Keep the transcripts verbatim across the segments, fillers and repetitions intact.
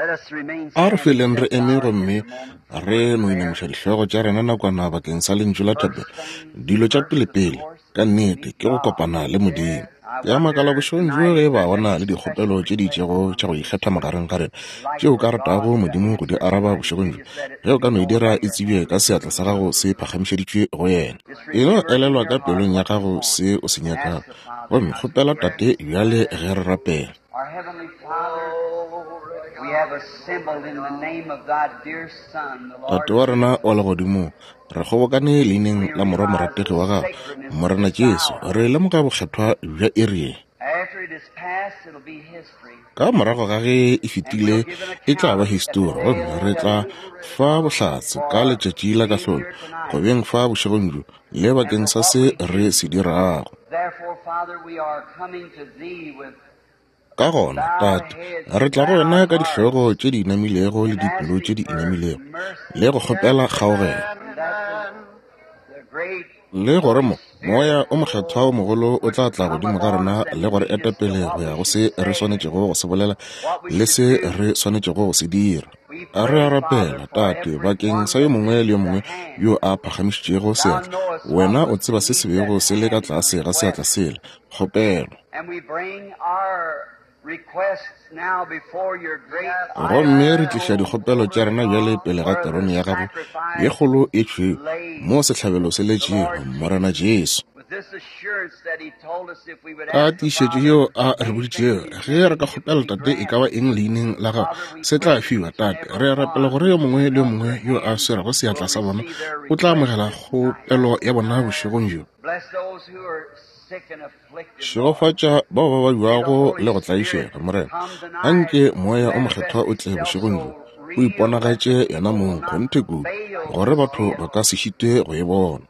A re feleng re eme gomme re no inamiša dihlogo tša rena nakwana bakeng sa lentšu la thapelo. Dilo tša pelepele, ka nnete, ke go kopana le Modimo. Ke a makala bošegong bjo ge ba bona le dikgopelo tše di itšego tša go ikgetha magareng ga rena tšeo ka ratago Modimo go di araba bošegong bjo. Ge o ka no e dira e tsebje ka seatla sa gago se phagamišeditšwe go yena. E no elelwa ka pelong ya gago se o se nyakago, gomme kgopela Tate bjale ge re rapela. Tate wa rena wa legodimong, re kgobokane leineng la Morwa morategi wa gago, Morena Jesu. Re lemoga bokgethwa bja iri ye. Ka morago ga ge e fetile e tla ba histori, gomme re tla fa bohlatse ka letšatši la kahlolo go beng fa bošegong bjo le bakeng sa se re se dirago. Ka gona, Tate, re tla go wena ka dihlogo tše di inamilego le dipelo tše di inamilego, le go kgopela kgaogelo, le gore mo Moya o Mokgethwa o mogolo o tla tla godimo ga rena le go re eta pele go ya go se re swanetšego go se bolela le se re swanetšego go se dira. A re a rapela, Tate, bakeng sa yo mongwe le yo mongwe yo a phagamišitšego seatla. Wena o tseba se se bego se le ka tlase ga seatla sela, kgopelo. Gomme re tliša dikgopelo tša rena bjale pele ga terone ya gago ye kgolo e tšhweu, mo sehlabelo se letšego, Morena Jesu. Ka tiišetšo yeo a re boditšego, ge re ka kgopela Tate e ka ba eng leineng la gago, se tla fiwa. Tate, re rapela gore yo mongwe le yo mongwe yo a swerego seatla sa bona o tla amogela kgopelo ya bona bošegong bjo. Šegofatša bao ba babjago le go tlaišega, Morena. Anke Moya o Mokgethwa o tle bošegong bjo, o iponagatše yena mong kgonthe kudu, gore batho ba ka se šite go e bona.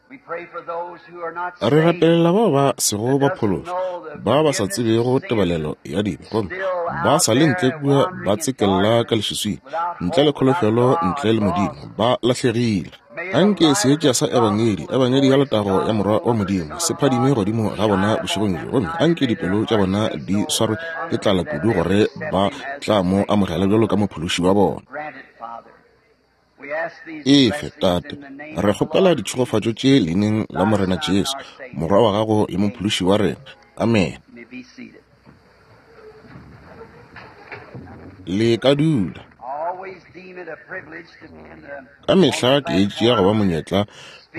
Re rapelela bao ba sego ba phološwa, ba ba sa tsebego tebalelo ya dibe, gomme ba sa le ntle kua ba tsekella ka leswiswing, ntle le kholofelo, ntle le Modimo, ba lahlegile. Anke seetša sa Ebangedi, Ebangedi ya letago ya Morwa wa Modimo, se phadime godimo ga bona bošegong bjo, gomme anke dipelo tša bona di swarwe ke tlala kudu gore ba tla mo amogela bjalo ka mophološi wa bona. Efe, Tate, re kgopela ditšhegofatšo tše leineng la Morena Jesu, Morwa wa gago le mophološi wa rena. Amen. Le ka dula. Ka mehla ke e tšea go ba monyetla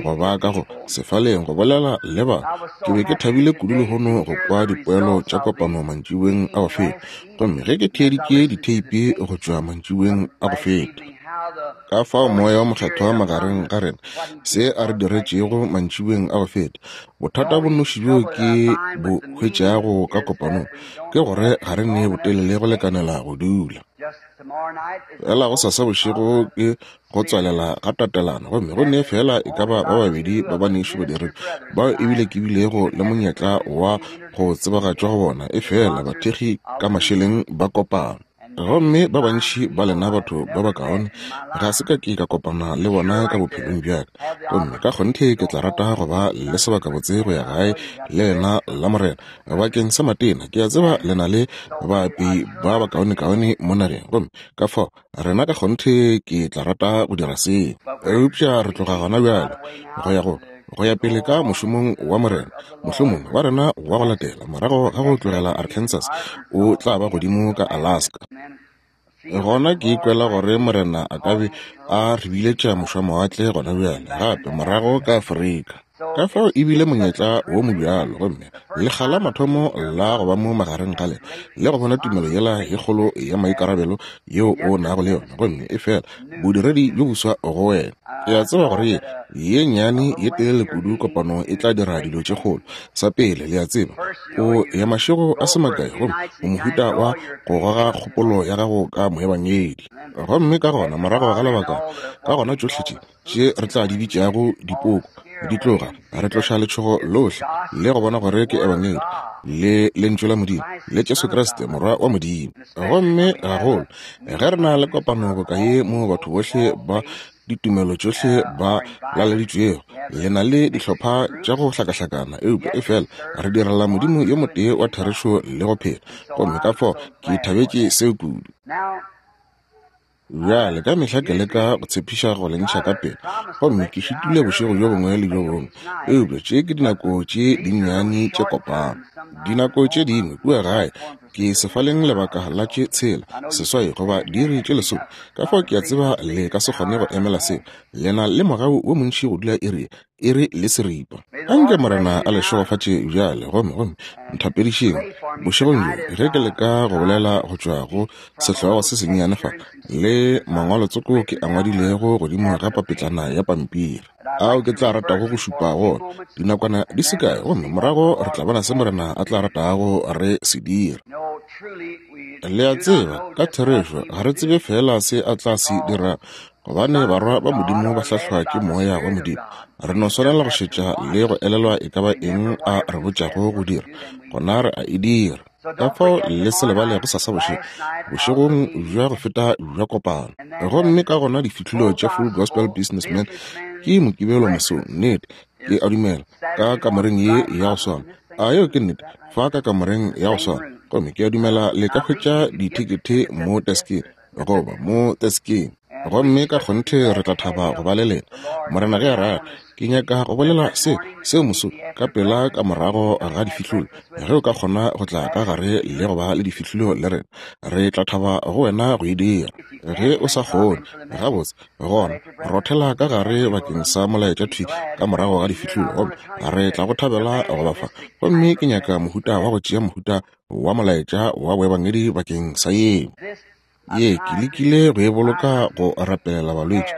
go ba ka go sefaleng go bolela le ba. Ke be ke thabile kudu lehono go kwa dipoelo tša kopano mantšiboeng a go feta, gomme ge ke theeditše ditheipi go tšwa mantšiboeng a go feta, ka fao Moya wa Mokgethwa magareng ga rena se a re diretšego mantšiboeng a go feta. Bothata bo nnoši bjo ke bo hwetšago ka kopanong ke gore ga re ne botelele go lekanela go dula. Fela go sasa bošego ke go tswalela ga tatelano, gomme go ne fela e ka ba ba babedi ba banešu badiredi bao ebile ke bilego le monyetla wa go tsebagatšwa go bona, e fela bathekgi ka mašeleng ba kopano. Gomme ba bantši ba lena batho ba bakaone ga se ka ke ka kopana le bona ka bophelong bja ka, gomme ka kgonthe ke tla rata go ba le sebakabotse go ya gae le lena la Morena bakeng sa matena. Ke a tseba le na le baapei ba bakaonekaone mo nageng, gomme ka fao rena ka kgonthe ke tla rata go dira seo. Eupša re tloga gona bjale go ya go go ya pele ka mošomong wa Morena. Mohlomongwe wa rena wa go latela morago ga go tlogela Arkansas o tla ba godimo ka Alaska. Gona ke ikwela gore Morena a ka be a re biletša mošwamawatle gona bjale gape morago ka Afrika. Ka fao e bile monyetla wo mobjalo, gomme lekga la mathomo la go ba mo magareng ga lena le go bona tumelo yela ye kgolo ya maikarabelo yeo o nago le yona, gomme e fela bodiredi bjo boswa go wena. Ke a tseba gore ye ye nnyane ye telele kudu kopano e tla dira dilo tše kgolo. Sa pele, le a tseba, o ya mašego a se makae gomme o mohuta wa go goga kgopolo ya gago ka moebangedi, gomme ka gona morago ga lebaka, ka gona tšohle tše tše re tla di bitšago dipoko di tloga, re tloša letšhogo lohle le go bona gore ke Ebangedi le lentšu la Modimo le Jesu Kriste Morwa wa Modimo. Gomme gagolo ge re na le kopano boka ye mo batho bohle ba ditumelo tšohle ba laleditšwego, le na le dihlopha tša go hlakahlakana, eupša e fela re direla Modimo yo motee wa therešo le go phela. Gomme ka fao ke thabetše seo kudu. Bjale ka mehla ke leka go tshepiša go le ntšha ka pele, gomme ke šitile bošego bjo bongwe le bjo bongwe. Eupša tše ke dinako tše dinnyane tše kopano. Dinako tše dingwe kua gae ke sefaleng lebaka la tše tshela, seswai goba diiri tše lesome. Ka fao ke a tseba le ka se kgone go emela seo. Le na le mogau wo montši go dula iri, iri le seripa. Anke Morena a le šegofatše bjale, gomme gomme nthapedišeng bošegong bjo ge ke leka go bolela go tšwa go sehlogo se sennyane fa le mangwalotsoko ke a ngwadilego godimo ga papetlana ya pampiri, ao ke tla ratago go šupa go ona dinakwana di se kae, gomme morago re tla bona se Morena a tla ratago re se dira. Le a tseba, ka therešo ga re tsebe fela se a tla se dirago, gobane barwa ba Modimo ba hlahlwa ke moya wa Modimo. Re no swanela go šetša le go elelwa e ka ba eng a re botšago go dira, gona re a e dira. Ka fao le se lebale go sasa bošego, bošegong bja go feta bja kopano. Gomme ka gona difihlolo tša Full Gospel Businessman ke Mokibelo mosong, nnete, ke a dumela, ka kamoreng ye ya go swana. A yeo ke nnete, fa ka kamoreng ya go swana. Gomme ke a dumela le ka hwetša dithekethe mo deskeng, goba mo deskeng. Gomme ka kgonthe re tla thaba go ba le lena. Morena ge a rata, ke nyaka go bolela se seo moso ka pela ka morago ga difihlolo. Ge o ka kgona go tla ka gare le go ba le difihlolo le rena, re tla thaba go wena go e dira. Ge o sa kgone, gabotse, gona rothela ka gare bakeng sa molaetša thwi ka morago ga difihlolo, gomme re tla go thabela go ba fa. Gomme ke nyaka mohuta wa go tšea mohuta wa molaetša wa boebangedi bakeng sa yeo. Ye ke lekile go e boloka go rapelela balwetši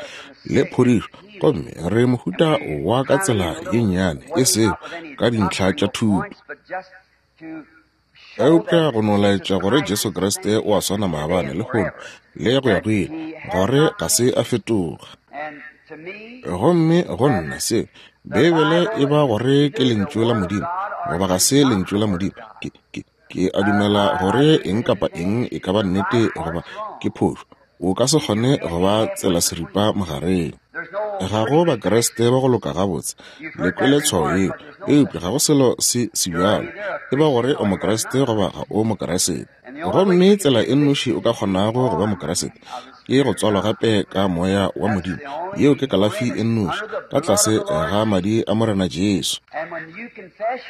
le phodišo, gomme re mohuta wa ka tsela ye nnyane, e sego ka dintlha tša thuto, eupša go no laetša gore Jesu Kriste o a swana maabane, lehono le go ya go ile, gore ga se a fetoga. Gomme go nna se Beibele e ba gore ke lentšu la Modimo goba ga se lentšu la Modimo, ke ke ke a dumela gore eng kapa eng e ka ba nnete goba ke phošo. O ka se kgone go ba tsela seripa magareng. Ga go Bakriste ba go loka gabotse, le kwele tshwao yeo, eupša ga go selo se se bjalo. E ba gore o Mokriste goba ga o Mokriste. Gomme tsela e nnoši o ka kgonago go ba Mokriste ke go tswalwa gape ka moya wa Modimo. Yeo ke kalafi e nnoši, ka tlase ga madi a Morena Jesu.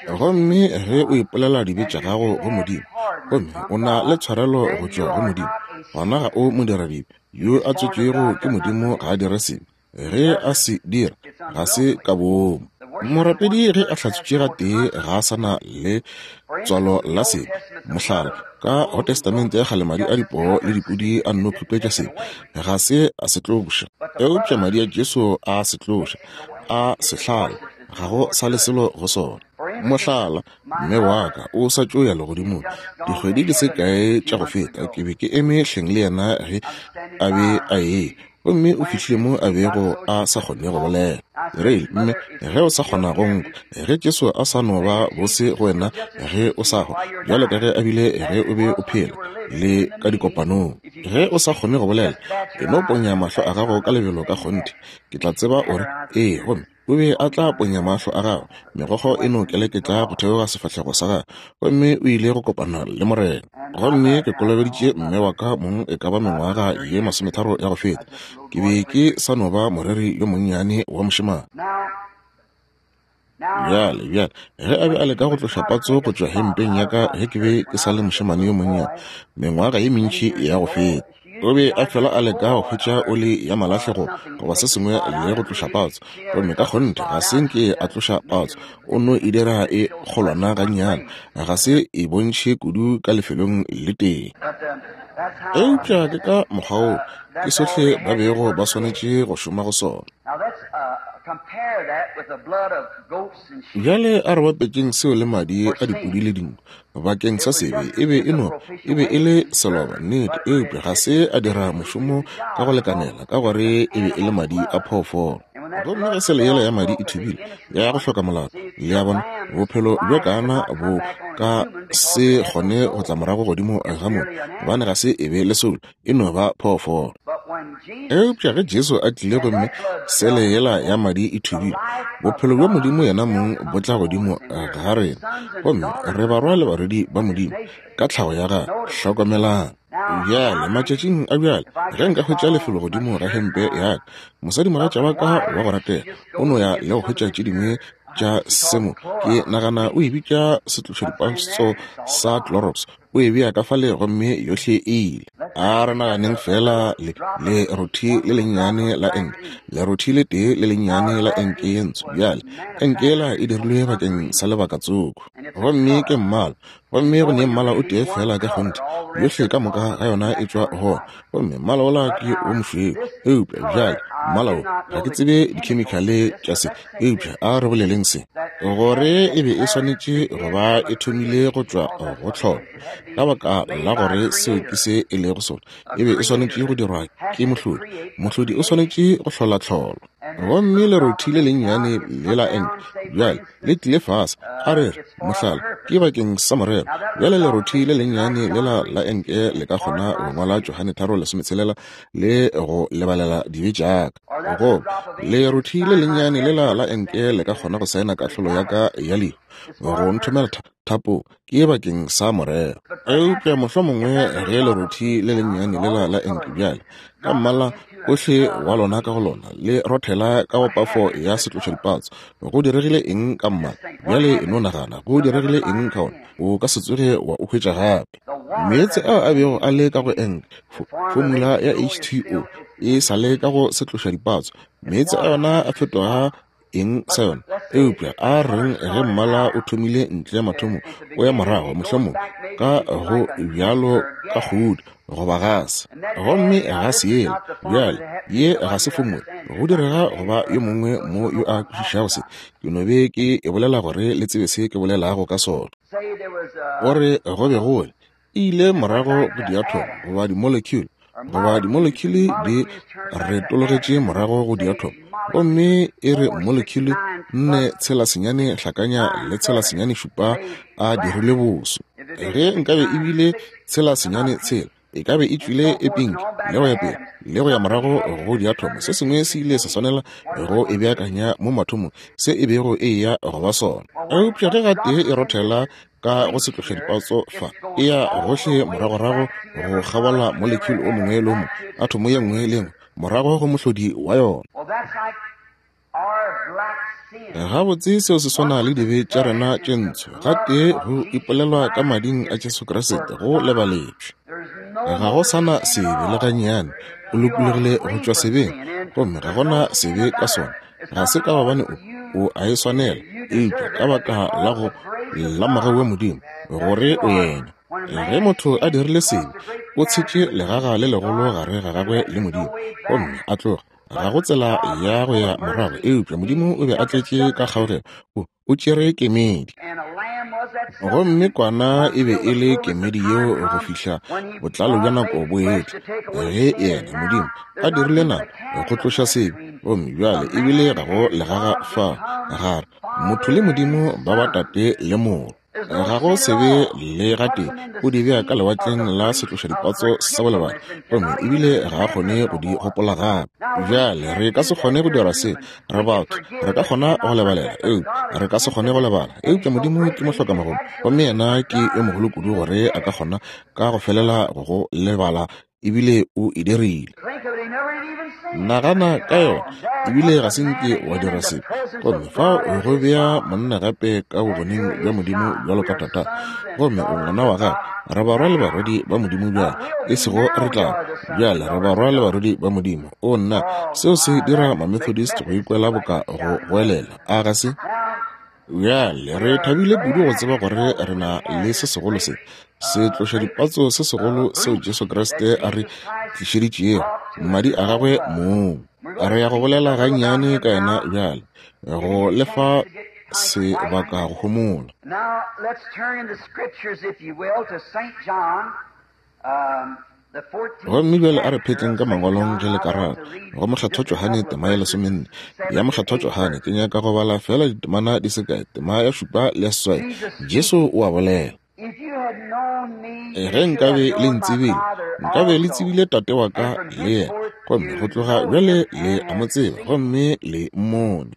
Gomme ge o ipolela dibe tša gago go Modimo, gomme o na le tshwarelo go tšwa go Modimo, gona ga o modiradibe. Yo a tswetšwego ke Modimo ga a dire sebe. Ge a se dira, ga se ka boomo. Morapedi ge a hlatswitše gatee ga a sa na le tswalo la sebe. Mohlala, ka go Testamente ya kgale madi a dipoo le dipudi a nno khupetša sebe, ga se a se tloša. Eupša madi a Jesu a se tloša, a se hlala, ga go sa le selo go sona. Mohlala, mme wa ka o sa tšo ya legodimong dikgwedi di se kae tša go feta, ke be ke eme hleng le yena ge a be a e, gomme o fihlile mo a bego a sa kgone go bolela. Re, mme ge o sa kgona go nkwa, ge Jesu a sa no ba bose go wena ge o sa hwa, bjalo ka ge a bile ge o be o phela le ka dikopanong, ge o sa kgone go bolela, e no ponya mahlo a gago ka lebelo ka kgonthe, ke tla tseba o re ee. Gomme o be a tla ponya mahlo a gagwe, megokgo e no keleketla go theoga sefahlego sa gagwe, gomme o ile go kopana le Morena. Gomme ke kolobeditše mme wa ka mong e ka ba mengwaga ye masometharo ya go feta. Ke be ke sa no ba moreri yo monnyane wa mošemane. Bjale, bjale, ge a be a leka go tloša patso go tšwa hempeng ya ka ge ke be ke sa le mošemane yo monnyane, mengwaga ye mentši ya go feta, o be a fela a leka go hwetša oli ya malahlego goba se sengwe le go tloša patso, gomme ka kgonthe ga se nke a tloša patso, o no e dira e kgolwana gannyane, ga se e bontšhe kudu ka lefelong le tee. Eupša ke ka mokgwa woo ke sohle ba bego ba swanetše go šoma go sona. Bjale a re bapetšeng seo le madi a dipudi le dinku bakeng sa sebe. E be e no e be e le seloba, nnete, eupša ga se a dira mošomo ka go lekanela, ka gore e be e le madi a phoofolo. Gomme ge sele yela ya madi e thubile ya go hloka molato, le a bona, bophelo bjo kana bo ka se kgone go tla morago godimo ga moo, gobane ga se e be le soulo, e no ba phoofolo. Eupša ge Jesu a tlile gomme sele yela ya madi e thubile, bophelo bja Modimo yena mong bo tla godimo ga rena, gomme re barwa le barwedi ba Modimo ka tlhago ya gagwe. Hlokomelang. Bjale, matšatšing a bjale, ge nka hwetša lefelo godimo ga hempe ya ka, mosadimogatša wa ka wa go ratega o no ya le go hwetša tše dingwe tša semo, ke nagana o e bitša setlošadipatso sa Clorox, o e bea ka fale gomme yohle e ile. A re naganeng fela le lerothi le lennyane la enke, lerothi le tee le lennyane la enke ye ntsho. Bjale, enke yela e dirilwe bakeng sa lebaka tsoko, gomme ke mmala, gomme go ne mmala o tee fela ka kgonthe, yohle ka moka ga yona e tšwa gona, gomme mmala ola ke wo mošweu. Eupša bjale mmala wo, ga ke tsebe dikhemikhale tša se, eupša a re boleleng se, gore e be e swanetše go ba e thomile go tšwa go tlholo, ka baka la gore seo ke se e lego sona, e be e swanetše go dirwa ke mohlodi. Mohlodi o swanetše go hlola tlholo. Gomme lerothi le lennyane le la enke bjale le tlile fase, a re re mohlala ke bakeng sa morero. Bjale lerothi le lennyane lela la enke le ka kgona go ngwala Johane tharo lesometshelela le go lebalela dibe tša ka, goba lerothi le lennyane lela la enke le ka kgona go saena kahlolo ya ka ya lehu, go nthomela thapo, ke bakeng sa morero. Eupša mohlomongwe ge lerothi le lennyane lela la enke bjale ka mmala ohle wa lona ka go lona le rothela ka go pafo ya setlošadipatso, go diregile eng ka mmala? Bjale e no nagana, go diregile eng ka ona? O ka se tsoge wa o hwetša gape. Meetse ao a bego a le ka go enke, fomula ya H two O e sa le ka go setlošadipatso, meetse a yona a fetoga eng sa yona? Eupša a reng ge mmala o thomile ntle mathomo o ya morago, mohlomong ka go bjalo ka kgodi goba gase, gomme gase yela bjale ye ga se fomula, go direga goba yo mongwe mo yo a kwešišago se, ke no be ke e bolela gore le tsebe se ke bolelago ka sona. Gore go be go le e ile morago go diathomo goba di-molecule, goba di-molecule di retologetše morago go diathomo, gomme e re molecule nne tshela senyane hlakanya le tshela senyane šupa a dirile boso. Ge nkabe e bile tshela senyane tshela, e ka be e tšwile e pink le go ya pele le go ya morago go diathomo. Se sengwe se ile sa swanela go e beakanya mo mathomong se e bego e ya go ba sona. Eupša ge gatee e rothela ka go setlošadipatso fa, e ya gohle moragorago go kgabola molecule o mongwe le o mongwe, athomo ye nngwe le nngwe, morago go mohlodi wa yona. Gabotse seo se swana le dibe tša rena tše ntsho, gatee go ipolelwa ka mading a Jesu Kriste go lebaletšwe. Ga go sana sebe le gannyane, o lokologile go tšwa sebeng, gomme ga gona sebe ka sona. Ga se ka gobane o o a e swanela, eupša ka baka la go la mogau wa Modimo gore o yena. Ge motho a dirile sebe, o tshetše legaga le legolo gare ga gagwe le Modimo, gomme a tloga. Ga go tsela ya go ya morago, eupša Modimo o be a tletše ka kgaogelo, o o tšere kemedi. Gomme kwana e be e le kemedi yeo go fihla botlalo bja nako bo etla, ge yena Modimo a dirile nako go tloša sebe, gomme bjale ebile ga go legaga fa gare motho le Modimo ba ba tate le morwa. Ga go sebe le gatee, o di bea ka lewatleng la setlošadipatso sa bolebale, gomme ebile ga a kgone go di gopola gape. Bjale re ka se kgone go dira se, re batho, re ka kgona go lebalela, eupša re ka se kgone go lebala. Eupša Modimo ke mohlokamagolo, gomme yena ke yo mogolo kudu gore a ka kgona ka go felela go go lebala, ebile o e dirile. Nagana ka yona, ebile ga se nke wa dira sebe. Gomme fa go bea monna gape ka bogoneng bja Modimo bjalo ka tata, gomme o ngwana wa gagwe. Re barwa le barwedi ba Modimo bjale, e sego re tla bjale, re barwa le barwedi ba Modimo. O nna, seo se dira ma-Methodist go ikwela boka go goelela, a ga se? Bjale re thabile kudu go tseba gore re na le se segolo se, setlošadipatso se segolo seo Jesu Kriste a re tlišeditšego, madi a gagwe mong. Re ya go bolela gannyane ka yena bjale, go lefa sebaka go homola. Gomme bjale a re phetleng ka mangwalong ge le ka rata, go Mokgethwa Johane tema ya lesomenne ya Mokgethwa Johane. Ke nyaka go bala fela ditemana di se kae, tema ya šupa le ya seswai. Jesu o a bolela: Ge nkabe le ntsebile, nkabe le tsebile tate wa ka le yena, gomme go tloga bjale le a mo tseba, gomme le mmone.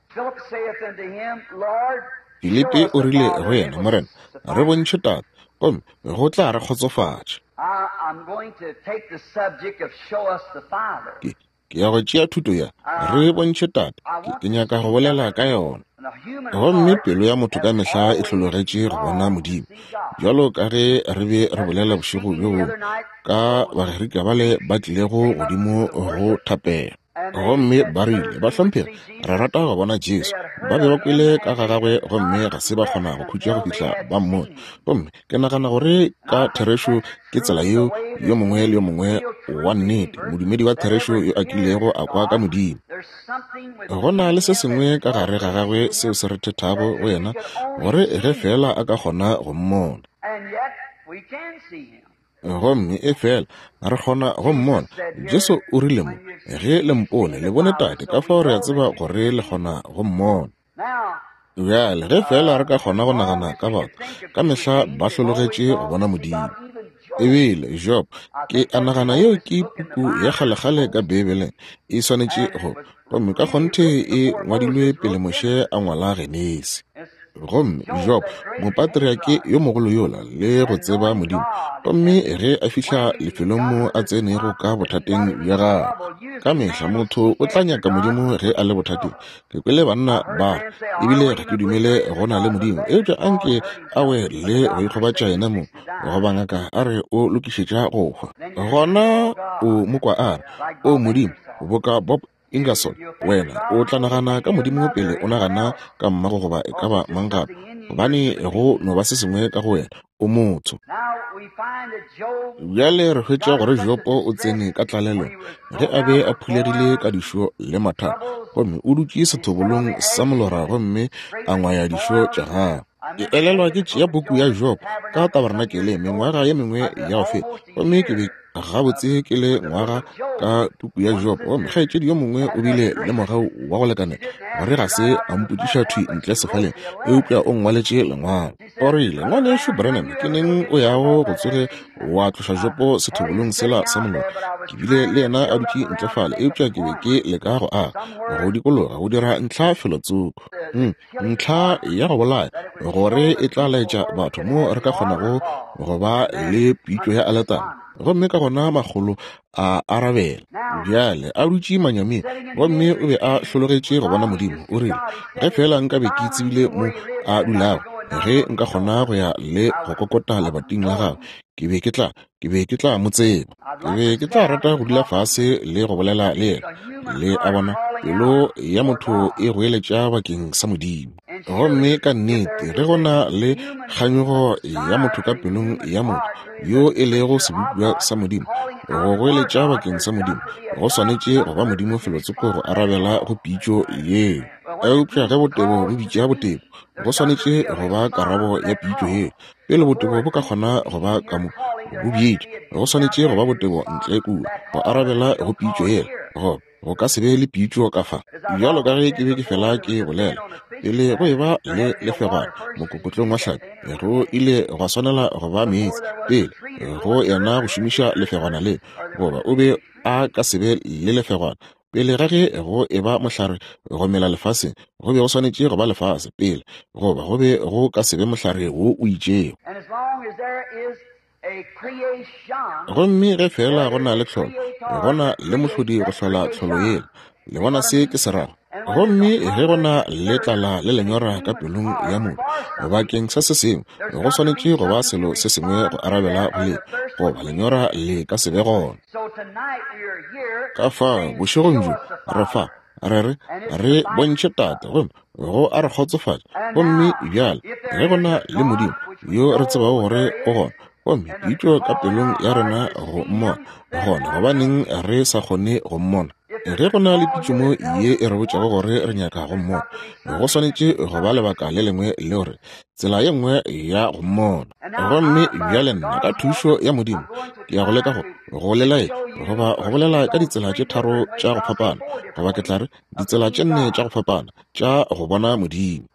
Filipi o rile go yena, Morena, re bontšhe tate, gomme go tla re kgotsofatša. Ke, ke ya go tšea thuto ya re bontšhe Tate. Ke, ke nyaka go bolela ka yona. Gomme pelo ya motho ka mehla e hlologetše go bona Modimo, bjalo ka ge re be re bolela bošego bjo bongwe ka Bagerika bale ba tlilego godimo go thapela. Gomme ba rile, Bahlomphegi, re rata go bona Jesu. Ba be ba kwele ka ga gagwe gomme ga se ba kgona go khutša go fihla ba mmone. Gomme ke nagana gore ka therešo ke tsela yeo yo mongwe le yo mongwe wa nnete, modumedi wa therešo yo a kilego a kwa ka Modimo. Go na le se sengwe ka gare ga gagwe seo se re thethago go yena, gore ge fela a ka kgona go mmona. Gomme e fela re kgona go mmona. Jesu o rile mo, ge le mpone le bone Tate, ka fao re a tseba gore le kgona go mmona. Bjale ge fela re ka kgona go nagana ka batho, ka mehla ba hlologetše go bona Modimo. Ebile Job, ke a nagana yeo ke puku ya kgalekgale ka Beibeleng, e swanetše go, gomme ka kgonthe e ngwadilwe pele Moshe a ngwala Genesi. Gomme Job, mopatriake yo mogolo yola, le go tseba Modimo, gomme ge a fihla lefelong mo a tsenego ka bothateng bja gagwe, ka mehla motho o tla nyaka Modimo ge a le bothateng. Ke kwele banna ba, ebile ga ke dumele go na le Modimo, eupša anke a we le go ikgobatša yena mo, goba ngaka a re o lokišetša go hwa. Gona o mo kwa a re, O Modimo, boka Bob Ingersoll, wena o tla nagana ka Modimo pele o nagana ka mmago goba e ka ba mang gape, gobane go no ba se sengwe ka go wena, o motho. Bjale re hwetša gore Jobo o tsene ka tlalelong ge a be a phulegile ka dišo le mathata, gomme o dutše sethobolong sa molora gomme a ngwaya dišo tša gagwe. Ke elelwa ke tšea puku ya Job ka tabernakeleng mengwaga ye mengwe ya go feta, gomme ke be gabotse ke le ngwaga ka puku ya Job, gomme kgaetšedi yo mongwe o bile le mogau wa go lekanela gore ga se a mpotšiša thwi ntle sefaleng, eupša o nngwaletše lengwalo. O rile, Ngwanešu Branham, ke neng o yago go tsoge wa tloša Jobo sethobolong sela sa molora? Ke bile le yena a dutše ntle fale, eupša ke be ke leka go aga go dikologa go dira ntlha felotsoko, mm, ntlha ya go bolaya, gore e tla laetša batho mo re ka kgonago go ba le pitšo ya aletara. Gomme ka gona makgolo a arabela. Bjale a dutše manyaming, gomme o be a hlologetše go bona Modimo. O rile, ge fela nka be ke tsebile mo a dulago, ge nka kgona go ya le go kokota lebating la gagwe, ke be ke tla, ke be ke tla mo tseba. Ke be ke tla rata go dula fase le go bolela le yena. Le a bona, pelo ya motho e goeletša bakeng sa Modimo. Gomme ka nnete ge go na le kganyogo ya motho ka pelong ya motho yo e lego sebopiwa sa Modimo, go goeletša bakeng sa Modimo, go swanetše go ba Modimo felotsoko go arabela go pitšo yeo. Eupša ge botebo bo bitša botebo, go swanetše go ba karabo ya pitšo yeo. Pele botebo bo ka kgona go ba ka mo bo bitša, go swanetše go ba botebo ntle kua go arabela go pitšo yeo. Go go ka se be le pitšo ka fa. Bjalo ka ge ke be ke fela ke bolela, pele go eba le lefegwana mokokotlong wa hlapi, go ile gwa swanela go ba meetse pele go yena go šomiša lefegwana le, goba o be a ka se be le lefegwana. Pele ga ge go eba mohlare go mela lefaseng, go be go swanetše go ba lefase pele, goba go be go ka se be mohlare wo o itšego. Gomme ge fela go na le tlholo, go na le mohlodi go hlola tlholo yela. Le bona se ke se rago? Gomme ge go na le tlala le lenyora ka pelong ya motho bakeng sa se sengwe, go swanetše go ba selo se sengwe go arabela go le, goba lenyora le ka se be gona. Ka fao bošegong bjo re fa, re re re bontšhe Tate, gomme go a re kgotsofatša. Gomme bjale ge go na le Modimo yo re tsebago gore o gona, gomme pitšo ka pelong ya rena go mmona, gona gobaneng re sa kgone go mmona? Ge go na le pitšo mo ye e re botšago gore re nyaka go mmona, go swanetše go ba lebaka le lengwe le gore tsela ye nngwe ya go mmona. Gomme bjale nna ka thušo ya Modimo ke ya go leka go go lelaetša goba go bolela ka ditsela tše tharo tša go fapana, goba ke tla re ditsela tše nne tša go fapana tša go bona Modimo.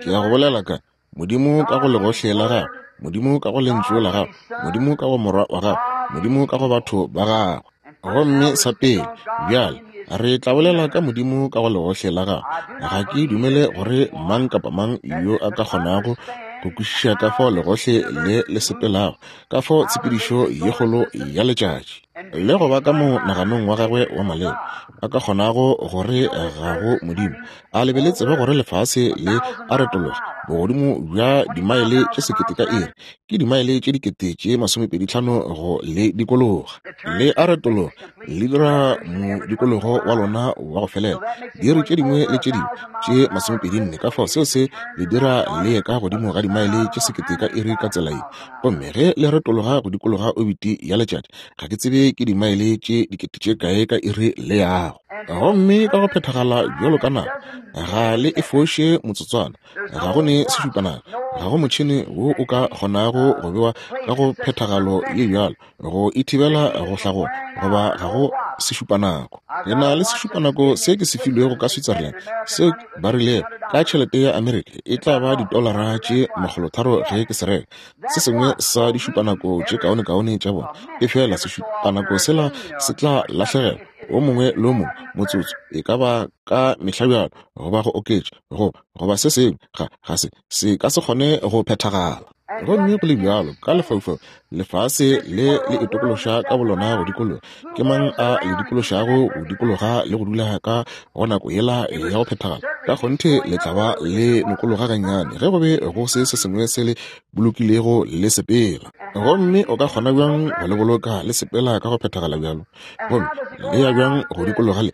Ke ya go bolela ka Modimo ka go legohle la gagwe, Modimo ka go lentšu la gagwe, Modimo ka go morwa wa gagwe, Modimo ka go batho ba gagwe. Gomme sa pele, bjale re tla bolela ka Modimo ka go legohle la gagwe. Ga ke dumele gore mang kapa mang yo a ka kgonago go kwešiša ka fao legohle le le sepelago, ka fao tshepedišo ye kgolo ya letšatši, le go ba ka monaganong wa gagwe wa maleba, a ka kgonago gore ga go Modimo. A le be le tsebe gore lefase le a retologa bogodimo bja dimaele tše sekete ka iri, ke dimaele tše dikete tše masomepedi tlhano go le dikologa. Le a retologa, le dira modikologo wa lona wa go felela diiri tše dingwe le tše dingwe tše masomepedi nne. Ka fao seo se le dira le ye ka godimo ga dimaele tše sekete ka iri ka tsela ye. Gomme ge le retologa go dikologa obiti ya letšatši, ga ke tsebe ke dimaele tše dikete tše kae ka iri le yago. Gomme ka go phethagala bjalo ka nako, ga le e foše motsotswana, ga go ne sešupanako, ga go motšhene wo o ka kgonago go bewa ka go phethagalo ye bjalo go e thibela go hlagola, goba ga go sešupanako. Ke na le sešupanako se ke se filwego ka Switzerland, seo ba rilego ka tšhelete ya Amerika e tla ba ditolara tše makgolotharo ge ke se reka. Se sengwe sa dišupanako tše kaonekaone tša bona, efela sešupanako sela se tla lahlegelwa o mongwe le o mongwe motsotso, e ka ba ka mehla bjalo, goba go oketša go goba se sengwe, ga ga se se ka se kgone go phethagala. Gomme go le bjalo ka lefaufau, lefase le le itokološa ka bolona go dikologa. Ke mang a le dikološago go dikologa le go dula ka go nako yela ya go phethagala? Ka kgonthe le tla ba le nokologa gannyane ge go be go se se sengwe se le bolokilego le sepela. Gomme o ka kgona bjang go le boloka le sepela ka go phethagala bjalo? Gomme le ya bjang go dikologa le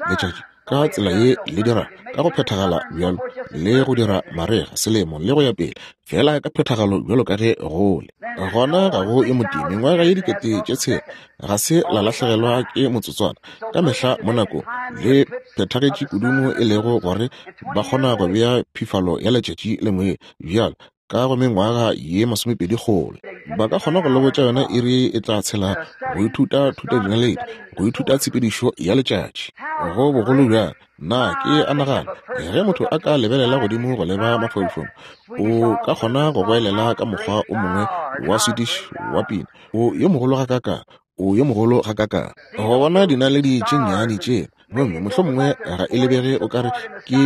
letšatši ka tsela ye le dira ka go phethagala bjalo, le go dira marega, selemo le go ya pele, fela ka phethagalo bjalo ka ge go le gona? Ga go e motee mengwaga ye dikete tše tshela ga se la lahlegelwa ke motsotswana. Ka mehla mo nakong le phethagetše kudu mo e lego gore ba kgona go bea phifalo ya letšatši le moye bjalo ka go mengwaga ye masomepedi kgole. Ba ka kgona go le botša yona iri e tla tshela go ithuta thutadinaledi, go ithuta tshepedišo ya letšatši go bogolo bjang. Na ke a nagana ge motho a ka lebelela godimo go leba mafaufaung, o ka kgona go goelela ka mokgwa o mongwe wa Swedish wa pina, o yo mogolo ga kaka, o yo mogolo ga kaka. Go bona dinaledi tše nnyane tše, gomme mohlomongwe ga e lebege o kare ke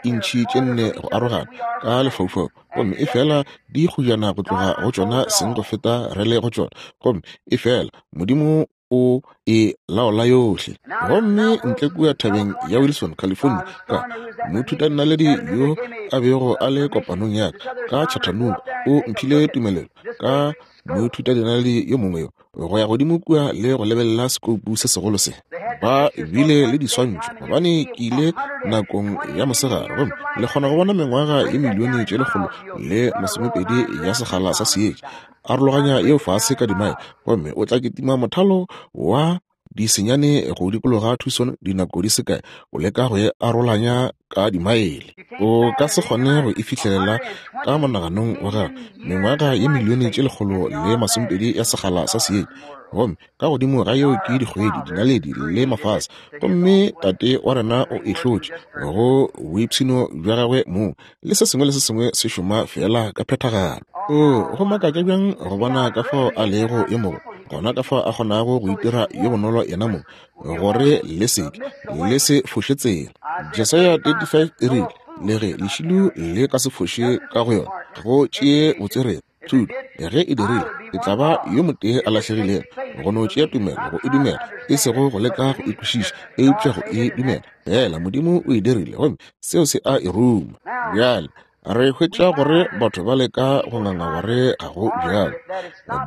diintšhi tše nne go arogana ka lefaufau, gomme e fela di kgojana go tloga go tšona seng go feta re le go tšona, gomme e fela Modimo o e laola yohle. Gomme ntle kua thabeng ya Wilson, California, ka moithutadinaledi yo a bego a le kopanong ya ka ka Chattanooga o mphile tumelelo ka moithutadinaledi yo mongwe yo go ya godimo kua le go lebelela sekoupu se segolo se. Ba bile le diswantšho gobane ke ile nakong ya mosegare, gomme le kgona go bona mengwaga ye milione tše lekgolo le masomepedi ya sekgala sa seetša. Arologanya yeo fase ka dimaele, gomme o tla kitima mothalo wa disenyane go dikologa Tucson dinako di se kae, o leka go e arolanya ka dimaele. O ka se kgone go e fihlelela ka monaganong wa gago mengwaga ye milione tše lekgolo le masomepedi ya sekgala sa seetša, gomme ka godimo ga yeo ke dikgwedi, dinaledi le mafase. Gomme tate wa rena o e hlotše go boipshino bja gagwe mong, le se sengwe le se sengwe se šoma fela ka phethagalo. O go makatša bjang go bona ka fao a lego yo mogolo, gona ka fao a kgonago go itira yo bonolo yena mong, gore le seke le se foše tsela. Jesaya thirty-five e rile, le ge lešilo le ka se foše ka go yona, go tšee botswerere thuto ge e dirile, e tla ba yo motee a lahlegilego. Go no tšea tumelo go e dumela, e sego go leka go e kwešiša, eupša go e dumela fela. Modimo o e dirile, gomme seo se a e ruma. Bjale re hwetša gore batho ba leka go nganga gore ga go bjalo,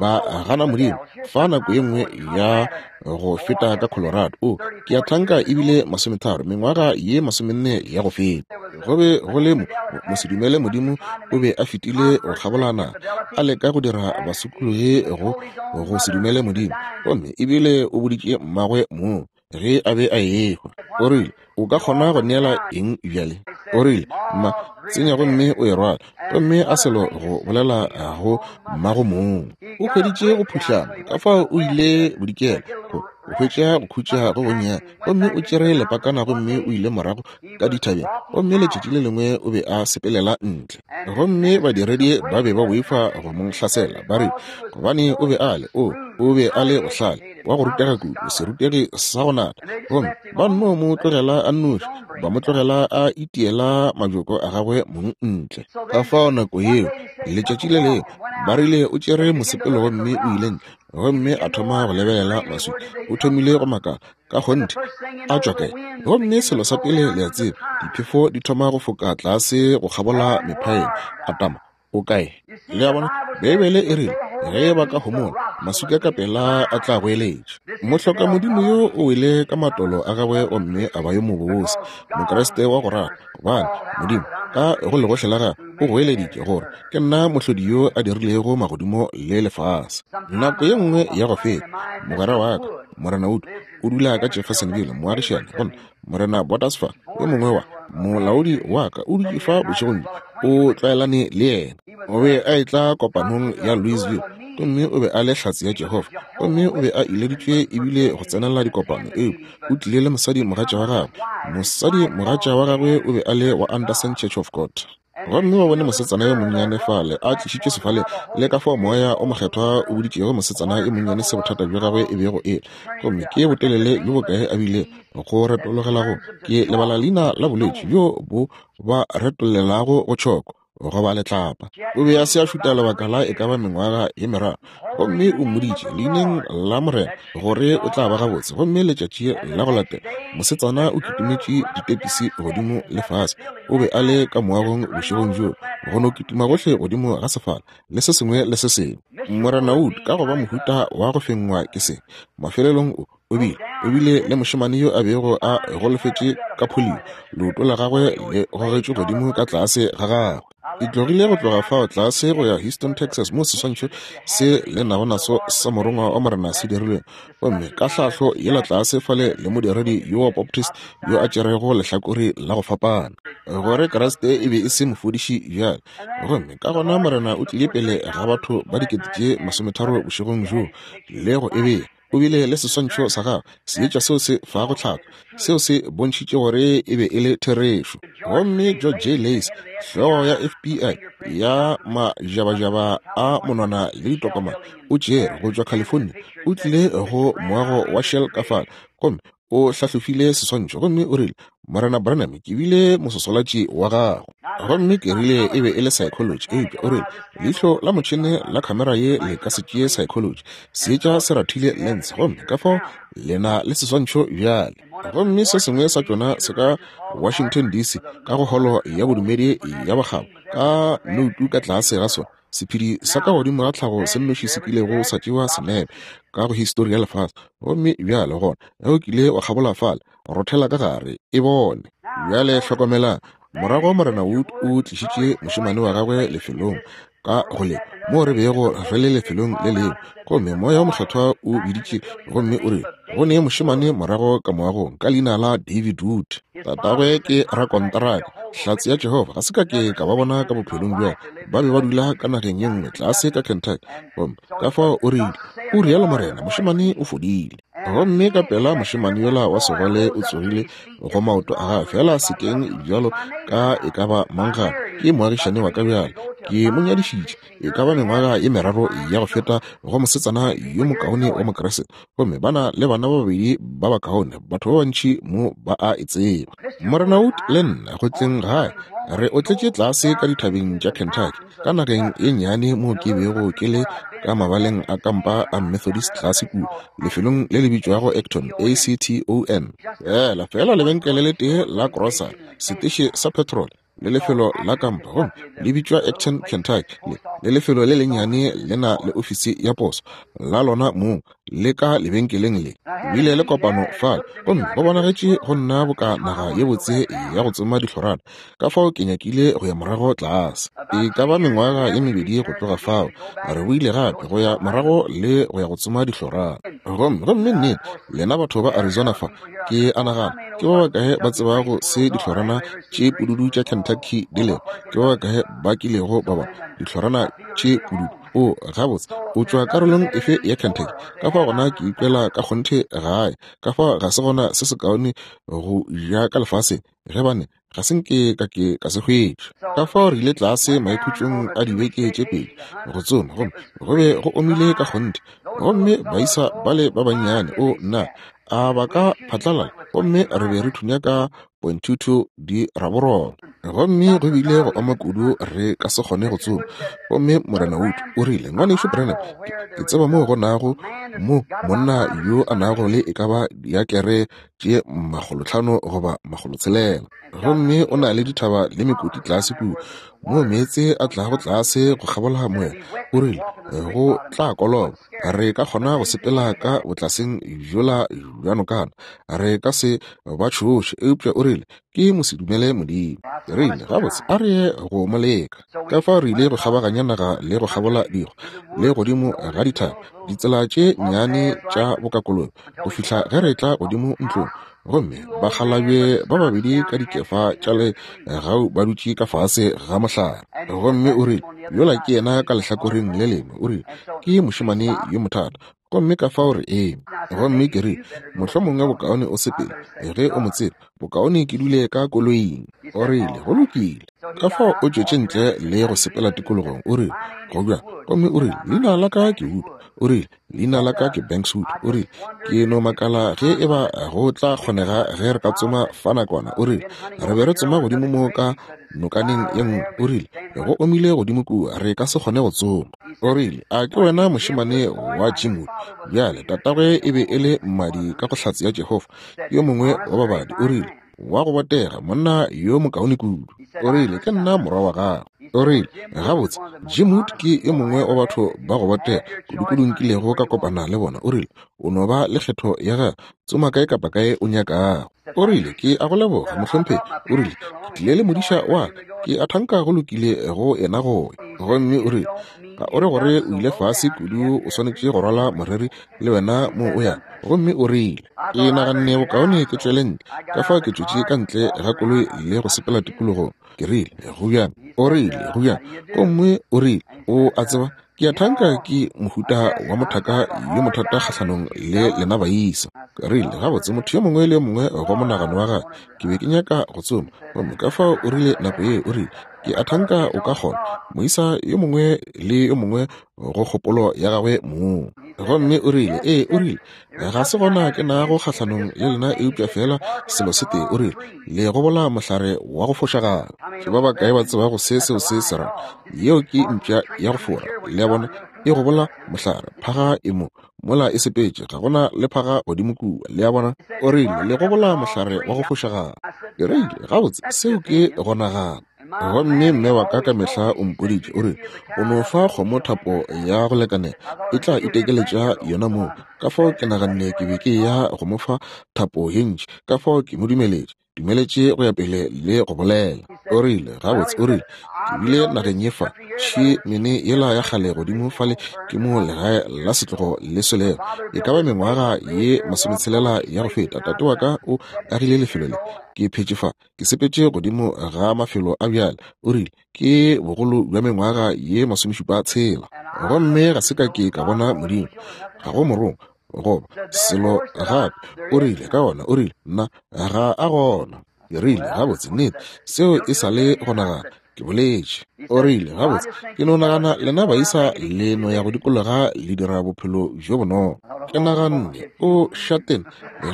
ba gana Modimo. Fa nako ye nngwe ya go feta ka Colorado, o ke a thanka ebile masometharo mengwaga ye masomenne ya go feta, go be go le mo mosedumele Modimo o be a fetile go kgabolana a leka go dira basokologi go go se dumele Modimo, gomme ebile o boditše mmagwe moo ge a be a ehwa. O rile, o ka kgona go neela eng bjale? O rile, mma, tsenya gomme o e rwala. Gomme a selo go bolela go mmago mong. O hweditše go phuhlama, ka fao o ile bodikela go hwetša go khutša go gonnyane, gomme o tšere lepakana gomme o ile morago ka dithabeng. Gomme letšatši le lengwe o be a sepelela ntle, gomme badiredi ba be ba boifa go mo hlasela, ba re gobane o be a le o o be a le bohlale wa go rutega kudu, serutegi sa go nata. Gomme ba nno mo tlogela a a nnoši, ba mo tlogela a itiela majoko a gagwe mong ntle. Ka fao nako yeo, letšatši le lengwe, ba rile o tšere mosepelo gomme o ile ntle, gomme a thoma go lebelela maswika. O thomile go makala, ka kgonthe, a tšwa kae? Gomme selo sa pele le a tseba, diphefo di thoma go foka tlase go kgabola mephaene. A tama, o kae? Le a bona, Beibele e rile, ge ba ka homola, maswika ka pela a tla goeletša. Mohlokamodimo yo o wele ka matolo a gagwe gomme a ba yo mobose, Mokriste wa go rata, gobane Modimo ka go legohle la gagwe o goeleditše gore ke nna mohlodi yo a dirilego magodimo le lefase. Nako ye nngwe ya go feta, mogwera wa ka, Morena Wood, o dula ka Jeffersonville, moagišane, gomme Morena Bottasfa, yo mongwe wa molaodi wa ka, o dutše fa bošegong bjo, o tlwaelane le yena. O be a etla kopanong ya Louisville, gomme o be a le hlatse ya Jehofa, gomme o be a ileditšwe ebile go tsenela dikopano, eupša o tlile le mosadi mogatša wa gagwe. Mosadi mogatša wa gagwe o be a le wa Anderson Church of God. Gomme ba bone mosetsana yo monnyane fale a tlišitšwe sefaleng, le ka fao moya o mokgethwa o boditšego mosetsana yo monnyane se bothata bja gagwe e bego e le, gomme ke botelele bjo bokae a bile go retologela go, ke lebala leina la bolwetši bjo bo ba retollelago go tšhoko goba letlapa. O be a se a šuta lebaka la e ka ba mengwaga ye meraro, gomme o mmoditše leineng la Morena gore o tla ba gabotse. Gomme letšatši la go latela mosetsana o kitimetše ditepisi godimo le fase. O be a le ka moagong bošegong bjoo, go no kitima gohle godimo ga sefala le se sengwe le se sengwe. Morena Wood, ka go ba mohuta wa go fengwa ke se, mafelelong o o bile o bile le mošemane yo a bego a golofetše ka polio, leoto la gagwe le gogetšwe godimo ka tlase ga gagwe. E tlogile go tloga fao tlase go ya Houston, Texas, mo seswantšho se le nago naso sa morongwa wa Morena se dirilwego, gomme ka hlahlo yela tlase fale le modiredi yo wa Baptist yo a tšerego lehlakore la go fapana, gore Kriste e be e se mofodiši bjale. Gomme ka gona Morena o tlile pele ga batho ba dikete tše masometharo bošegong bjoo le go e bea. O bile le seswantšho sa gagwe, seetša seo se fago tlhako, seo se bontšhitše gore e be e le therešo. Gomme George J. Lacy, hlogo ya F B I ya majabajaba a monwana le ditokomane, o tšere go tšwa California, o tlile go moago wa Shell ka fale, gomme o hlahlofile seswantšho, gomme o rile, Morena Branham, ke bile mososolatši wa gago. Gomme ke rile e be e le psychology, eupša o rile leihlo la motšhene la khamera ye le ka se tšee psychology, seetša se rathile lens, gomme ka fao le na le seswantšho bjale. Gomme se sengwe sa tšona se ka Washington D C, ka go holo ya bodumedi ya bokgabo, ka noutu ka tlase ga sona, sephedi sa ka godimo ga tlhago se nnoši se kilego sa tšewa senepe ka go histori ya lefase. Gomme bjale gona ge o kile wa kgabola fale, rothela ka gare e bone. Bjale hlokomelang, morago Morena Wood o tlišitše mošemane wa gagwe lefelong ka go le mo re bego re le lefelong le lengwe, gomme moya o mokgethwa o biditše gomme o rile go ne mošemane morago ka moagong ka leina la David Wood. Tatagwe ke rakonteraka, hlatse ya Jehofa. Ga se ka ke ka ba bona ka bophelong bja, ba be ba dula ka nageng ye nngwe tlase ka Kentucky. Gomme ka fao o rile, o rialo Morena, mošemane o fodile. Gomme ka pela mošemane yola wa segole o tsogile go maoto a gagwe, fela sekeng bjalo ka e ka ba mang gape. Ke moagišane wa ka bjale, ke mo nyadišitše e ka ba mengwaga ye meraro ya go feta go mosetsana yo mokaone wa Mokriste, gomme ba na le bana ba babedi ba bakaone, batho ba bantši mo ba a e tseba. Morena Wood le nna go tleng gae re otletše tlase ka dithabeng tša Kentucky, ka nageng ye nnyane mo ke bego ke le ka mabaleng a kampa a Methodist tlase kua lefelong le le bitšwago Acton, A C T O N. Fela fela lebenkele le tee la grocery, seteše sa petrol le lefelo la kampa, gomme le bitšwa Acton, Kentucky. Le le lefelo le lennyane le na le ofisi ya poso la lona mong le ka lebenkeleng le. Bile le kopano fale, gomme go bonagetše go nna boka naga ye botse ya go tsoma dihlorana, ka fao ke nyakile go ya morago tlase. E ka ba mengwaga ye mebedi go tloga fao, re boile gape go ya morago le go ya go tsoma dihlorana. Gomme gomme nnete, lena batho ba Arizona fa, ke a nagana ke ba bakae ba tsebago se dihlorana tše pududu tša Kentucky di lego? Ke ba bakae ba kilego ba bona dihlorana tše pududu? O gabotse, o tšwa karolong efe ya Kentucky? Ka fao gona ke ikwela ka kgonthe gae, ka fao ga se gona se sekaone go ja ka lefaseng, ge bane ga se nke ka ke ka se hwetša. Ka fao re ile tlase maikhutšong a dibeke tše pedi go tsoma, gomme go be go omile ka kgonthe. Gomme baisa bale ba bannyane, o nna, A ba ka phatlalala, gomme re be re thunya ka point two two di raborolo. Gomme go bile go oma kudu re ka se kgone go tsoma. Gomme Morena Wood o rile, Ngwanešu Branham, ke tseba moo go nago mo monna yo a nago le e ka ba diakere tše makgolotlhano goba makgolotshelela. Gomme o na le dithaba le mekoti tlase kua, moo meetse a tlago tlase go kgabola moya. O rile, go tla koloba, re ka kgona go sepela ka botlaseng bjola bja nokana, re ka se ba tšhoše. Eupša o rile, ke mosedumele Modimo. Ke rile, gabotse, a re ye go mo leka. Ka fao re ile go kgabaganya naga le go kgabola dikgwa le godimo ga dithaba, ditsela tše nnyane tša bokakolobe, go fihla ge re tla godimo ntlong. Gomme bakgalabje ba babedi ka dikefa tša legau ba dutše ka fase ga mohlare. Gomme o rile, yola ke yena ka lehlakoreng le lengwe. O rile, ke mošemane yo mothata. Gomme ka fao re eme. Gomme ke rile, mohlomongwe bokaone o sepele, ge o mo tseba, bokaone ke dule ka koloing. O rile, go lokile. Ka fao o tšwetše ntle le go sepela tikologong. O rile, go bjang? Gomme o rile, leina la ka ke Wood. O rile, leina la ka ke Banks Wood. O rile, ke no makala ge e ba go tla kgonega ge re ka tsoma fa nakwana. O rile, re be re tsoma godimo mo ka nokaneng ye nngwe. O rile, go omile godimo kua, re ka se kgone go tsoma. O rile, a ke wena mošemane wa Jim Wood? Bjale tatagwe e be e le mmadi ka go Hlatse ya Jehofa, yo mongwe wa babadi. O rile, wa go botega, monna yo mokaone kudu. O rile, ke nna morwa wa gago. O rile, gabotse, Jim Wood ke yo mongwe wa batho ba go botega kudu-kudu nkilego ka kopana le bona. O rile, o no ba le kgetho ya gago, tsoma kae kapa kae o nyakago. O rile, ke a go leboga, mohlomphegi. O rile, ke tlile le modiša wa ka, ke a thanka go lokile go yena go ya. Gomme o rile, ga o re gore o ile fase kudu, o swanetše go rwala moreri le wena mo o yang. Gomme o rile, ke naganne bokaone ke tšwele ntle. Ka fao ke tšwetše ka ntle ga koloi le go sepela tikologong. Ke rile, go bjang? O rile, go bjang? Gomme o rile, o a tseba, ke a thanka ke mohuta wa mothaka yo mothata kgahlanong le lena baisa. Ke rile, gabotse, motho yo mongwe le yo mongwe go monagano wa gagwe. Ke be ke nyaka go tsoma. Gomme ka fao o rile nako ye, o rile, ke a thanka o ka kgona, moisa yo mongwe le yo mongwe go kgopolo ya gagwe mong. Gomme o rile, ee, o rile, ga se gona ke nago kgahlanong le lena, eupša fela selo se tee. O rile, le gobola mohlare wa go fošagala. Ke ba bakae ba tsebago se seo se se ra? Yeo ke mpša ya go fora. Le a bona, e gobola mohlare, phaga e mo mola e sepetše, ga gona le phaga godimo kua. Le a bona? O rile, le gobola mohlare wa go fošagala. Ke rile, gabotse, seo ke go nagana. Gomme mme wa ka ka mehla o mpoditše, o rile, o no fa kgomo thapo ya go lekanela, e tla itekeletša yona moo. Ka fao ke naganne ke be ke ya go mo fa thapo ye ntši, ka fao ke mo dumeletše, dumeletše go ya pele le go bolela. O rile, gabotse, o rile, ke bile nageng ye fa, tšhimene yela ya kgale godimo fale ke mo legae la setlogo le swelego. E ka ba mengwaga ye masometshelela ya go feta, tate wa ka o agile lefelo le. Ke phetše fa, ke sepetše godimo ga mafelo a bjale. O rile, ke bogolo bja mengwaga ye masomešupa tshela. Gomme ga se ka ke ka bona Modimo, ga go morongwa goba selo gape. O rile, ka gona, o rile, nna ga a gona. Ke rile, gabotse, nnete, seo e sa le go nagana. Ke boletše. O rile, gabotse, ke no nagana lena baisa le no ya go dikologa le dira bophelo bjo bonolo. Ke naganne, o šatene,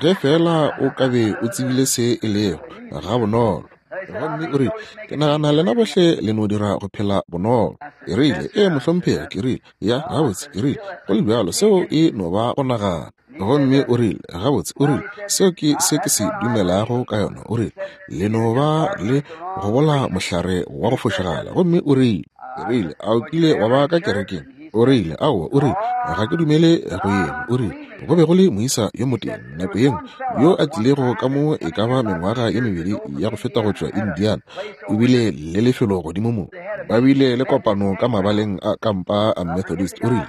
ge fela o ka be o tsebile se e lego, ga bonolo. Gomme o rile, ke nagana lena bohle le no dira go phela bonolo. Ke rile, ee, mohlomphegi. Ke rile, ya, gabotse. Ke rile, go le bjalo, seo e no ba go nagana. Gomme o rile, gabotse, o rile, seo ke se ke se dumelago ka yona. O rile, le no ba le gobola mohlare wa go fošagala. Gomme o rile, ke rile, a o kile wa ba ka kerekeng? O rile, aowa. O rile, ga ke dumele go yena. O rile, go be go le moisa yo motee nako ye nngwe yo a tlilego ka mo e ka ba mengwaga ye mebedi ya go feta go tšwa Indiana. O bile le lefelo godimo mo, ba bile le kopano ka mabaleng a kampa a Methodist. O rile,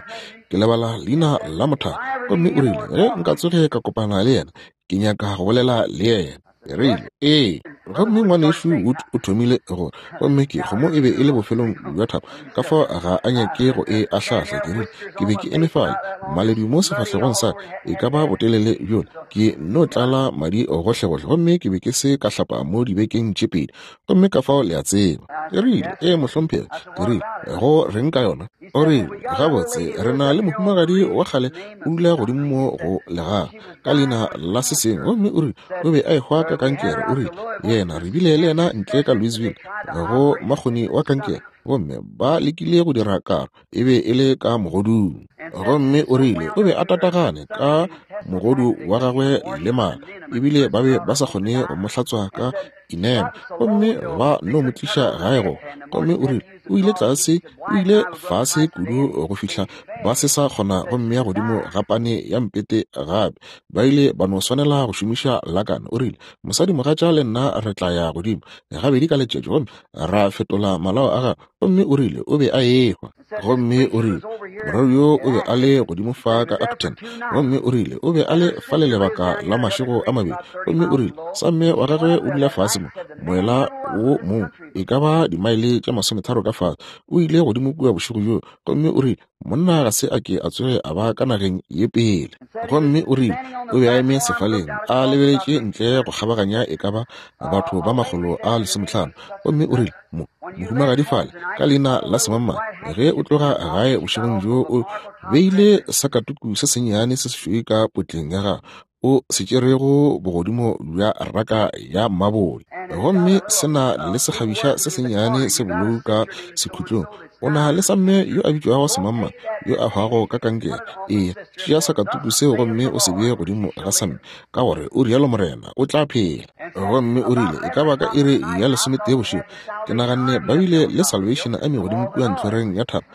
ke lebala leina la mothaka. Gomme o rile, ge nka tsoge ka kopana le yena, ke nyaka go bolela le yena. Ke rile, ee. Gomme ngwanešu Wood o thomile gore, gomme ke kgomo e be e le bofelong bja thapo, ka fao ga a nyake go e ahlahla. Ke rile, ke be ke eme fale, maledu mo sefahlegong sa e ka ba botelele bjola, ke no tlala madi gohlegohle, gomme ke be ke se ka hlapa mo dibekeng tše pedi, gomme ka fao le a tseba. Ke rile, ee mohlomphegi. Ke rile, go reng ka yona? O rile, gabotse, re na le mohumagadi wa kgale o dula godimo mo go legaga ka leina la se sengwe, gomme o rile o be a ehwa ka kankere. O rile, yena re bile le yena ntle ka Louisville go makgoni wa kankere, gomme ba lekile go dira karo, e be e le ka mogodung. Gomme o rile o be a tatagane ka mogodu wa gagwe le mala, ebile ba be ba sa kgone go mo hlatswa ka inema, gomme ba no mo tliša gae go. Gomme o rile o ile tlase, o ile fase kudu go fihla ba se sa kgona go mmea godimo ga pane ya mpete gape, ba ile ba no swanela go šomiša lakana. O rile, mosadimogatša le nna re tla ya godimo gabedi ka letšatši gomme ra fetola malao a gagwe. Gomme o rile o be a ehwa. Gomme o rile morero yo o be a le godimo fa ka Acton, gomme o rile o be a le fa le lebaka la mašego a mabedi. Gomme o rile samme wa gagwe o dula fase mo moela wo mongwe e ka ba dimaele tše masometharo ka fase, o ile godimo kua bošego bjo. Gomme o rile monna ga se a ke a tsoge a ba ka nageng ye pele. Gomme o rile o be a eme sefaleng a lebeletše ntle go kgabaganya e ka ba batho ba makgolo a lesomehlano. Gomme o rile mo mohumagadi fale ka leina la semamma, ge o tloga gae bošegong bjo o beile sakatuku se sennyane se sešweu ka potleng ya gago, o se tšerego bogodimo bja raka ya mabole, gomme se na le sekgabiša se sennyane se bolou ka sekhutlong. O na le samme yo a bitšwago semamma yo a hwago ka kankere. Ee, tšea sakatuku seo gomme o se bee godimo ga samme, ka gore o rialo morena, o tla phela. Gomme o rile e ka ba ka iri ya lesometee bošego, ke naganne ba bile le Salvation Army godimo kua ntlhoreng ya thaba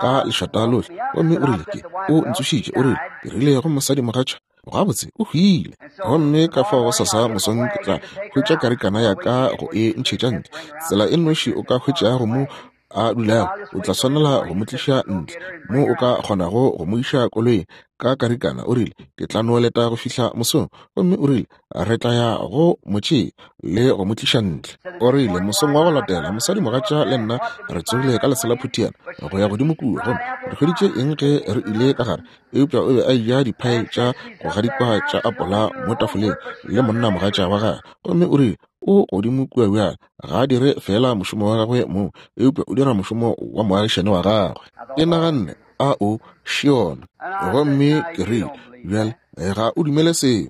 ka lešata lohle. Gomme o rile ke o ntsošitše. O rile ke rile go mosadimogatša, gabotse o hwile. Gomme ka fao gosasa mosong ke tla hwetša karikana ya ka go e ntšhetša ntle. Tsela e nnoši o ka hwetšago mo a dulago, o tla swanela go mo tliša ntle mo o ka kgonago go mo iša koloing ka karikana. O rile ke tla no leta go fihla mosong. Gomme o rile re tla ya go mo tšea le go mo tliša ntle. O rile mosong wa go latela mosadimogatša le nna re tsogile ka lesela phuthiana go ya godimo kua, gomme re hweditše eng ge re ile ka gare, eupša o be a eja diphae tša go gadikwa tša apola mo tafoleng le monnamogatša wa gagwe. Gomme o rile o godimo kua bjale, ga a dire fela mošomo wa gagwe mo, eupša o dira mošomo wa moagišane wa gagwe. Ke naganne, a o šiona. Gomme ke rile, bjale ga o dumele seo.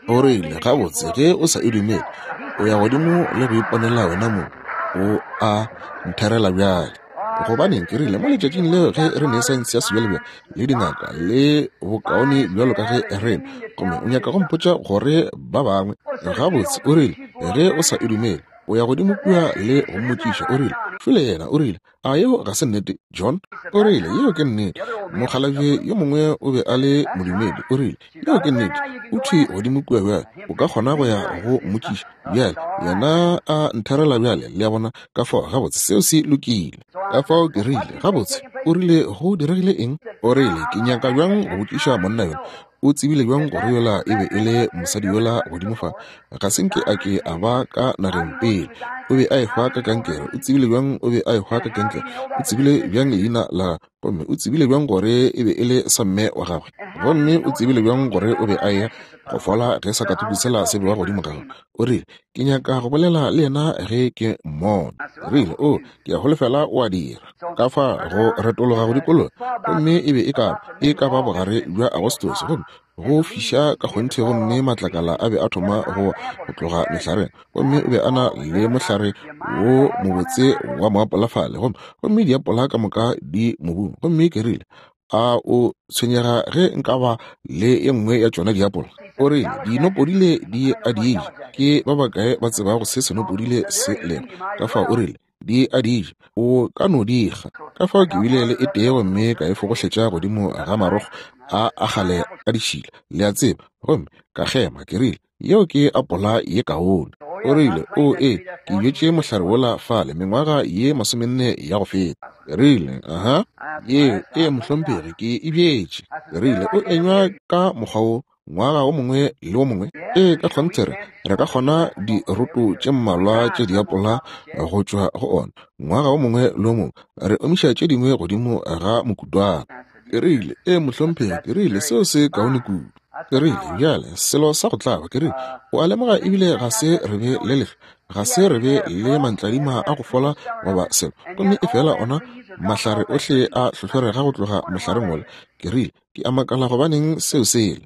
O rile, gabotse, ge o sa e dumele, o ya godimo le go iponela wena mo, o a ntherela bjale. Gobaneng, ke rile, mo letšatšing leo ge re ne saense ya sebjalebjale le dingaka le bokaone bjalo ka ge re, gomme o nyaka go mpotša gore ba bangwe. Gabotse, o rile, ge o sa e dumele, o ya godimo kua le go mmotšiša. O rile, fele yena o rile, a yeo ga se nnete, John? O rile, yeo ke nnete. Mokgalabje yo mongwe o be a le modumedi. O rile, yeo ke nnete. O thwi godimo kua bjale, o ka kgona go ya go mmotšiša bjale. Yena a ntherela bjale, le a bona. Ka fao gabotse seo se lokile. Ka fao ke rile, gabotse. O rile, go diregile eng? O rile, ke nyaka bjang go botšiša monna yona, o tsebile bjang gore yola e be e le mosadi yola godimo fa? Ga se nke a ke a ba ka nageng pele. O be a ehwa ka kankere. O tsebile bjang o be a ehwa ka kankere? O tsebile bjang leina la gagwe? Gomme o tsebile bjang gore e be e le samme wa gagwe? Gomme o tsebile bjang gore o be a eya go fola ge sakatuku sela se bewa godimo ga gagwe? O rile, ke nyaka go bolela le yena ge ke mmona. Rile, o, ke a holofela o a dira. Ka fa go retologa go dikologa, gomme e be e ka e ka ba bogare bja Agostose, gomme go fiša ka kgonthe, gomme matlakala a be a thoma go go tloga mehlareng. Gomme o be a na le mohlare wo mobotse wa moapola fale, gomme gomme diapola ka moka di mobung. Gomme ke rile, a o tshwenyega ge nka ba le ye nngwe ya tšona diapola? O rile, dinopodile di a di ja. Ke ba bakae ba tsebago se senopodile se lego? Ka fao o rile, di a di ja, o ka no di kga. Ka fao ke bile le e tee gomme ka e fogohletša godimo ga marokgo a a kgale a ditšhila, le a tseba, gomme ka kgema. Ke rile, yeo ke apola ye kaone. O rile, o e, ke bjetše mohlare wola fale mengwaga ye masomenne ya go feta. Ke rile, aha, yeo e mohlomphegi, ke e bjetše. Ke rile, o enywa ka mokgwa wo ngwaga o mongwe le o mongwe? Ee, ka kgonthe re re ka kgona diroto tše mmalwa tše diapola go tšwa go ona ngwaga o mongwe le o mongwe, re omiša tše dingwe godimo ga mokutwana. Ke rile, ee mohlomphegi, ke rile, seo se kaone kudu. Ke rile, bjale selo sa go tlaba, ke rile, o a lemoga ebile ga se re be le lehlwa, ga se re be le mantladima a go fola goba selo, gomme efela ona mahlare ohle a hlohlorega go tloga mohlareng wola. Ke rile, ke a makala gobaneng seo sele.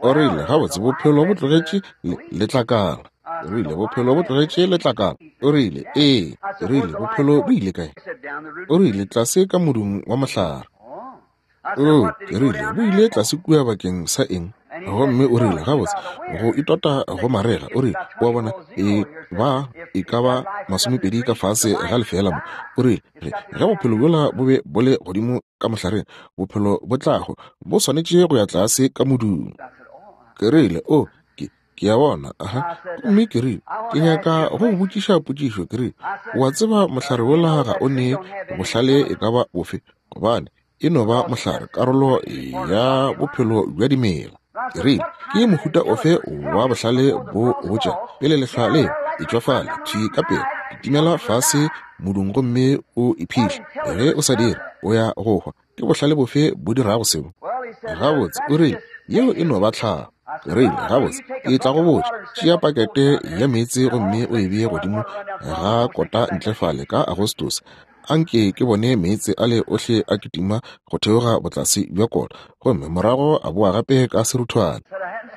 O rile, gabotse bophelo bo tlogetše letlakala. Ke rile, bophelo bo tlogetše letlakala. O rile, ee. Ke rile, bophelo bo ile kae? O rile, tlase ka modung wa mohlare. O, ke rile, bo ile tlase kua bakeng sa eng? Gomme o rile, gabotse go itota go marega. O rile, o a bona, e ba e ka ba masomepedi ka fase ga lefeela mo. O rile, ge bophelo bjola bo be bo le godimo ka mohlareng, bophelo bo tlago bo swanetše go ya tlase ka modung. Ke rile, o, ke ke a bona, aha. Gomme ke rile, ke nyaka go go botšiša potšišo. Ke rile, o a tseba mohlare wola ga o ne bohlale e ka ba bofe, gobane e no ba mohlare, karolo ya bophelo bja dimela. Ke rile, ke mohuta ofe wa bohlale bo botša pele lehlwa le e tšwa fale thwi ka pele, kitimela fase modung gomme o iphihle, ge o sa dire o ya go hwa. Ke bohlale bofe bo dirago seo? Gabotse, o rile, yeo e no ba tlhago. Ke rile, gabotse, ke tla go botša, tšea pakete ya meetse gomme o e bee godimo ga kota ntle fale ka Agostose. Anke ke bone meetse ale ohle a kitima go theoga botlase bja kota, gomme morago a boa gape ka seruthwane.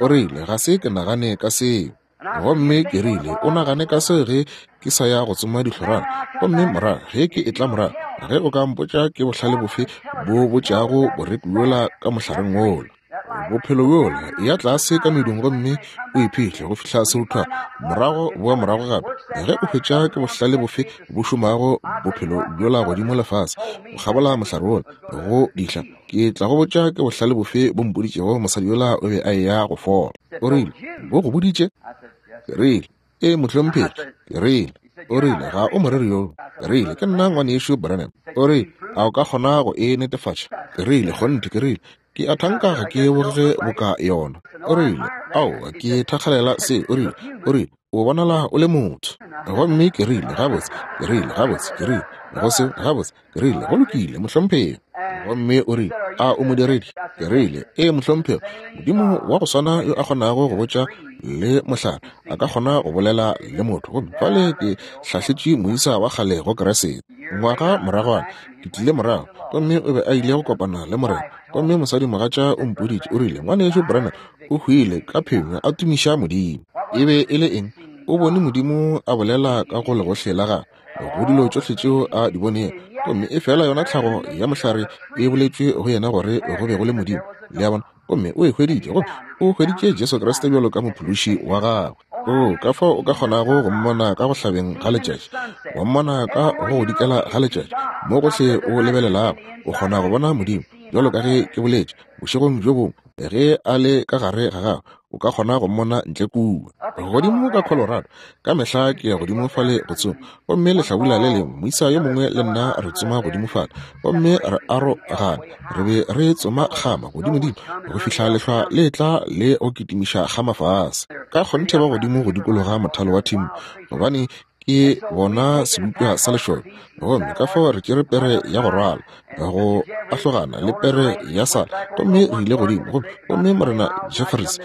O rile, ga se ke nagane ka seo. Gomme ke rile, o nagane ka seo ge ke sa ya go tsoma dihlorana, gomme morago ge ke etla morago, ge o ka mpotša ke bohlale bofe bo botšago boreku bjola ka mohlareng wola, bophelo bjola, ya tlase ka medung gomme o iphihle go fihla seruthwane, morago boa morago gape, ge o hwetša ke bohlale bofe bo šomago bophelo bjola godimo lefase go kgabola mohlare wola go dihla, ke tla go botša ke bohlale bofe bo mpoditšego mosadi yola o be a eya go fola. O rile, bo go boditše? Ke rile, ee mohlomphegi. Ke rile, o rile, ga o moreri yo. Ke rile, ke nna ngwanešu Branham. O rile, a o ka kgona go e netefatša? Ke rile, kgonthe. Ke rile, ke a thanka ga ke bogege boka yona. O rile, aowa, ke thakgalela se. O rile, o rile, o bonala o le motho. Gomme ke rile, gabotse. Ke rile, gabotse. Ke rile, go se, gabotse. Ke rile, go lokile mohlomphegi. Gomme o rile, a o modiredi? Ke rile, ee mohlomphegi. Modimo wa go swana yo a kgonago go botša le mohlare a ka kgona go bolela le motho. Gomme fale ke hlahletše moisa wa kgale go Kriste. Ngwaga moragwana ke tlile morago, gomme o be a ile go kopana le Morena. Gomme mosadimogatša o mpoditše, o rile, ngwanešu Branham o hwile ka phenyo a tumiša Modimo. E be e le eng? O bone Modimo a bolela ka go legohle la gagwe, go dilo tšohle tšeo a di bonego, gomme e fela yona tlhago ya mohlare e boletšwe go yena gore go be go le Modimo. Le a bona? Gomme o e hweditše, gomme o hweditše Jesu Kriste bjalo ka mophološi wa gagwe. O, ka fao o ka kgonago go mmona ka go hlabeng ga letšatši, wa mmona ka go go dikela ga letšatši, mo gohle o lebelelago o kgona go bona Modimo. Bjalo ka ge ke boletše bošegong bjo bongwe, ge a le ka gare ga gago, o ka kgona go mmona ntle kua. Godimo ka Colorado, ka mehla ke ya godimo fale go tsoma, gomme lehlabula le lengwe moisa yo mongwe le nna re tsoma godimo fale, gomme re arogana, re be re tsoma kgama godimodimo go fihla lehlwa le tla le go kitimiša kgama fase. Ka kgonthe ba godimo go dikologa mothalo wa thimo, gobane ke bona sebopša sa lešole. Gomme ka fao re tšere pere ya go rwala go ahlogana le pere ya sala, gomme re ile godimo. Gomme Morena Jeffries,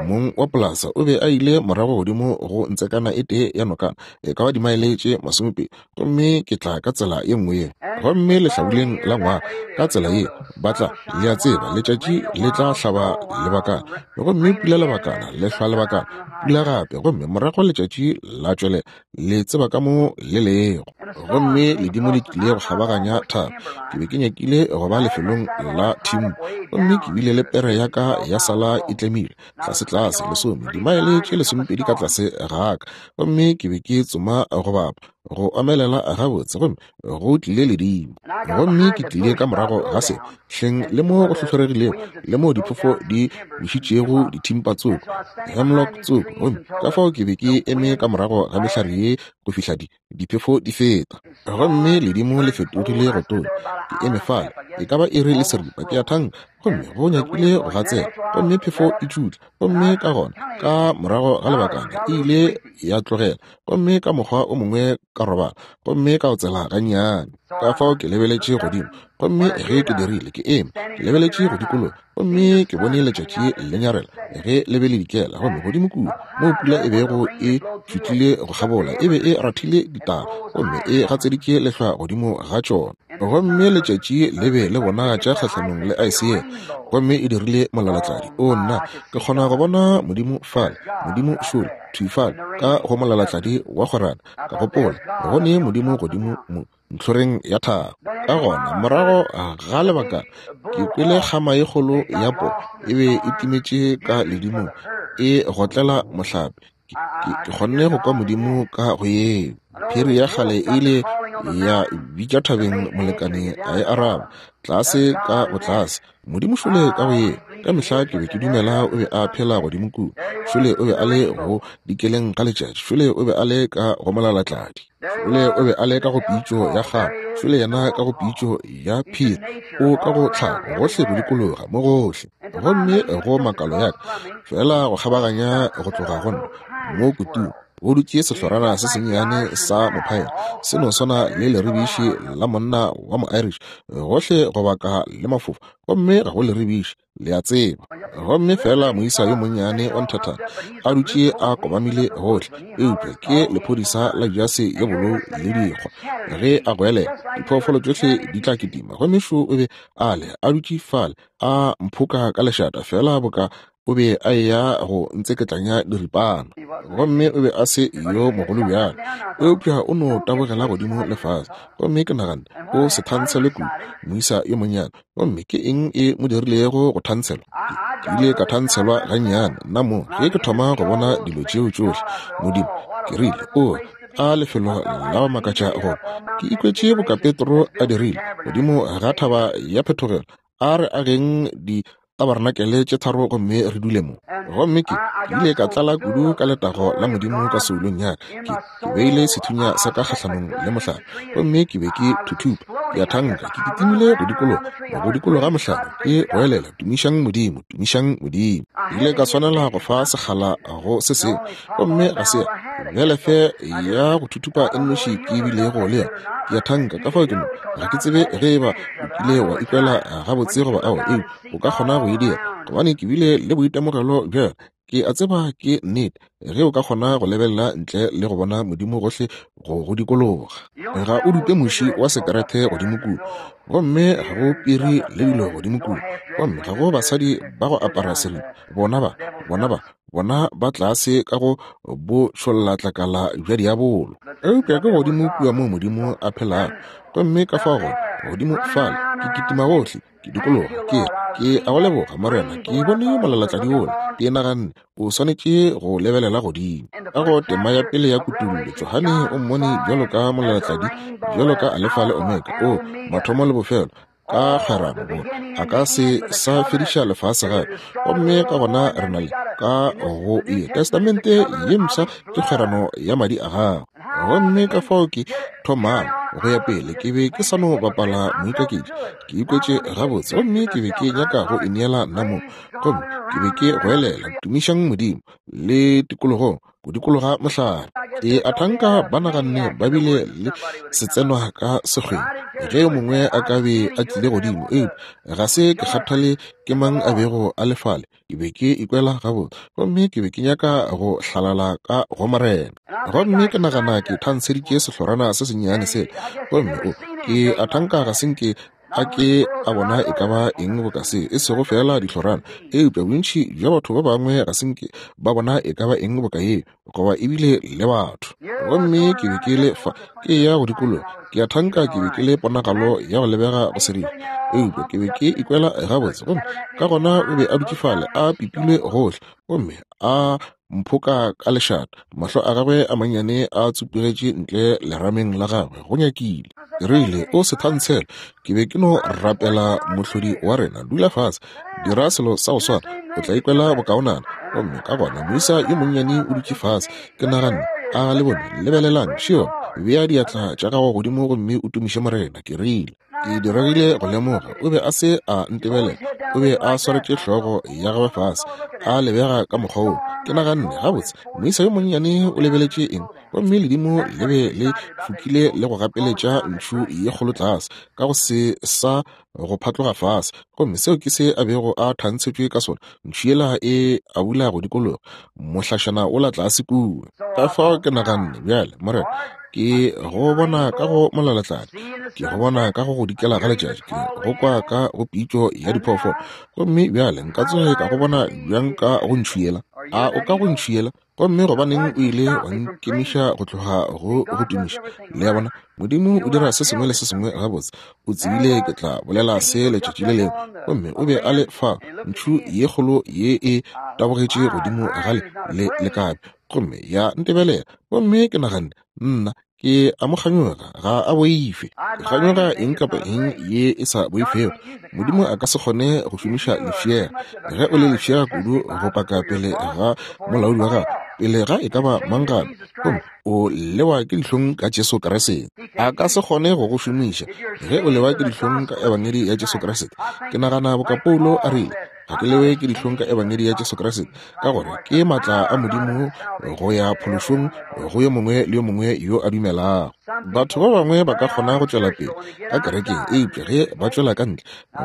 mong wa polasa, o be a ile morago godimo go ntsekana e tee ya nokana, e ka ba dimaele tše masomepedi, gomme ke tla ka tsela ye nngwe ye. Gomme lehlabuleng la ngwaga ka tsela ye ba tla, le a tseba, letšatši le tla hlaba lebakana, gomme pula lebakana, lehlwa lebakana, pula gape, gomme morago letšatši la tšwelela, le tseba ka mo le lego. Gomme ledimo le tlile go kgabaganya thaba. Ke be ke nyakile go ba lefelong la thimbo, gomme ke bile le pere ya ka ya sala e tlemile tlase tlase lesome, dimaele tše lesomepedi ka tlase ga ka, gomme ke be ke tsoma go bapa go omelela gabotse, gomme go tlile ledimo. Gomme ke tlile ka morago ga se hleng le mo go hlohloregilego, le mo diphofo di wišitšego dithimpa tsoko, hemlock tsoko, gomme ka fao ke be ke eme ka morago ga mehlare ye go fihla di diphefo di feta. Gomme ledimo le fetogile go tonya. Ke eme fale e ka ba iri le seripa, ke a thanka Gomme go nyakile go gatsela, gomme phefo e tšutla, gomme ka gona ka morago ga lebakana e ile ya tlogela, gomme ka mokgwa o mongwe ka robala, gomme ka otsela gannyane. Ka fao ke lebeletše godimo, gomme ge ke dirile ke eme, ke lebeletše go dikologa, gomme ke bone letšatši le nyarela ge le be le dikela, gomme godimo kua moo pula e bego e tšutlile go kgabola e be e rathile ditaba, gomme e gatseditše lehlwa godimo ga tšona. Gomme letšatši le be le bonagatša kgahlanong le aese yela, gomme e dirile molalatladi. O nna, ke kgona go bona Modimo fale, Modimo šole, thwi fale ka go molalatladi wa kgwerano. Ka gopola, go ne Modimo godimo mo ntlhoreng ya thaba. Ka gona morago ga lebakana ke kwele kgama ye kgolo ya poo e be e timetše ka ledimong e gotlela mohlape. Ke, ke kgonne go kwa Modimo ka go yeo. Phiri ya kgale e ile ya bitša thabeng, molekane a e araba tlase ka botlase. Modimo šole ka go yeo. Ka mehla ke be ke dumela o be a phela godimo kua. Šole o be a le go dikeleng ga letšatši. Šole o be a le ka go molalatladi. Šole o be a le ka go pitšo ya kgama. Šole yena ka go pitšo ya phiri. O ka go tlhago gohle go dikologa mo gohle. Gomme go makalo ya ka fela go kgabaganya go tloga go nna mo kutung go dutše sehlorana se sennyane sa mophaela, se no swana le leribiši la monna wa mo-Irish, gohle go baka le mafofa, gomme ga go leribiši, le a tseba. Gomme fela moisa yo monnyane wa nthathana a dutše a kobamile gohle, eupša ke lephodisa la jase ye bolou le dikgwa. Ge a goelela, diphoofolo tšohle di tla kitima. Gomme šo o be a le a dutše fale a mphoka ka lešata fela boka o be a eya go ntseketlanya diripana. Gomme o be a se yo mogolo bjalo, eupša o no tabogela godimo le fase. Gomme ke naganne, o se thantshelwe kudu, moisa yo monnyane. Gomme ke eng e mo dirilego go thantshelwa? Ke ile ka thantshelwa gannyane nna mo ge ke thoma go bona dilo tšeo tšohle. Modimo, ke rile, o a lefelo la go makatša go. Ke ikwetše boka Petro a dirile godimo ga thaba ya phetogelo, a re ageng di tabarnakele tše tharo gomme re dule mo. Gomme ke ke ile ka tlala kudu ka letago la Modimo ka soulong ya ka. Ke ke beile sethunya sa ka kgahlanong le mohlare, gomme ke be ke thuthupa, ke a thanka, ke kitimile go dikologa go dikologa mohlare, ke goelela, tumišang Modimo, tumišang Modimo. Ke ile ka swanela go fa sekgala go se sengwe, gomme ga se bjale fe ya go thuthupa e nnoši ke bilego le yona. Ke a thanka ka fao ke mo ga ke tsebe ge eba o kile wa ikwela gabotse goba aowa, eupša o ka kgona go e dira, gobane ke bile le boitemogelo bja yona. Ke a tseba ke nnete ge o ka kgona go lebelela ntle le go bona Modimo gohle go go dikologa. Ga o dupe muši wa sekerete godimo kua, gomme ga go piri le dilo godimo kua, gomme ga go basadi ba go apara seripa. Bona ba, bona ba, bona ba tlase ka go bo tšhollatlakala bja diabolo. Eupša ke godimo kua moo Modimo a phelago, gomme ka fao gona godimo fale ke kitima gohle, ke dikologa, ke re, ke a go leboga Morena, ke bone molalatladi wola. Ke naganne o swanetše go lebelela godimo. Ka go tema ya pele ya kutullo, Johane o mmone bjalo ka molalatladi, bjalo ka Alefa le Omega, o mathomo le bofelo, ka kgwerano gore a ka se sa fediša lefase gape. Gomme ka gona re na le ka go ye Testamente ye mpsha ke kgwerano ya madi a gagwe. Gomme ka fao ke thomang go ya pele, ke be ke sa no bapala moikaketši, ke ikwetše gabotse, gomme ke be ke nyaka go ineela nna mo. Gomme ke be ke goelela, tumišang Modimo, le tikologong go dikologa mohlare. Ke a thanka ba naganne ba bile le setsenwa ka sekgweng ge yo mongwe a ka be a tlile godimo, eupša ga se ke kgathale ke mang a bego a le fale. Ke be ke ikwela gabotse, gomme ke be ke nyaka go hlalala ka go Morena. Gomme ke nagana ke thantshetše sehlorana se sennyane sela, gomme o ke a thanka ga se nke a ke a bona e ka ba eng boka se, e sego fela dihlorana, eupša bontši bja batho ba bangwe ga se nke ba bona e ka ba eng boka yeo, goba ebile le batho. Gomme ke be ke le fa ke ya go dikologa, ke a thanka ke be ke le ponagalo ya go lebega go seripa, eupša ke be ke ikwela gabotse. Gomme ka gona o be a dutše fale a pipilwe gohle, gomme a mphoka ka lešata, mahlo a gagwe a mannyane a tsupugetše ntle lerameng la gagwe go nyakile. Ke rile, o se thantshele. Ke be ke no rapela mohlodi wa rena, dula fase, dira selo sa go swana, o tla ikwela bokaonana. Gomme ka gona moisa yo monnyane o dutše fase. Ke naganne, a le bone, lebelelang, Shion, bea diatla tša gago godimo gomme o tumiše Morena. Ke rile, Ke diregile go lemoga o be a se a ntebelela. O be a swaretše hlogo ya gagwe fase, a lebega ka mokgwa woo. Ke naganne, gabotse, moisa yo monnyane o lebeletše eng? Gomme ledimo le be le fokile le go gapeletša ntšhu ye kgolo tlase, ka go se sa go phatloga fase. Gomme seo ke se a bego a thantshetšwe ka sona, ntšhu yela e abula go dikologa, mohlašana wola tlase kua. Ka fao ke naganne, bjale, Morena, ke go bona ka go molalatladi, ke go bona ka go go dikela ga letšatši, ke go kwa ka go pitšo ya diphoofolo. Gomme bjale nka tsoge ka go bona bjang ka go ntšhu yela? A o ka go ntšhu yela? Gomme gobaneng o ile wa nkemiša go tloga go go tumiša? Le a bona, Modimo o dira se sengwe le se sengwe gabotse. O tsebile ke tla bolela se letšatši le lengwe. Gomme o be a le fa, ntšhu ye kgolo ye e tabogetše godimo ga le le lekabe, gomme ya ntebelela. Gomme ke naganne, nna ke a mo kganyoga, ga a boife. Ke kganyoga eng kapa eng ye e sa boifego. Modimo a ka se kgone go šomiša lefšega. Ge o le lefšega kudu go paka pele ga molaodi wa gago, pele ga e ka ba mang gape, gomme o lewa ke dihlong ka Jesu Kriste, a ka se kgone go go šomiša. Ge o lewa ke dihlong ka ebangedi ya Jesu Kriste, ke nagana boka Paulo a rile, ga ke lewe ke dihlong ka ebangedi ya Jesu Kriste, ka gore ke matla a Modimo go ya phološong go yo mongwe le yo mongwe yo a dumelago. Batho ba bangwe ba ka kgona go tšwela pele ka kerekeng, eupša ge ba tšwela ka ntle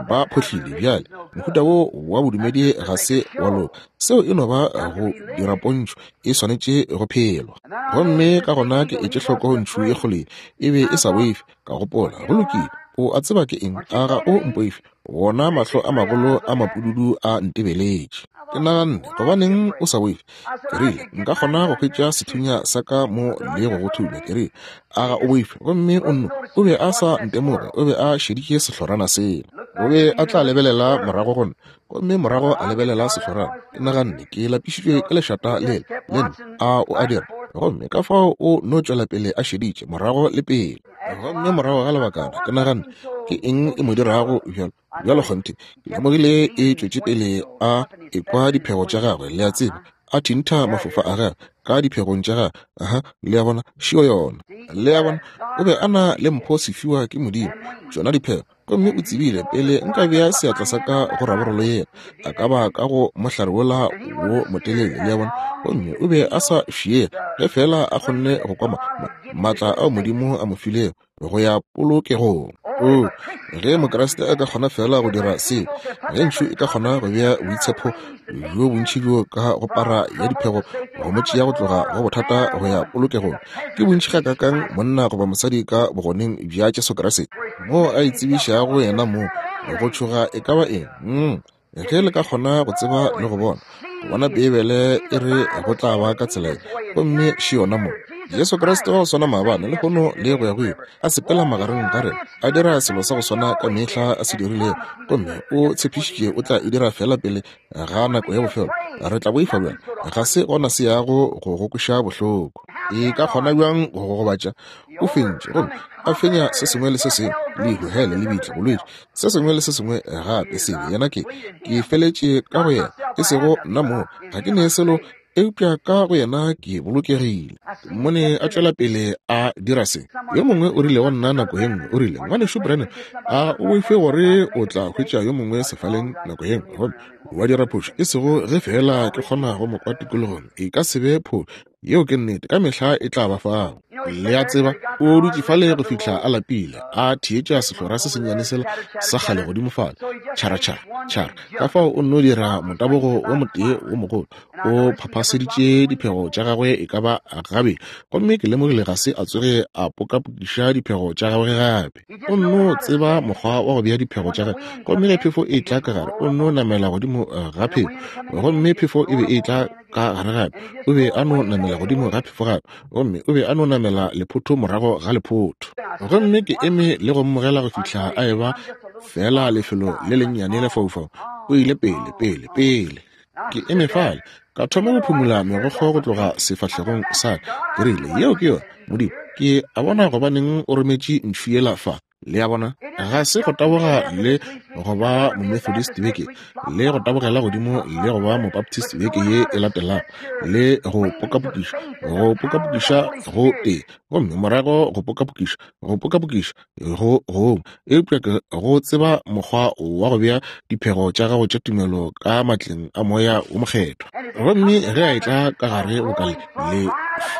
ba phohlile. Bjale mohuta wo wa bodumedi ga se wa loka. Seo e no ba go dira pontšho, e swanetše go phelwa. Gomme ka gona ke etše hloko ntšhu ye kgolo e be e sa boife. Ka gopola, go lokile, o a tseba ke eng? A ga o mpoife? Wona mahlo a magolo a mapududu a ntebeletše. Ke naganne, gobaneng o sa boife? Ke rile, nka kgona go hwetša sethunya sa ka mo le go go thunya. Ke rile, a ga o boife? Gomme o nno, o be a sa ntemoge, o be a šeditše sehlorana sela. O be a tla lebelela morago go nna, gomme morago a lebelela sehlorana. Ke naganne, ke lapišitšwe ke lešata lela le nna, a o a dira? Gomme ka fao o no tšwela pele a šeditše morago le pele. Gomme morago ga lebakana ke naganne, ke eng e mo dirago bjalo? Bjalo kgonthe, ke lemogile e tšwetše pele a ekwa diphego tša gagwe, le a tseba, a thintha mafofa a gagwe ka diphegong tša gagwe. Aha, le a bona, šio yona. Le a bona, o be a na le mpho sefiwa ke Modimo, tšona diphego. Gomme o tsebile pele nka bea seatla sa ka go raborolo yela, a ka ba ka go mohlare wola wo motelele, le a bona. Gomme o be a sa fiega ge fela a kgonne go kwa maatla ao Modimo a mo filego go ya polokegong. O, ge Mokriste a ka kgona fela go dira seo, ge ntšhu e ka kgona go bea boitshepo bjo bontši bjo ka go para ya diphego go mo tšea go tloga go bothata go ya polokegong, ke bontši gakaakang monna goba mosadi ka bogoneng bja Jesu Kriste moo a itsebišago yena moo go tšhoga e ka ba eng? Mm. Ge le ka kgona go tseba le go bona, go bona Beibele e re go tla ba ka tsela ye, gomme še yona mo. Jesu Kriste wa go swana maabane, lehono le go ya go ile, a sepela magareng ga rena, a dira selo sa go swana ka mehla a se dirilego, gomme o tshepišitše o tla e dira fela pele ga nako ya bofelo. Re tla boifa bjang? Ga se gona se yago go go kweša bohloko. E ka kgona bjang go go gobatša? O fentše, gomme a fenya se sengwe le se sengwe, lehu, hele, lebitla, bolwetši, se sengwe le se sengwe gape sebe. Yena ke, ke feletše ka go yena, e sego nna moo, ga ke ne selo, eupša ka go yena ke bolokegile. Mmone a tšwela pele a dira se. Yo mongwe o rile go nna nako ye nngwe, o rile, Ngwanešu Branham, a o boife gore o tla hwetša yo mongwe sefaleng nako ye nngwe, gomme wa dira phošo? E sego ge fela ke kgona go mo kwa tikologong, e ka se be phošo. Yeo ke nnete, ka mehla e tla ba fao. Le a tseba, o dutše fale go fihla a lapile, a theetša sehlora se sennyane sela sa kgale godimo fale, tšhara tšhara tšhara. Ka fao o nno dira motabogo wo motee wo mogolo, o phaphaseditše diphego tša gagwe e ka ba gabedi, gomme ke lemogile ga se a tsoge a pokapokiša diphego tša gagwe gape. O nno tseba mokgwa wa go bea diphego tša gagwe, gomme ge phefo e tla ka gare, o nno namela godimo ga phefo, gomme phefo e be e tla ka gare gape, o be a no namela godimo ga phefo gape, gomme o be a no namela lephotho morago ga lephotho. Gomme ke eme le go mmogela go fihla a eba fela lefelo le lennyane lefaufau. O ile pele, pele, pele. Ke eme fale, ka thoma go phumula megokgo go tloga sefahlegong sa ka. Ke rile, yeo ke yona, Modimo, ke a bona gobaneng o rometše ntšhu yela fa. Le a bona? Ga se go taboga le go ba Momethodist beke, le go tabogela godimo le go ba Mobaptist beke ye e latelago, le go pokapokiša, go pokapokiša go tee, gomme morago go pokapokiša, go pokapokiša go gongwe. Eupša ke go tseba mokgwa wa go bea diphego tša gago tša tumelo ka matleng a Moya wo Mokgethwa. Gomme ge a etla ka gare boka le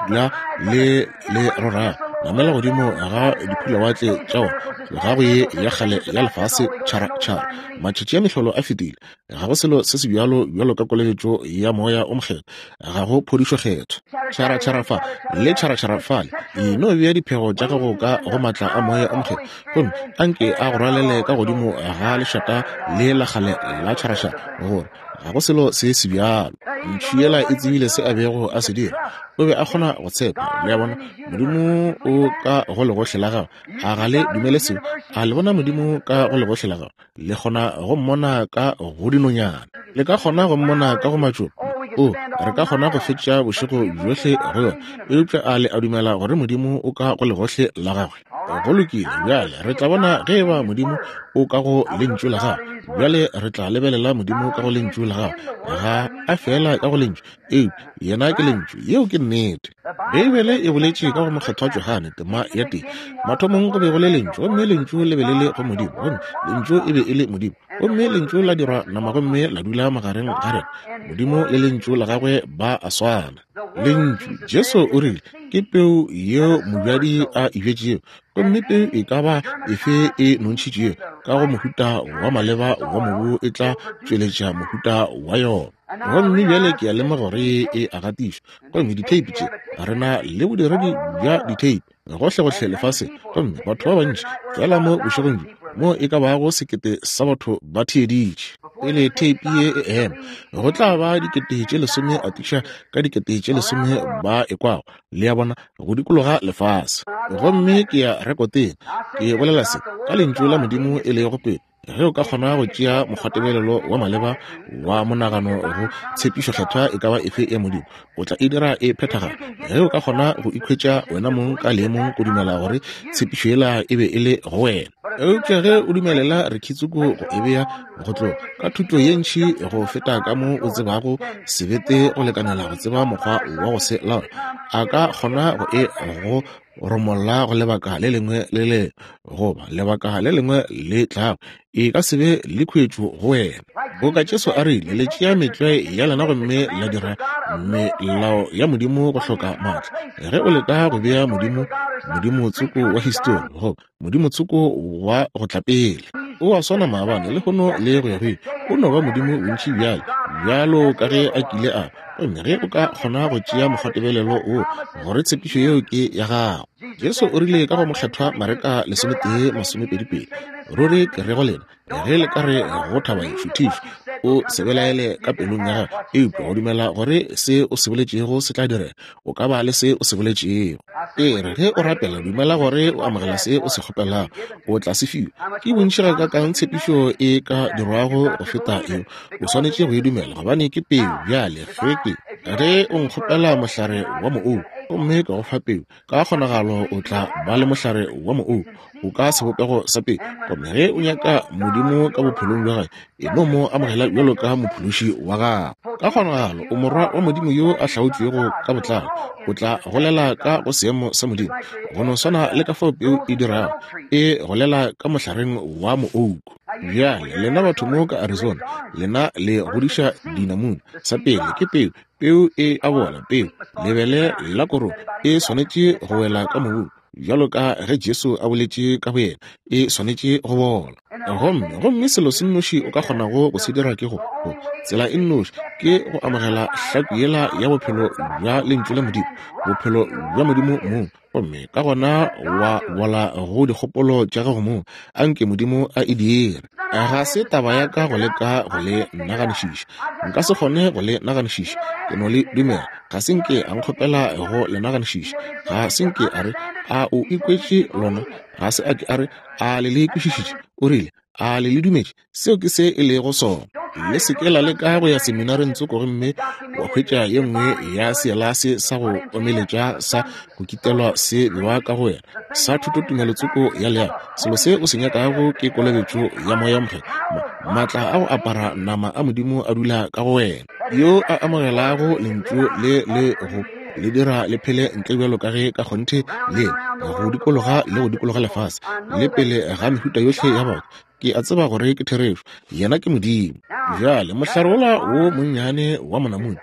le le le rorago, namela godimo ga diphulawatle tša ona, tloga go ye ya kgale ya lefase tšhara-tšhara. Matšatši a mehlolo a fetile. Ga go selo se se bjalo bjalo ka kolobetšo ya Moya o Mokgethwa. Ga go phodišo kgethwa. Tšhara-tšhara fa le tšhara-tšhara fale. E no bea diphego tša gago ka go matla a Moya o Mokgethwa, gomme anke a go rwalele ka godimo ga lešata le la kgale la tšhara-tšhara, gore ga go selo se se bjalo. Ntšhu yela e tsebile se a bego a se dira. O be a kgona go tshepa. Le a bona? Modimo o ka go legohle la gago. A ga le dumele seo? A le bona Modimo ka go legohle la gago? Le kgona go mmona ka go dinonyana. Le ka kgona go mmona ka go matšoba. O, re ka kgona go fetša bošego bjohle go yona. Eupša a le a dumela gore Modimo o ka go legohle la gagwe? Go lokile. Bjale re tla bona ge eba Modimo o ka go lentšu la gagwe. Bjale re tla lebelela Modimo ka go lentšu la gagwe. Ga a fela ka go lentšu, eupša yena ke lentšu. Yeo ke nnete. Beibele e boletše ka go Mokgethwa Johane tema ya tee. Mathomong go be go le lentšu, gomme lentšu le be le le go Modimo, gomme lentšu e be e le Modimo, gomme lentšu la dirwa nama gomme la dula magareng ga rena. Modimo le lentšu la gagwe ba a swana. Lentšu, Jesu o rile, ke peu yeo mobjadi a e bjetšego, gomme peu e ka ba efe e nontšhitšego ka go mohuta wa maleba wa mobu e tla tšweletša mohuta wa yona. Gomme bjale ke a lemoga gore e a gatišwa, gomme ditheipi tše re na le bodiredi bja ditheipi gohlegohle lefaseng, gomme batho ba bantši fela mo bošegong bjo mo e ka bago sekete sa batho ba theeditše. Pele theipi ye e ema, go tla ba dikete tše lesome atiša ka dikete tše lesome ba e kwago, le a bona, go dikologa lefase. Gomme ke ya rekoteng, ke bolela se ka lentšu la Modimo e lego pele. Ge o ka kgona go tšea mokgwatebelelo wa maleba wa monagano go tshepišo kgethwa e ka ba efe ya Modimo, o tla e dira e phethagala. Ge o ka kgona go ikhwetša wena mong ka leemong go dumela gore tshepišo yela e be e le go wena. Eupša ge o dumelela rekhitsuko go e bea go tloga ka thuto ye ntši go feta ka mo o tsebago sebete go lekanela go tseba mokgwa wa go se laola, a ka kgona go e go romolla go lebaka le lengwe le le goba lebaka le lengwe le tlago, e ka se be le khuetšo go wena. Boka Jesu a rile, le tšea metlwae ya lena gomme la dira melao ya Modimo go hloka maatla. Ge o leka go bea Modimo Modimo tsoko wa histori goba Modimo tsoko wa go tla pele, o a swana maabane lehono le go ya go ile. O no ba Modimo bontši bjale bjalo ka ge a kile a. Gomme ge o ka kgona go tšea mokgwatebelelo wo gore tshepišo yeo ke ya gago. Jesu o rile ka go Mokgethwa Mareka lesometee masomepedi pedi, ruri ke re go lena, ge le ka re go thaba e šuthišwa, o se belaele ka pelong ya gago, eupša go dumela gore se o se boletšego se tla direga, o ka ba le se o se boletšego. E re ge o rapela, dumela gore o amogela se o se kgopelago, o tla se fiwa. Ke bontši gakaakang tshepišo e ka dirwago go feta eo? O swanetše go e dumela, gobane ke peu. Bjale ge ke ge o nkgopela mohlare wa moou gomme ka go fa peu, ka kgonagalo o tla ba le mohlare wa moou o ka sebopego sa peu. Gomme ge o nyaka Modimo ka bophelong bja gagwe, e no mo amogela bjalo ka mophološi wa gago. Ka kgonagalo o morwa wa Modimo yo a hlaotšwego ka botlalo, o tla golela ka go seemo sa Modimo, go no swana le ka fao peu e dirago, e golela ka mohlareng wa moouku. Bjale lena batho mo ka Arizona, lena le godiša dinamune. Sa pele ke peu, peu e a bola, peu lebele la korong e swanetše go wela ka mobung, bjalo ka ge Jesu a boletše ka boyena, e swanetše go bola. Gomme gomme selo se nnoši o ka kgonago go se dira ke go, go tsela e nnoši ke go amogela hlaku yela ya bophelo bja lentšu la Modimo, bophelo bja Modimo mong, gomme ka gona wa bola go dikgopolo tša gago mong. Anke Modimo a e dire. Ga se taba ya ka go leka go le naganišiša. Nka se kgone go le naganišiša, ke no le dumela. Ga se nke a nkgopela go le naganišiša. Ga se nke a re, a o ikwetše lona? Ga se a ke a re, a le le kwešišitše? O rile, A le le dumetše? Seo ke se e lego sona. Le se ke la leka go ya seminareng tsoko gomme wa hwetša ye nngwe ya seelase sa go omeletša sa go kitelwa se bewa ka go wena sa thutotumelo tsoko ya leago. Selo se o se nyakago ke kolobetšo ya Moya Mokgethwa. Maatla a go apara nama a Modimo a dula ka go wena. Yo a amogelago lentšu le le go le dira le phele ntle bjalo ka ge ka kgonthe le go dikologa le go dikologa lefase le pele ga mehuta yohle ya batho. Ke a tseba gore ke therešo, yena ke Modimo. Bjale mohlare wola wo monnyane wa monamune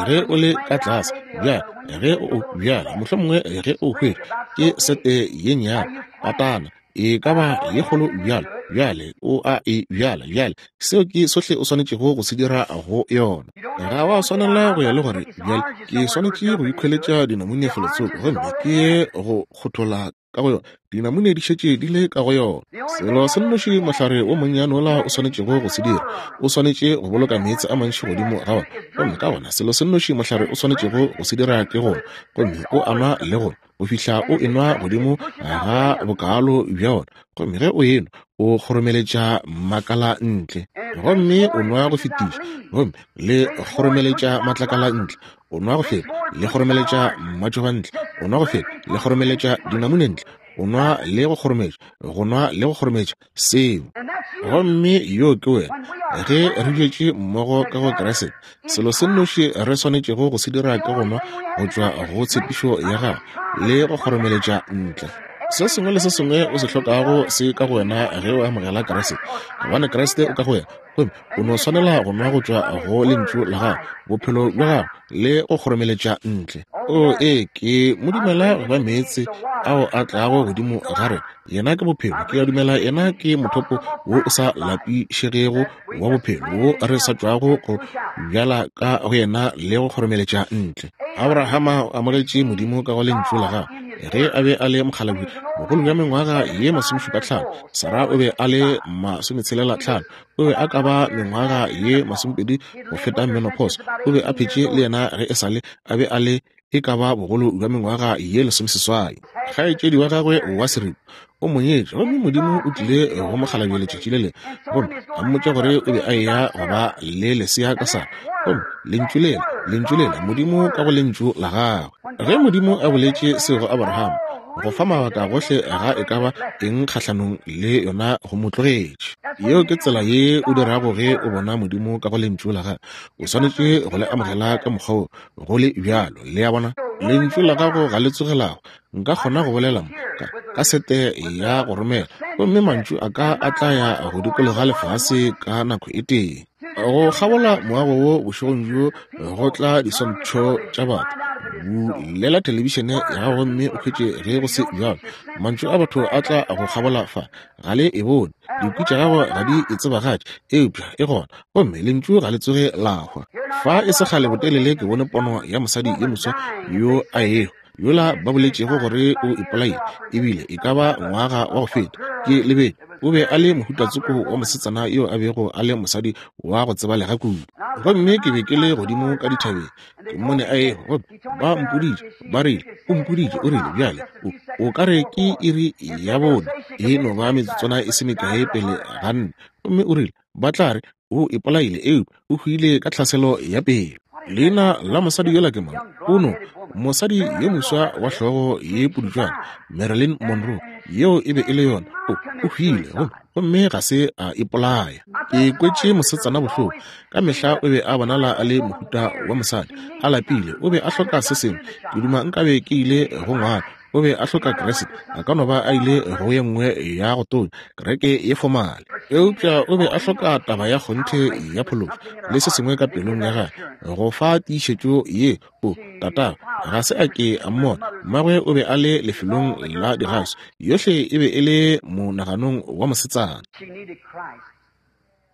ge o le ka tlase, bjale ge o bjale mohlomongwe ge o hwetša ke sete ye nnyane patana e ka ba ye kgolo bjalo, bjale o a e bjala. Bjale seo ke sohle o swanetšego go se dira go yona. Ga wa swanela go ya le gore bjale ke swanetše go ikhweletša dinamune felotsoko gomme ke ye go kgothola ka go yona. Dinamune di šetše di le ka go yona. Selo se nnoši mohlare wo monnyane wola o swanetšego go se dira, o swanetše go boloka meetse a mantši godimo ga ona. Gomme ka gona selo se nnoši mohlare o swanetšego go se dira ke go nwa, gomme o a nwa le go go fihla o enwa godimo ga bokalo bja ona. Gomme ge o enwa o kgoromeletša makala ntle, gomme o nwa go fetiša, gomme le kgoromeletša matlakala ntle, o nwa go feta, le kgoromeletša matšoba ntle, o nwa go feta, le kgoromeletša dinamune ntle, o nwa le go kgorometša, go nwa le go kgorometša seo. Gomme yo ke wena. Ge re bjetše mmogo ka go Kriste, selo se nnoši re swanetšego go se dira ke go nwa go tšwa go tshepišo ya gagwe le go kgoromeletša ntle. Se sengwe le se sengwe o se hlokago se ka go wena ge o amogela Kriste, gobane Kriste o ka go wena. Gomme o no swanela go nwa go tšwa go lentšu la gagwe, bophelo bja gagwe, le go kgoromeletša ntle. O ee, ke mo dumela go ba meetse ao a tlago godimo ga rena. Yena ke bophelo. Ke a dumela yena ke mothopo wo o sa lapišegego wa bophelo wo re sa tšwago go bjala ka go yena le go kgoromeletša ntle. Abrahama o amogetše Modimo ka go lentšu la gagwe ge a be a le mokgalabje bogolo bja mengwaga ye masomešupa hlano. Sara o be a le masometshelela hlano. O be a ka ba mengwaga ye masomepedi go feta menopause. O be a phetše le yena ge e sale a be a le e ka ba bogolo bja mengwaga ye lesomeseswai. Kgaetšedi wa gagwe wa seripa o mo nyetše, gomme Modimo o tlile go mokgalabje letšatši le lengwe gomme a mmotša gore o be a eya go ba le lesea ka Sara. Gomme lentšu lela, lentšu lela, Modimo ka go lentšu la gagwe. Ge Modimo a boletše seo go Abrahama, go fa mabaka gohle ga e ka ba eng kgahlanong le yona go mo tlogetše. Yeo ke tsela ye o dirago ge o bona Modimo ka go lentšu la gagwe. O swanetše go le amogela ka mokgwa wo go le bjalo. Le a bona? Lentšu la gago ga le tsogelago. Nka kgona go bolela mo ka, ka sete ya go romela, gomme mantšu a ka a tla ya go dikologa lefase ka nako e tee. Go kgabola moago wo bošegong bjo go tla diswantšho tša batho. Bulela thelebišene ya gago gomme o hwetše ge go se bjalo. Mantšu a batho a tla go kgabola fa, ga le e bone. Dikwi tša gago ga di e tsebagatše, eupša e gona, gomme lentšu ga le tsoge la hwa. Fa e se kgale botelele ke bone pono ya mosadi ye moswa yo a ehwa, yola ba boletšego gore o ipolaile, ebile e ka ba ngwaga wa go feta. Ke lebetše, o be a le mohutatsoko wa mosetsana yo a bego a le mosadi wa go tsebalega kudu. Gomme ke be ke le godimo ka dithabeng, ke mmone a ehwa, gomme ba mpoditše, ba rile, o mpoditše, o rile, bjale o, o ka re ke iri ya bone, e no ba metsotswana e se mekae pele ga nne. Gomme o rile, ba tla re o ipolaile, eupša o hwile ka tlhaselo ya pelo. Leina la mosadi yola ke mang? Ono, mosadi yo moswa wa hlogo ye pudutšwana, Marilyn Monroe, yeo e be e le yona. O, o hwile gomme gomme ga se a ipolaya. Ke kwetše mosetsana bohloko. Ka mehla o be a bonala a le mohuta wa mosadi, a lapile, o be a hloka se sengwe. Ke duma nkabe ke ile go ngwana. O be a hloka Kriste, a ka no ba a ile go ye nngwe ya go tonya, kereke ye fomale. Eupša o be a hloka taba ya kgonthe ya phološo le se sengwe ka pelong ya gagwe go fa tiišetšo ye. O tatagwe ga se a ke a mmona. Mmagwe o be a le lefelong la digaso. Yohle e be e le monaganong wa mosetsana.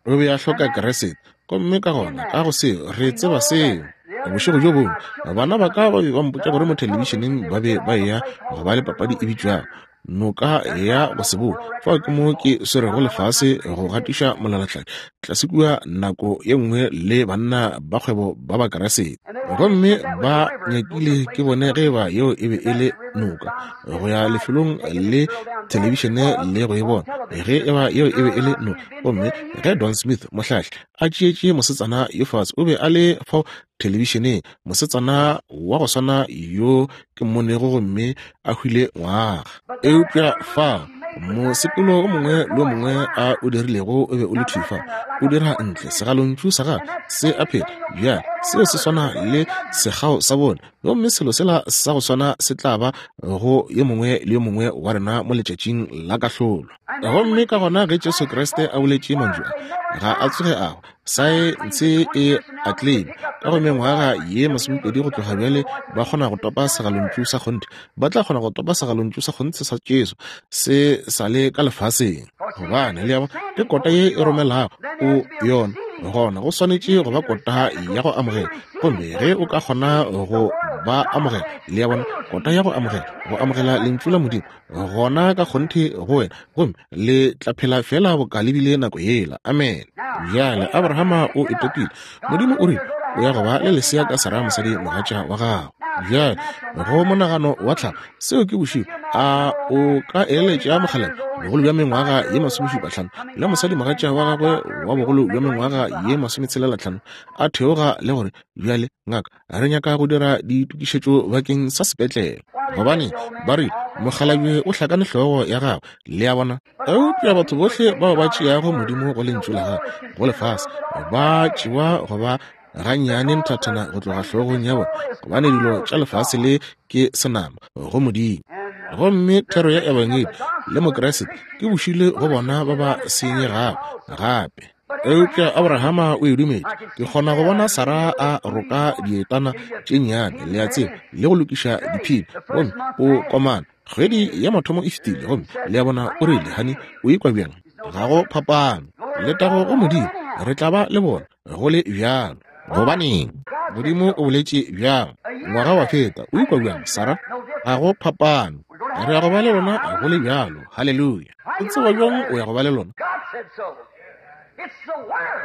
O be a hloka Kriste, gomme ka gona ka go seo re tseba seo. Bošego bjo bongwe bana ba ka ba be ba mpotša gore mo thelebišeneng ba be ba eya go ba le papadi e bitšwago Noka ya go se boe. Fao ke mo ke swerego lefase go gatiša molalatladi tlase kua nako ye nngwe le banna ba kgwebo ba Bakriste. Gomme ba nyakile ke bone ge ba yeo e be e le noka go ya lefelong le thelebišene le go e bona ge e ba yeo e be e le noka. Gomme ge Don Smith mohlahli a tšeetše mosetsana yo fase, o be a le fao thelebišeneng, mosetsana wa go swana yo ke mmonego gomme a hwile ngwaga. Eupša fao mosepelo o mongwe le o mongwe a o dirilego o be o le thwi fa, o dira ntle segalontšu sa gagwe se a phela. Bjale seo se swana le sekgao sa bone, gomme selo sela sa go swana se tla ba go yo mongwe le yo mongwe wa rena mo letšatšing la kahlolo. Gomme ka gona ge Jesu Kriste a boletše mantšu a, ga a tsoge a hwa. Saense e a claim ka go mengwaga ye masomepedi go tloga bjale ba kgona go topa segalontšu sa kgonthe. Ba tla kgona go topa segalontšu sa kgonthe sa Jesu se sa le ka lefaseng, gobane le ya bona ke kota ye e romelago o yona. Gona go swanetše go ba kota ya go amogela, gomme ge o ka kgona go ba amogela, le ya bona kota ya go amogela, go amogela lentšu la Modimo, gona ka kgonthe go wena, gomme le tla phela fela boka le bile nako yela. Amen. Bjale Abrahama o itopile. Modimo o rile o ya go ba le lesea ka Sara mosadi mogatša wa gago. Bjale go monagano wa tlhago, seo ke bošego. A o ka eletša mokgalabje bogolo bja mengwaga ye masomešupa hlano le mosadi mogatša wa gagwe wa bogolo bja mengwaga ye masometshelela hlano a theoga le gore bjale ngaka re nyaka go dira ditokišetšo bakeng sa sepetlele, gobane ba re mokgalabje o hlakane hlogo ya gagwe, le a bona. Eupša batho bohle bao ba tšeago Modimo go lentšu la gagwe go lefase ba tšewa go ba gannyane nthathana go tloga hlogong ya bona, gobane dilo tša lefase le ke senama go Modimo. Gomme thero ya ebangedi le Mokriste ke bošile go bona ba ba senyegago gape. Eupša Abrahama o e dumetše. Ke kgona go bona Sara a roka dietana tše nnyane, le a tseba, le go lokiša diphini, gomme o komana. Kgwedi ya mathomo e fetile, gomme le a bona o rile, honey, o ikwa bjang? Ga go phapano. Letago go Modimo, re tla ba le bona go le bjalo. Gobaneng? Modimo o boletše bjang? Ngwaga wa feta, o ikwa bjang, Sara? Ga go phapano. Re ya go ba le lona go le bjalo. Haleluya. O tseba bjang o ya go ba le lona?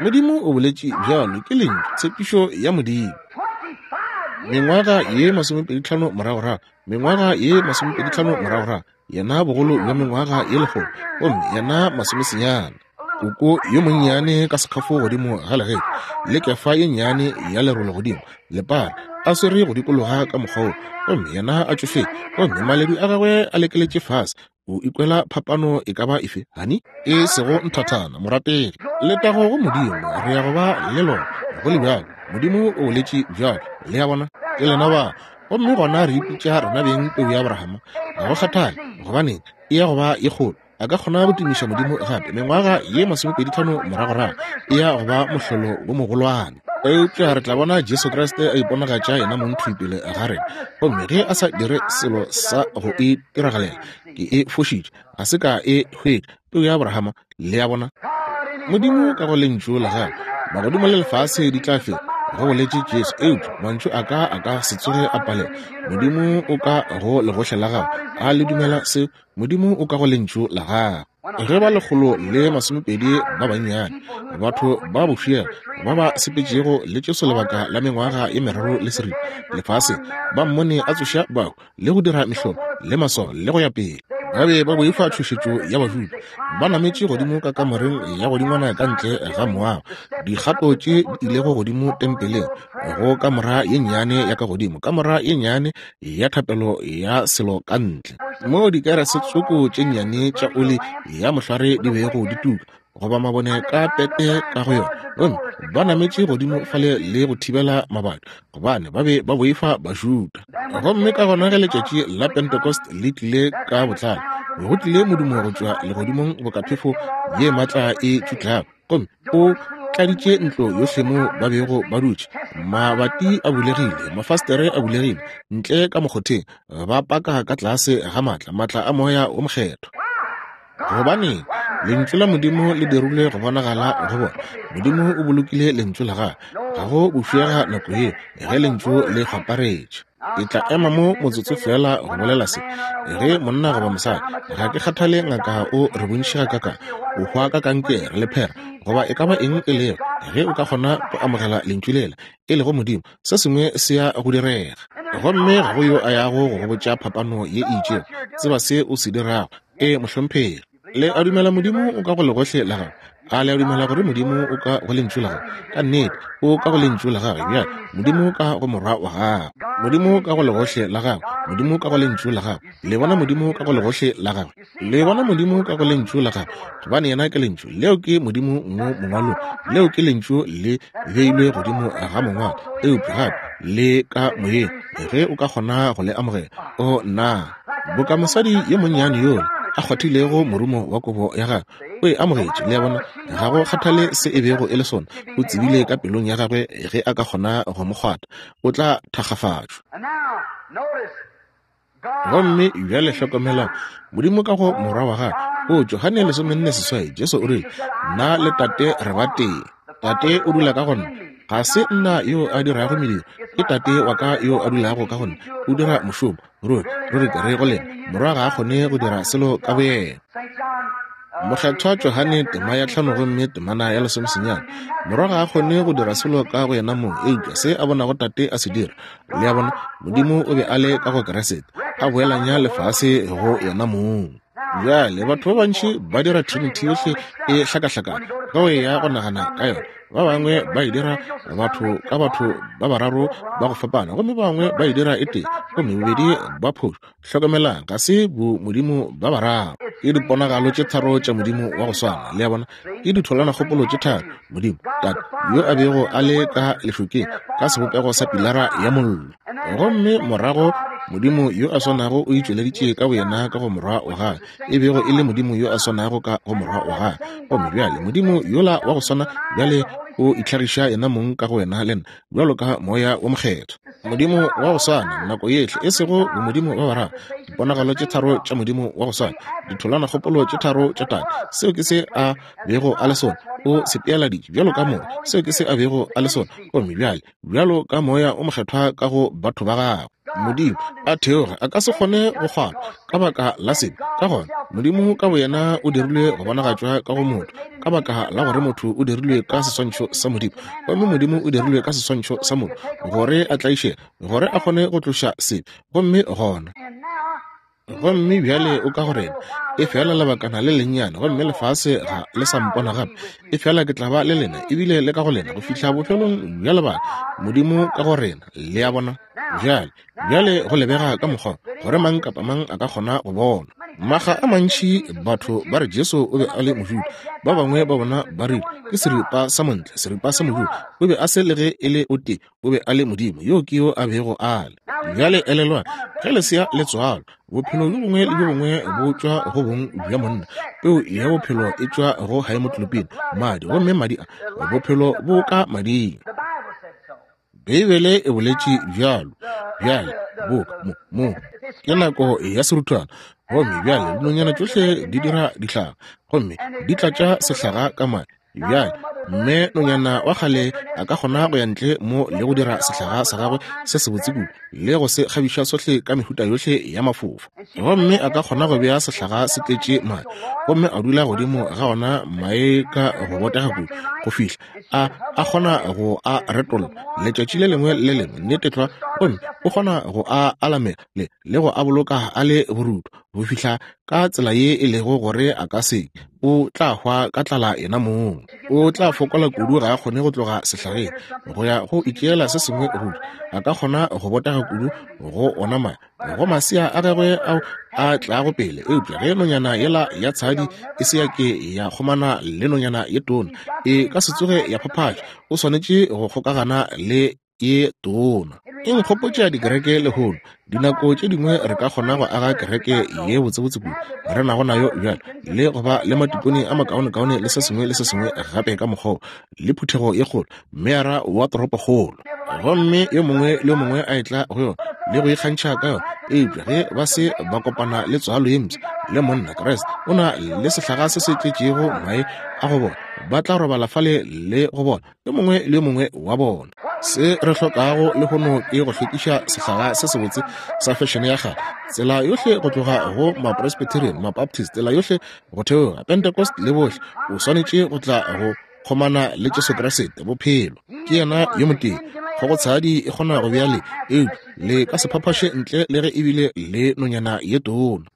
Modimo o boletše bjalo, ke lentšu, tshepišo ya Modimo. Mengwaga ye masomepedi tlhano moragorago, mengwaga ye masomepedi tlhano moragorago, yena bogolo bja mengwaga ye lekgolo, gomme yena masomesenyane. Koko yo monnyane ka sekgafo godimo ga legetla le kefa ye nnyane ya lerole godimo lepara a swere go dikologa ka mokgwa wo, gomme yena a tšofetše, gomme maledu a gagwe a lekeletše fase. O ikwela phapano e ka ba efe, honey? E sego nthathana, morategi. Letago go Modimo, re ya go ba le lona go le bjalo. Modimo o boletše bjalo, le a bona, ke lena ba. Gomme gona re ipitša rena beng peu ya Abrahama. Ga go kgathale gobaneng e ya go ba ye kgolo. A ka kgona go tumiša Modimo gape mengwaga ye masomepedi tlhano moragorago e ya go ba mohlolo wo mogolwane. Eupša re tla bona Jesu Kriste a iponagatša yena mong thwi pele ga rena, gomme ge a sa dire selo sa go itiragalela, ke e fošitše, ga se ka e hwetša peu ya Abrahama, le a bona. Modimo ka go lentšu la gagwe, magodimo le lefase di tla feta, go boletše Jesu, eupša mantšu a ka a ka se tsoge a palela. Modimo o ka go legohle la gago, a le dumela seo? Modimo o ka go lentšu la gago. Ge ba lekgolo le masomepedi ba bannyane, batho ba bofiela ba ba sepetšego le Jesu lebaka la mengwaga ye meraro le seripa lefaseng, ba mmone a tsoša bahu le go dira mehlolo le maswao le go ya pele, ba be ba boifa tšhošetšo ya Bajuda. Ba nametše godimo ka kamoreng ya godingwana ka ntle ga moago, dikgato tše di ilego godimo tempeleng, go kamora ye nnyane ya ka godimo, kamora ye nnyane ya thapelo ya selo ka ntle, moo dikerese tsoko tše nnyane tša oli ya mohlware di bego di tuka, goba mabone ka pete ka go yona. Gomme ba nametše godimo fale le go thibela mabadi, gobane ba be ba boifa Bajuda. Gomme ka gona ge letšatši la Pentecost le tlile ka botlalo, go tlile modumo go tšwa legodimong boka phefo ye maatla e tšutlago, gomme o tladitše ntlo yohle mo ba bego ba dutše. Mabati a bulegile, mafastere a bulegile, ntle ka mokgotheng ba paka ka tlase ga maatla, maatla a moya o mokgethwa. Gobaneng? Lentšu la Modimo le dirilwe go bonagala go bona. Modimo o bolokile lentšu la gagwe. Ga go bofiega nako ye ge lentšu le kgwaparetše. Ke tla ema mo motsotso fela go bolela se. Ge monna goba mosadi, ga ke kgathale ngaka o re bontši ga kaka, o hwa ka kankere, lephera, goba e ka ba eng e lego, ge o ka kgona go amogela lentšu lela, e lego Modimo, se sengwe se ya go direga. Gomme ga go yo a yago go go botša phapano ye e itšego. Tseba se o se dirago. E mohlomphegi. Le a dumela Modimo o ka go legohle la gago? A le a dumela gore Modimo o ka go lentšu la gagwe? Ka nnete, o ka go lentšu la gagwe. Bjale, Modimo ka go morwa wa gagwe. Modimo ka go legohle la gagwe. Modimo ka go lentšu la gagwe. Le bona Modimo ka go legohle la gagwe. Le bona Modimo ka go lentšu la gagwe. Gobane yena ke lentšu. Leo ke Modimo mo mongwalong. Leo ke lentšu le beilwe godimo ga mongwalo. Eupša gape le ka moyeng, ge o ka kgona go le amogela. O nna, boka mosadi yo monnyane yola a kgwathilego morumo wa kobo ya gagwe, o e amogetše. Le a bona, ga go kgathale se e bego e le sona, o tsebile ka pelong ya gagwe ge a ka kgona go mo kgwatha, o tla thakgafatšwa. Gomme bjale hlokomelang, Modimo ka go morwa wa gagwe. O Johane lesomenne seswai, Jesu o rile, nna le Tate re ba tee. Tate o dula ka go nna. Ga se nna yo a dirago mediro, ke Tate wa ka yo a dulago ka go nna. O dira mošomo. Ruri, ruri ke re go lena, morwa ga a kgone go dira selo ka boyena. Mokgethwa Johane tema ya tlhano gomme temana ya lesomesenyane. Morwa ga a kgone go dira selo ka go yena mong, eupša se a bonago Tate a se dira. Le a bona, Modimo o be a le ka go Kriste, a boelanya lefase go yena mong. Bjale batho ba bantši ba dira Trinity yohle e hlakahlakana ka go ya go nagana ka yona. Ba bangwe ba e dira batho ka batho ba bararo ba go fapana, gomme ba bangwe ba e dira e tee, gomme bobedi ba phošo. Hlokomelang, ga se bo Modimo ba bararo, ke diponagalo tše tharo tša Modimo wa go swana. Le a bona, ke ditholwanakgopolo tše tharo. Modimo Tate yo a bego a le ka lešokeng ka sebopego sa pilara ya mollo, gomme morago Modimo yo a swanago o itšweleditše ka boyena ka go morwa wa gagwe, e bego e le Modimo yo a swanago ka go morwa wa gagwe. Gomme bjale Modimo yola wa go swana bjale o itlhagiša yena mong ka go wena le nna bjalo ka Moya wo Mokgethwa. Modimo wa go swana nako yehle, e sego bomodimo ba bararo, diponagalo tše tharo tša Modimo wa go swana, ditholwanakgopolo tše tharo tša Tate. Seo ke se a bego a le sona. O se pealaditše bjalo ka moya. Seo ke se a bego a le sona. Gomme bjale bjalo ka Moya o Mokgethwa ka go batho ba gagwe. Modimo a theoga a ka se kgone go kgwana ka baka la sebe. Ka gona Modimo ka boyena o dirilwe go bonagatšwa ka go motho, ka baka la gore motho o dirilwe ka seswantšho sa Modimo, gomme Modimo o dirilwe ka seswantšho sa motho, gore a tlaišege, gore a kgone go tloša sebe. Gomme gona gomme bjale o ka go rena, e fela lebakana le lennyane, gomme lefase ga le sa mpona gape, e fela ke tla ba le lena, ebile le ka go lena go fihla bofelong bja lebaka. Modimo ka go rena. Le a bona? Bjale, bjale go lebega ka mokgwa gore mang kapa mang a ka kgona go bona. Maga a mantši batho ba re Jesu o be a le Mojuda. Ba bangwe ba bona ba rile ke seripa sa montle, seripa sa Mojuda. O be a se le ge e le o tee, o be a le Modimo. Yo ke yo a bego a le. Bjale elelwang, ge lesea le tswalwa, bophelo bjo bongwe le bjo bongwe bo tšwa go bong bja monna. Peu ya bophelo e tšwa go haemoglobin, madi, gomme madi a bophelo bo ka mading. Beibele e boletše bjalo. Bjale bo mo mo ke nako ya seruthwana, gomme bjale dinonyana tšohle di dira dihlaga, gomme di tlatša sehlaga ka mae. Bjale mme nonyana wa kgale a ka kgona go ya ntle mo le go dira sehlaga sa gagwe se sebotse kudu le go se kgabiša sohle ka mehuta yohle ya mafofa, gomme a ka kgona go bea sehlaga se tletše mae, gomme a dula godimo ga ona mae ka go botega kudu go fihla a a kgona go a retolla letšatši le lengwe le lengwe, nnete tlwa, gomme o kgona go a alamela le le go a boloka a le borutho go fihla ka tsela ye e lego gore a ka se, o tla hwa ka tlala yena mong. O tla fokola kudu ga a kgone go tloga sehlageng go ya go itšeela se sengwe go ja. A ka kgona go botega kudu go ona mae, go masea a gagwe ao a tlago pele. Eupša ge nonyana yela ya tshadi e se ya ke ya kgomana le nonyana ye tona, e ka se tsoge ya phaphatša. O swanetše go kgokagana le ye tona. E nkgopotša dikereke lehono. Dinako tše dingwe re ka kgona go aga kereke ye botsebotse kudu re nago nayo bjale, le go ba le matikone a makaonekaone le se sengwe le se sengwe gape ka mokgwa, le phuthego ye kgolo, meyara wa toropokgolo, gomme yo mongwe le yo mongwe a etla go yona le go ikgantšha ka yona. Eupša ge ba se ba kopana le tswalo ye mpsha le monna Kriste, o na le sehlaga se se tletšego mae a go bona, ba tla robala fale le go bona yo mongwe le yo mongwe wa bona. Se re hlokago lehono ke go hlwekiša sehlaga se sebotse sa fešene ya kgale, tsela yohle go tloga go Mapresbyterian, Mabaptist, tsela yohle go theoga Pentecost le bohle. O swanetše go tla go kgomana le Jesu Kriste, bophelo. Ke yena yo motee. Kgogotshadi e kgona go bea le, eupša le ka se phaphaše ntle le ge ebile le nonyana ye tona.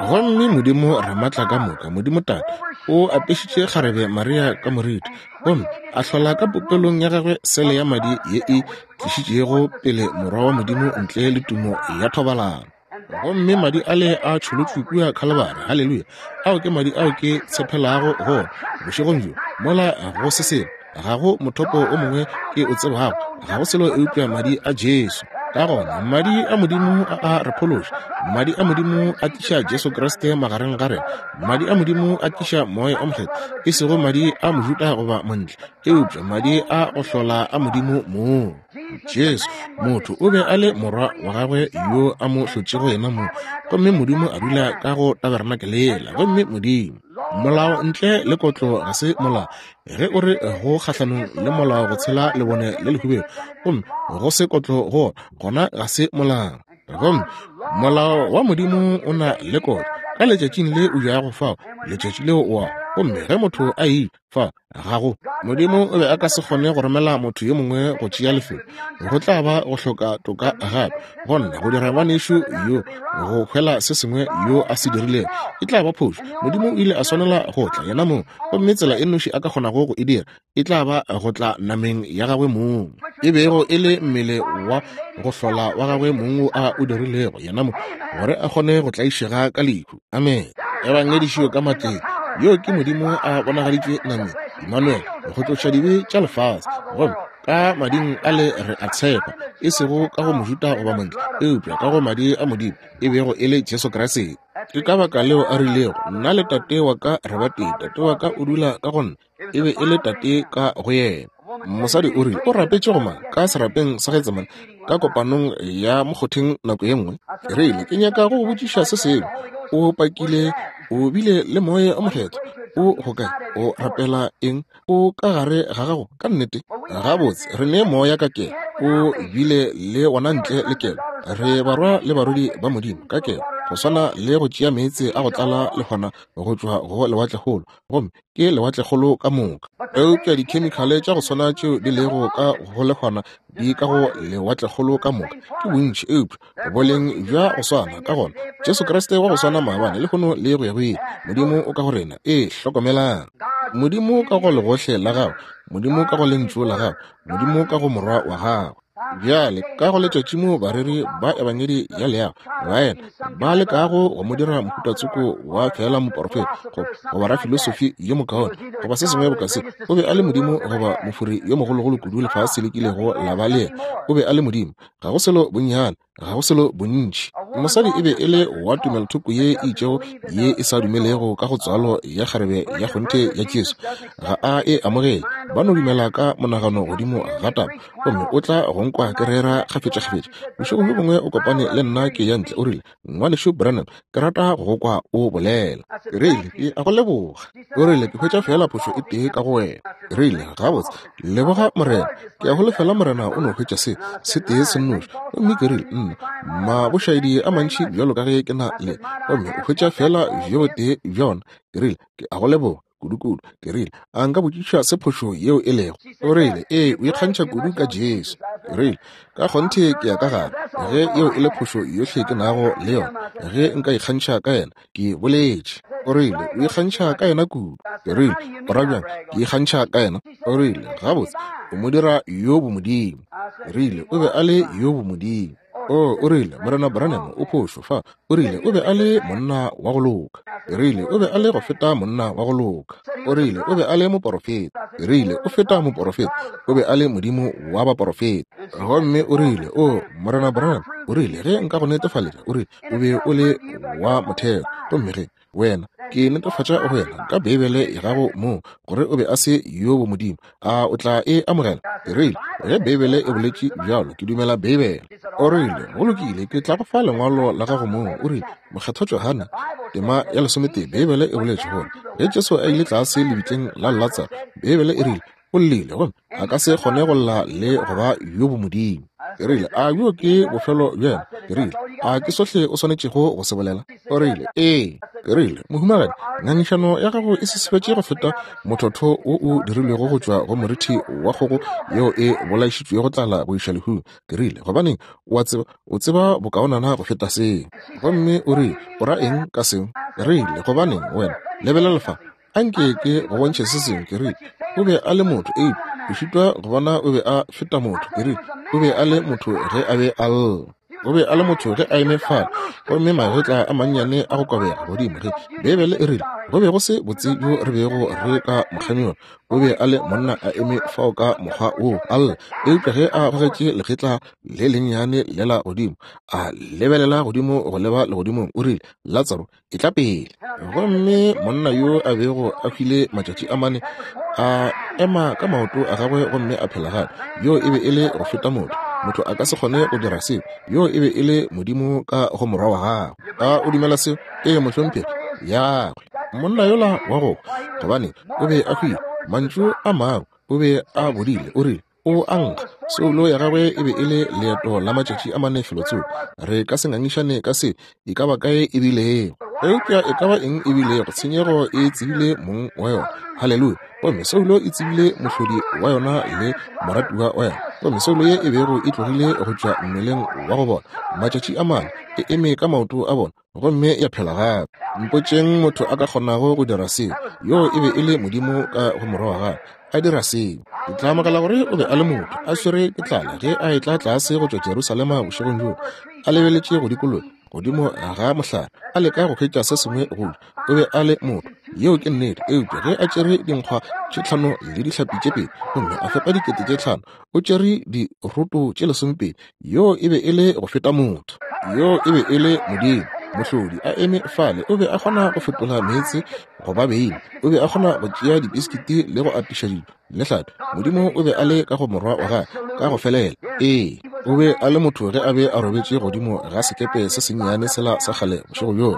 Gomme Modimo Ramatla ka moka, Modimo Tate, o apešitše kgarebe Maria ka moriti, gomme a hlola ka popelong ya gagwe sele ya madi ye e tlišitšego pele Morwa wa Modimo ntle le tumo ya thobalano. Gomme madi ale a tšholotšwe kua Khalibari. Haleluya! Ao ke madi ao ke tshepelago go ona bošegong bjo. Mola go se selo, ga go mothopo o mongwe ke o tsebago, ga go selo eupša madi a Jesu. Ka gona madi a Modimo a a re phološa, madi a Modimo a tliša Jesu Kriste magareng ga rena, madi a Modimo a tliša Moya o Mokgethwa, e sego madi a Mojuda goba montle, eupša madi a go hlola a Modimo mong. Jesu, motho, o be a le morwa wa gagwe yo a mo hlotšego yena mong, gomme Modimo a dula ka go tabernakelela. Gomme Modimo, molao ntle le kotlo ga se molao. Ge o re go kgahlanong le molao go tshela lebone le lehubedu, gomme go se kotlo go gona ga se molao. Gomme molao wa Modimo o na le kotlo. Ka letšatšing le o jago fao, letšatši leo o a. Gomme ge motho a ile fa gago, Modimo o be a ka se kgone go romela motho yo mongwe go tšea lefelo. Go tla ba go hloka toka gape gonna go dira ngwanešu yo go hwela se sengwe yo a se dirilego, e tla ba phošo. Modimo o ile a swanela go tla yena mong, gomme tsela e nnoši a ka kgonago go e dira e tla ba go tla nameng ya gagwe mong, e bego e le mmele wa go hlola wa gagwe mong wo a o dirilego yena mong, gore a kgone go tlaišega ka lehu. Amen. Ebangedišo ka matleng. Yo ke Modimo a bonagaditšwe nameng, Emmanuel, go tloša dibe tša lefase. Gomme ka mading a le re a tshepa, e sego ka go Mojuda goba montle, eupša ka go madi a Modimo, e bego e le Jesu Kriste. Ke ka baka leo a rilego, nna le tate wa ka re ba tee, tate wa ka o dula ka go nna, e be e le tate ka go yena. Mosadi o rile, o rapetše go mang ka serapeng sa Getsemane ka kopanong ya mokgotheng nako ye nngwe? Ke rile, ke nyaka go go botšiša se sengwe. O pakile o bile le Moya o Mokgethwa, o go kae? O rapela eng? O ka gare ga gago ka nnete? Gabotse, re ne moya ka kelo. O bile le wona ntle le kelo. Re barwa le barwedi ba Modimo ka kelo, go swana le go tšea meetse a go tlala lehwana go tšwa go lewatlekgolo, gomme ke lewatlekgolo ka moka. Eupša dikhemikhale tša go swana tšeo di lego ka go lehwana di ka go lewatlekgolo ka moka ke bontši, eupša boleng bja go swana. Ka gona Jesu Kriste wa go swana maabane, lehono le go ya go ile. Modimo o ka go rena. Ee, hlokomelang. Modimo ka go legohle la gagwe, Modimo ka go lentšu la gagwe, Modimo ka go morwa wa gagwe. Bjale ka go letšatši mo bareri ba ebangedi ya leago baena ba lekago go mo dira mohutatsoko wa fela moporofeta goba rafilosofi yo mokaone goba se sengwe boka se, o be a le Modimo goba mofori yo mogologolo kudu lefase le kilego la ba le yena. O be a le Modimo. Ga go selo bonnyane, ga go selo bontši. Mosadi e be e le wa tumelothoko ye e itšego ye e sa dumelego ka go tswalo ya kgarebe ya kgonthe ya Jesu. Ga a e amogele. Ba no dumela ka monagano godimo ga taba, gomme o tla go nkwa ke rera kgafetšakgafetša. Bošegong bjo bongwe o kopane le nna ke ya ntle, o rile, Ngwanešu Branham, ke rata go go kwa o bolela. Ke rile, ke a go leboga. O rile, ke hwetša fela phošo e tee ka go wena. Ke rile, gabotse, leboga Morena. Ke a holofela Morena o no hwetša se se tee se nnoši. Gomme ke rile, nna mabošaedi a mantši bjalo ka ge ke na le, gomme o hwetša fela bjo botee bja ona. Ke rile, ke a go leboga kudu-kudu. Ke rile, a nka botšiša se phošo yeo e lego? O rile, ee, o ikgantšha kudu ka Jesu. Ke rile, ka kgonthe ke ya ka gare, ge yeo e le phošo yohle ke nago le yona, ge nka ikgantšha ka yena, ke boletše. O rile, o ikgantšha ka yena kudu. Ke rile, o ra bjang ke ikgantšha ka yena? O rile, gabotse, o mo dira yo bomodimo. Ke rile, o be a le yo bomodimo. O, o rile, Morena Branham o phošo fa. O rile, o be a le monna wa go loka. Ke rile, o be a le go feta monna wa go loka. O rile, o be a le moporofeta. Ke rile, o feta moporofeta. O be a le Modimo wa baporofeta. Gomme o rile, o, Morena Branham, o rile, ge nka go netefaletša, o rile, o be o le wa motheo. Gomme ge Wena, ke netefatša go wena ka Beibele ya gago mo gore o be a se yo bomodimo. A o tla e amogela? Ke rile, ge Beibele e boletše bjalo, ke dumela Beibele. O rile, go lokile, ke tla go fa lengwalo la gago moo. O rile, Mokgethwa Johane, tema ya lesometee, Beibele e boletše gore ge Jesu a ile tlase lebitleng la Latsaro, Beibele e rile o llile gomme a ka se kgone go lla le go ba yo bomodimo. Ke rile, a yo ke bofelo bja yena? Ke rile, a ke sohle o swanetšego go se bolela? O rile, ee. Ke rile, mohumagadi, ngangišano ya gago e sesefetše go feta mothotho wo o dirilwego go tšwa go morithi wa kgogo yeo e bolaišitšwego tlala go iša lehung. Ke rile, gobaneng, o a tseba, o tseba bokaonana go feta seo. Gomme o rile, o ra eng ka seo? Ke rile, gobaneng, wena, lebelela fa, anke ke go bontšhe se sengwe. Ke rile, o be a le motho, eupša o šitwa go bona o be a feta motho. Ke rile, o be a le motho ge a be a lla. O be a le motho ge a eme fale, gomme magetla a mannyane a go kobega godimo. Ge Beibele e rile go be go se botse bjo re bego re ka mo kganyoga, o be a le monna a eme fao ka mokgwa woo a lla. Eupša ge a gogetše legetla le lennyane lela godimo, a lebelela godimo go leba legodimong, o rile, Latsaro, etla pele. Gomme monna yo a bego a hwile matšatši a mane a ema ka maoto a gagwe gomme a phela gape. Yo e be e le go feta motho. Motho a ka se kgone go dira seo. Yo e be e le Modimo ka go morwa wa gagwe. A o dumela seo? Ee, mohlomphegi. Yagwe monna yola wa go, gobane o be a hwile. Mantšu a maro, o be a bodile. O rile, o a nkga. Soulo ya gagwe e be e le leeto la matšatši a mane felotsoko. Re ka se ngangišane ka se e ka ba kae e bilego, eupša e ka ba eng e bilego, tshenyego e tsebile mong wa yona. Haleluya. Gomme soulo e tsebile mohlodi wa yona le moratiwa wa yona. Gomme soulo ye e bego e tlogile go tšwa mmeleng wa go bona matšatši a mane, e eme ka maoto a bona gomme ya phela gape. Mpotšeng motho a ka kgonago go dira seo. Yoo e be e le Modimo ka go morwa wa gagwe a dira seo. Ke tla amogela gore o be a le motho a swere ke tlala ge a etla tlase go tšwa Jerusalema bošegong bjoo, a lebeletše go dikologa godimo ga mohlare, a leka go hwetša se sengwe go ja. O be a le motho, yeo ke nnete. Eupša ge a tšere dinkgwa tše tlhano le dihlapi tše pedi gomme a fepa dikete tše tlhano, o tšere diroto tše lesomepedi. Yoo e be e le go feta motho. Yoo e be e le Modimo mohlodi a eme fale. O be a kgona go fetola meetse go ba beine. O be a kgona go tšea dibiskiti le go atiša dijo le hlapi. Modimo o be a le ka go morwa wa gagwe ka go felela. Ee, o be a le motho ge a be a robetše godimo ga sekepe se sennyane sela sa kgale bošego bjoo,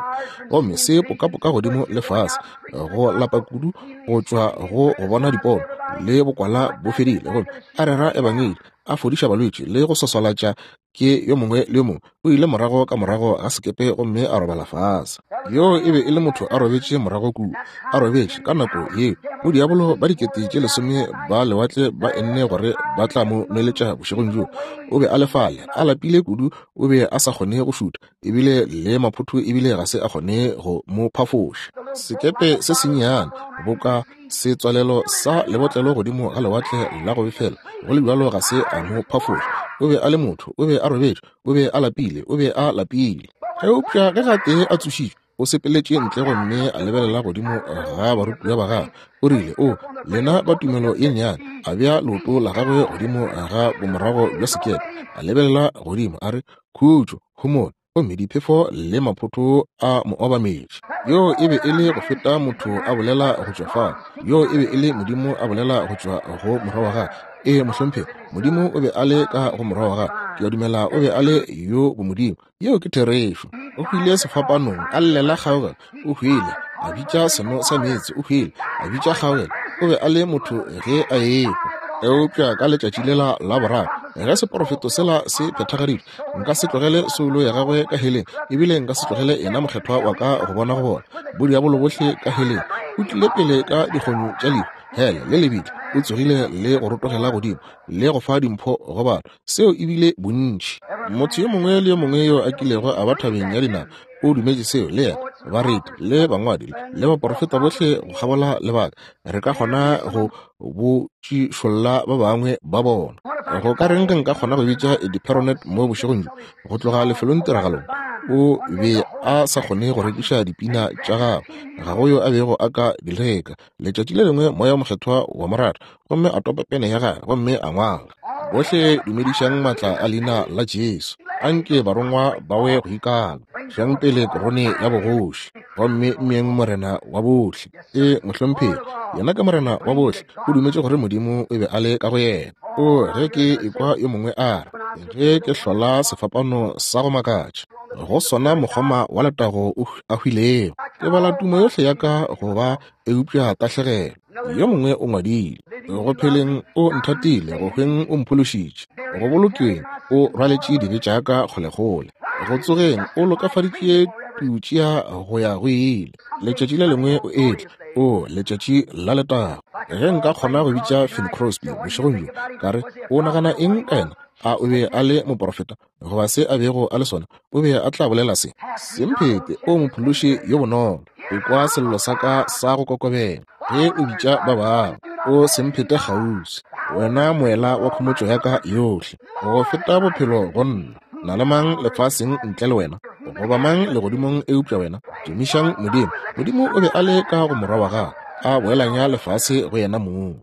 gomme se pokapoka godimo le fase, go lapa kudu go tšwa go go bona dipono le bokwala bo fedile, gomme a rera ebangedi, a fodiša balwetši le go swaswalatša ke yo mongwe le yo mongwe. O ile morago ka morago ga sekepe gomme a robala fase. Yo e be e le motho a robetše morago kua, a robetše ka nako yeo. Bodiabolo ba dikete tše lesome ba lewatle ba enne gore ba tla mo nweletša bošegong bjoo. O be a le fale, a lapile kudu, o be a sa kgone go šutha, ebile le maphotho ebile ga se a kgone go mo phafoša. Sekepe se sennyane boka setswalelo sa lebotlelo godimo ga lewatle la go befela, go le bjalo ga se a mo phafoša. O be a le motho, o be a robetše, o be a lapile, o be a lapile. Eupša ge gatee a tsošitšwe, o sepeletše ntle gomme a lebelela godimo ga barutiwa ba gagwe. O rile, o lena ba tumelo ye nnyane. A bea leoto la gagwe godimo ga bomorago bja sekepe, a lebelela godimo, a re, khutšo, homola. Gomme diphefo le maphotho a mo obametše. Yo e be e le go feta motho a bolela go tšwa fao. Yo e be e le Modimo a bolela go tšwa go morwa wa gagwe. Ee, mohlomphegi, Modimo o be a le ka go morwa wa gagwe. Ke a dumela o be a le yo bomodimo. Yeo ke therešo. O hwile sefapanong, a llela kgaogelo. O hwile, a bitša seno sa meetse. O hwile, a bitša kgaogelo. O be a le motho ge a ehwa. Eupša ka letšatši lela la boraro, ge seporofeto sela se phethagaditšwe, nka se tlogele soulo ya gagwe ka heleng, ebile nka se tlogele yena mokgethwa wa ka go bona go bona bodiabolo bohle ka heleng. O tlile pele ka dikgonyo tša lehu, hele le lebitla. O tsogile le go rotogela godimo le go fa dimpho go batho. Seo ebile bontši. Motho yo mongwe le yo mongwe yo a kilego a ba thabeng ya dinama o dumetše seo, le yena. Bareti le bangwadi le baporofeta bohle go kgabola lebaka, re ka kgona go botšišolla ba bangwe ba bona. Go ka reng ge nka kgona go bitša Eddie Perronet mo bošegong bjo go tloga lefelong tiragalong? O be a sa kgone go rekiša dipina tša gagwe, ga go yo a bego a ka di reka. Letšatši le lengwe moya o mokgethwa wa mo rata, gomme a topa pene ya gagwe gomme a ngwala, bohle dumedišang maatla a leina la Jesu, anke barongwa ba we go ikala. Tšeang pele korone ya bogoši, gomme mmeeng Morena wa bohle. E, mohlomphegi, yena ke Morena wa bohle. O dumetše gore Modimo o be a le ka go yena. O, ge ke ekwa yo mongwe a re, ge ke hlola sefapano sa go makatša, go sona mokgoma wa letago o a hwilego, ke bala tumo yohle ya ka go ba eupša tahlegelo. Yo mongwe o ngwadile, go pheleng o nthatile, go hweng o mphološitše, go bolokeng o rwaletše dibe tša ka kgolekgole, go tsogeng o lokafaditše tutšea go ya go ile. Letšatši le lengwe o etla, o letšatši la letago. Ge nka kgona go bitša Finn Crosby bošegong bjo, ka re, o nagana eng ka yena? A o be a le moprofeta goba se a bego a le sona? O be a tla bolela se. Semphete, o mophološi yo bonolo, o kwa sello sa ka sa go kokobela ge o bitša ba bangwe. O semphete kgauswi, wena moela wa khomotšo ya ka yohle, go feta bophelo go nna. Na le mang lefaseng ntle le wena, goba mang legodimong eupša wena? Tumišang Modimo. Modimo o be a le ka go morwa wa gagwe, a boelanya lefase go yena mong.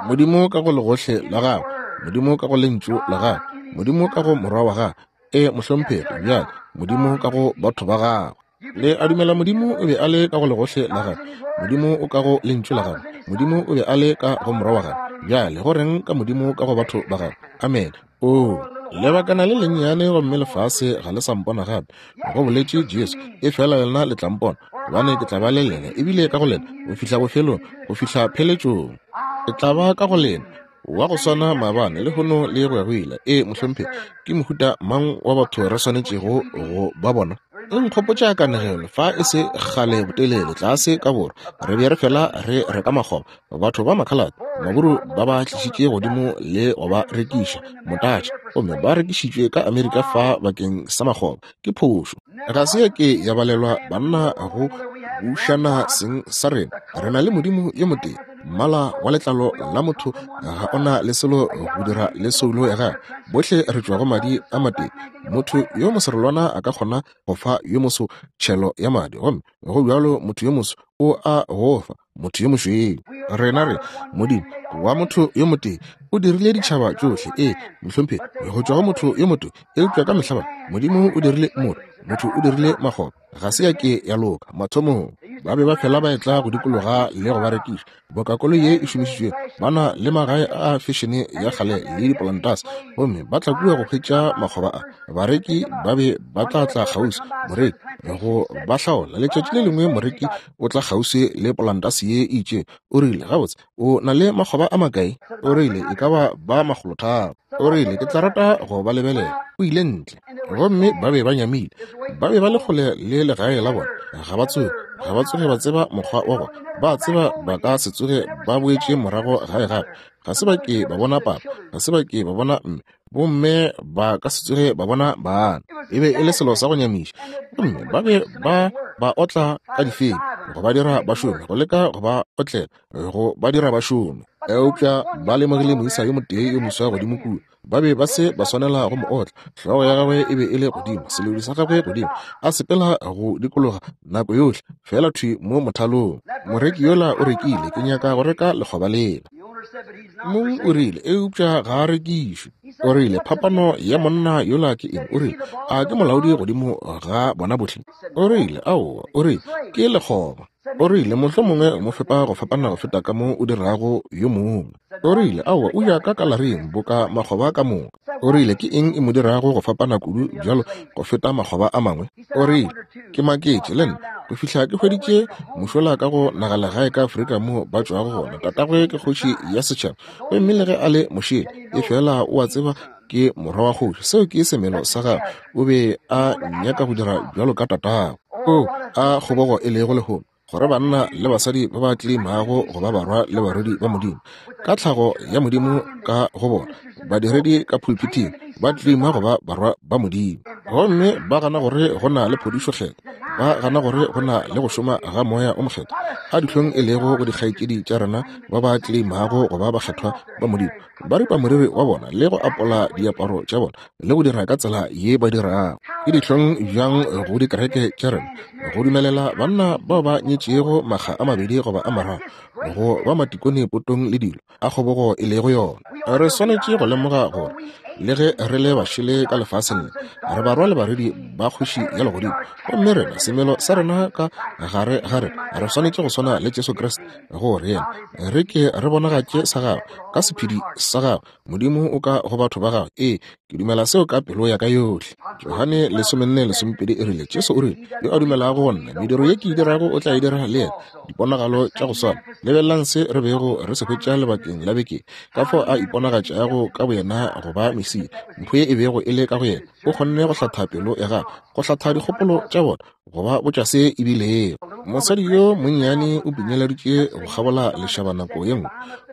Modimo ka go legohle la gagwe, Modimo ka go lentšu la gagwe, Modimo ka go morwa wa gagwe. E, mohlomphegi, bjale Modimo ka go batho ba gagwe. Le a dumela Modimo o be a le ka go legohle la gagwe, Modimo o ka go lentšu la gagwe, Modimo o be a le ka go morwa wa gagwe. Bjale go reng ka Modimo ka go batho ba gagwe? Amen. O, lebakana le lennyane gomme lefase ga le sa mpona gape, go boletše Jesu, efela lena le tla mpona, gobane ke tla ba le lena, ebile ka go lena, go fihla bofelong, go fihla pheletšong. Ke tla ba ka go lena, wa go swana maabane, lehono le go ya go ile. E, mohlomphegi, ke mohuta mang wa batho re swanetšego go ba bona? E nkgopotša kanegelo fa e se kgale botelele tlase ka borwa. Re be re fela re reka makgoba, batho ba makhalate, maburu ba ba tlišitše godimo le go ba rekiša motatša, gomme ba rekišitšwe ka Amerika fa bakeng sa makgoba. Ke phošo. Ga se ya ke ya balelwa banna go bušana seng sa rena. Re na le Modimo yo motee. Mmala wa letlalo la motho ga ona le selo go dira le soulo ya gagwe. Bohle re tšwa go madi a matee. Motho yo moserolwana a ka kgona go fa yo moso tšhelo ya madi, gomme go bjalo motho yo moso o a go fa motho yo mošweu. Rena re Modimo wa motho yo motee o dirile ditšhaba tšohle. E, mohlomphegi, go tšwa go motho yo motee, eupša ka mehla Modimo o dirile motho, motho o dirile makgoba. Ga se ya ke ya loka mathomong. Ba be ba fela ba etla go dikologa le go ba rekiša boka koloi ye e šomišitšwego. Ba na le magae a fešene ya kgale le dipolantase, gomme ba tla kua go hwetša makgoba a. Bareki ba be ba tla tla kgauswi, moreki go ba hlaola. Letšatši le lengwe moreki o tla kgauswi le polantase ye e itšeng. O rile, gabotse, o na le makgoba a makae? O rile, e ka ba ba makgolotharo. O rile, ke tla rata go ba lebelela. O ile ntle, gomme ba be ba nyamile. Ba be ba le kgole le legae la bona. Ga ba tsoge, ga ba tsoge ba tseba mokgwa wa bona. Ba tseba ba ka se tsoge ba boetše morago gae gape. Ga se ba ke ba bona papa, ga se ba ke ba bona mme, bomme ba ka se tsoge ba bona bana. E be e le selo sa go nyamiša. Gomme ba be ba ba otla ka difeng, go ba dira ba šome, go leka go ba otlela, go ba dira ba šome. Eupša ba lemogile moisa yo motee yo moswa godimo kua. Ba be ba se ba swanela go mo otla. Hlogo ya gagwe e be e le godimo, selodi sa gagwe godimo, a sepela go dikologa nako yohle, fela thwi mo mothalong. Moreki yola o rekile, ke nyaka go reka lekgoba lela. Mong o rile, eupša ga a rekišwe. O rile, phapano ya monna yola ke eng? O rile, a ke molaodi godimo ga bona bohle? O rile, aowa. O rile, ke lekgoba. O rile, mohlomongwe mo fepa go fapana go feta ka mo o dirago yo mongwe. O rile, aowa, o ya ka kalaring boka makgoba ka moka. O rile, ke eng e mo dirago go fapana kudu bjalo go feta makgoba a mangwe? O rile, ke maketše le nna go fihla ke hweditše mošola ka go nagalegae ka Afrika mo ba tšwago gona. Tatagwe ke kgoši ya setšhaba, gomme le ge a le mošele, e fela o a tseba ke morwa wa kgoši. Seo ke semelo sa gagwe. O be a nyaka go dira bjalo ka tatagwe. O a kgobogo e lego lehono, gore banna le basadi ba ba tleimago go ba barwa le barwedi ba Modimo ka tlhago ya Modimo ka go bona, badiredi ka pulpiting ba tleima go ba barwa ba Modimo, gomme ba gana gore go na le phodišo kgetho, ba gana gore go na le go šoma ga moya o mokgethwa. A dihlong e lego go dikgaetšedi tša rena ba ba tleimago go ba bakgethwa ba Modimo, ba ripa moriri wa bona le go apola diaparo tša bona le go dira ka tsela ye ba dirago. Ke dihlong bjang go dikereke tša rena go dumelela banna bao ba nyetšego makga a mabedi goba a mararo go ba matikone potong le dilo a kgobogo e lego yona. Re swanetše go lemoga gore Le ge re le bašele ka lefaseng le, re barwa le barwedi ba kgoši ya legodimo. Gomme rena, semelo sa rena ka gare ga rena, re swanetše go swana le Jesu Kriste, gore yena re ke re bonagatše sa gagwe ka sephedi sa gagwe. Modimo o ka go batho ba gagwe. Ee, ke dumela seo ka pelo ya ka yohle. Johane lesomenne lesomepedi e rile, Jesu o rile, yo a dumelago go nna, mediro ye ke e dirago o tla e dira le yena, diponagalo tša go swana. Lebelelang se re bego re se hwetša lebakeng la beke, ka fao a iponagatšago ka boyena go ba Mesia, mpho ye e bego e le ka go yena. O kgonne go hlatha pelo ya gagwe, go hlatha dikgopolo tša bona, go ba botša se e bilego. Mosadi yo monnyane o pinyeleditše go kgabola lešaba nako ye nngwe.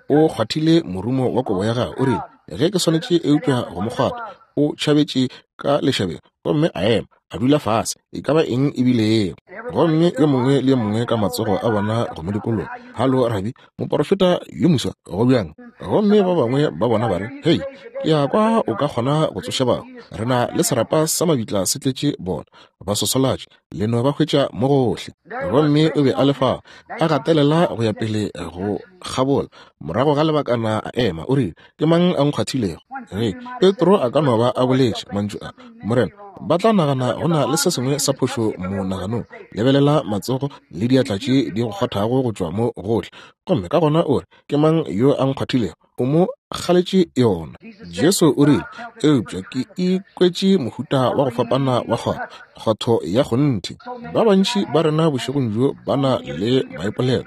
O kgwathile morumo wa kobo ya gagwe. O rile, ge ke swanetše eupša go mo kgwatha. O tšhabetše ka lešabeng gomme a ema, a dula fase, e ka ba eng e bilego. Gomme yo mongwe le yo mongwe ka matsogo a bona go mo dikologa. Halo, rabi, moporofeta yo moswa, go bjang? Gomme ba bangwe ba bona ba re, hei, ke ya kwa o ka kgona go tsoša batho. Re na le serapa sa mabitla se tletše bona, ba sosolatše, le no ba hwetša mo gohle. Gomme o be a le fao, a gatelela go ya pele go kgabola. Morago ga lebakana a ema, o rile, ke mang a nkgwathilego? Ge Petro a ka no ba a boletše mantšu a, Morena, ba tla nagana go na le se sengwe sa phošo monaganong. Lebelela matsogo le diatla tše di go kgwathago go tšwa mo gohle. Gomme ka gona o re, ke mang yo a nkgwathilego? O mo kgaletše yona. Jesu o rile, eupša ke ikwetše mohuta wa go fapana wa kgwatho, kgwatho ya kgonthe. Ba bantši ba rena bošegong bjo ba na le maipolelo.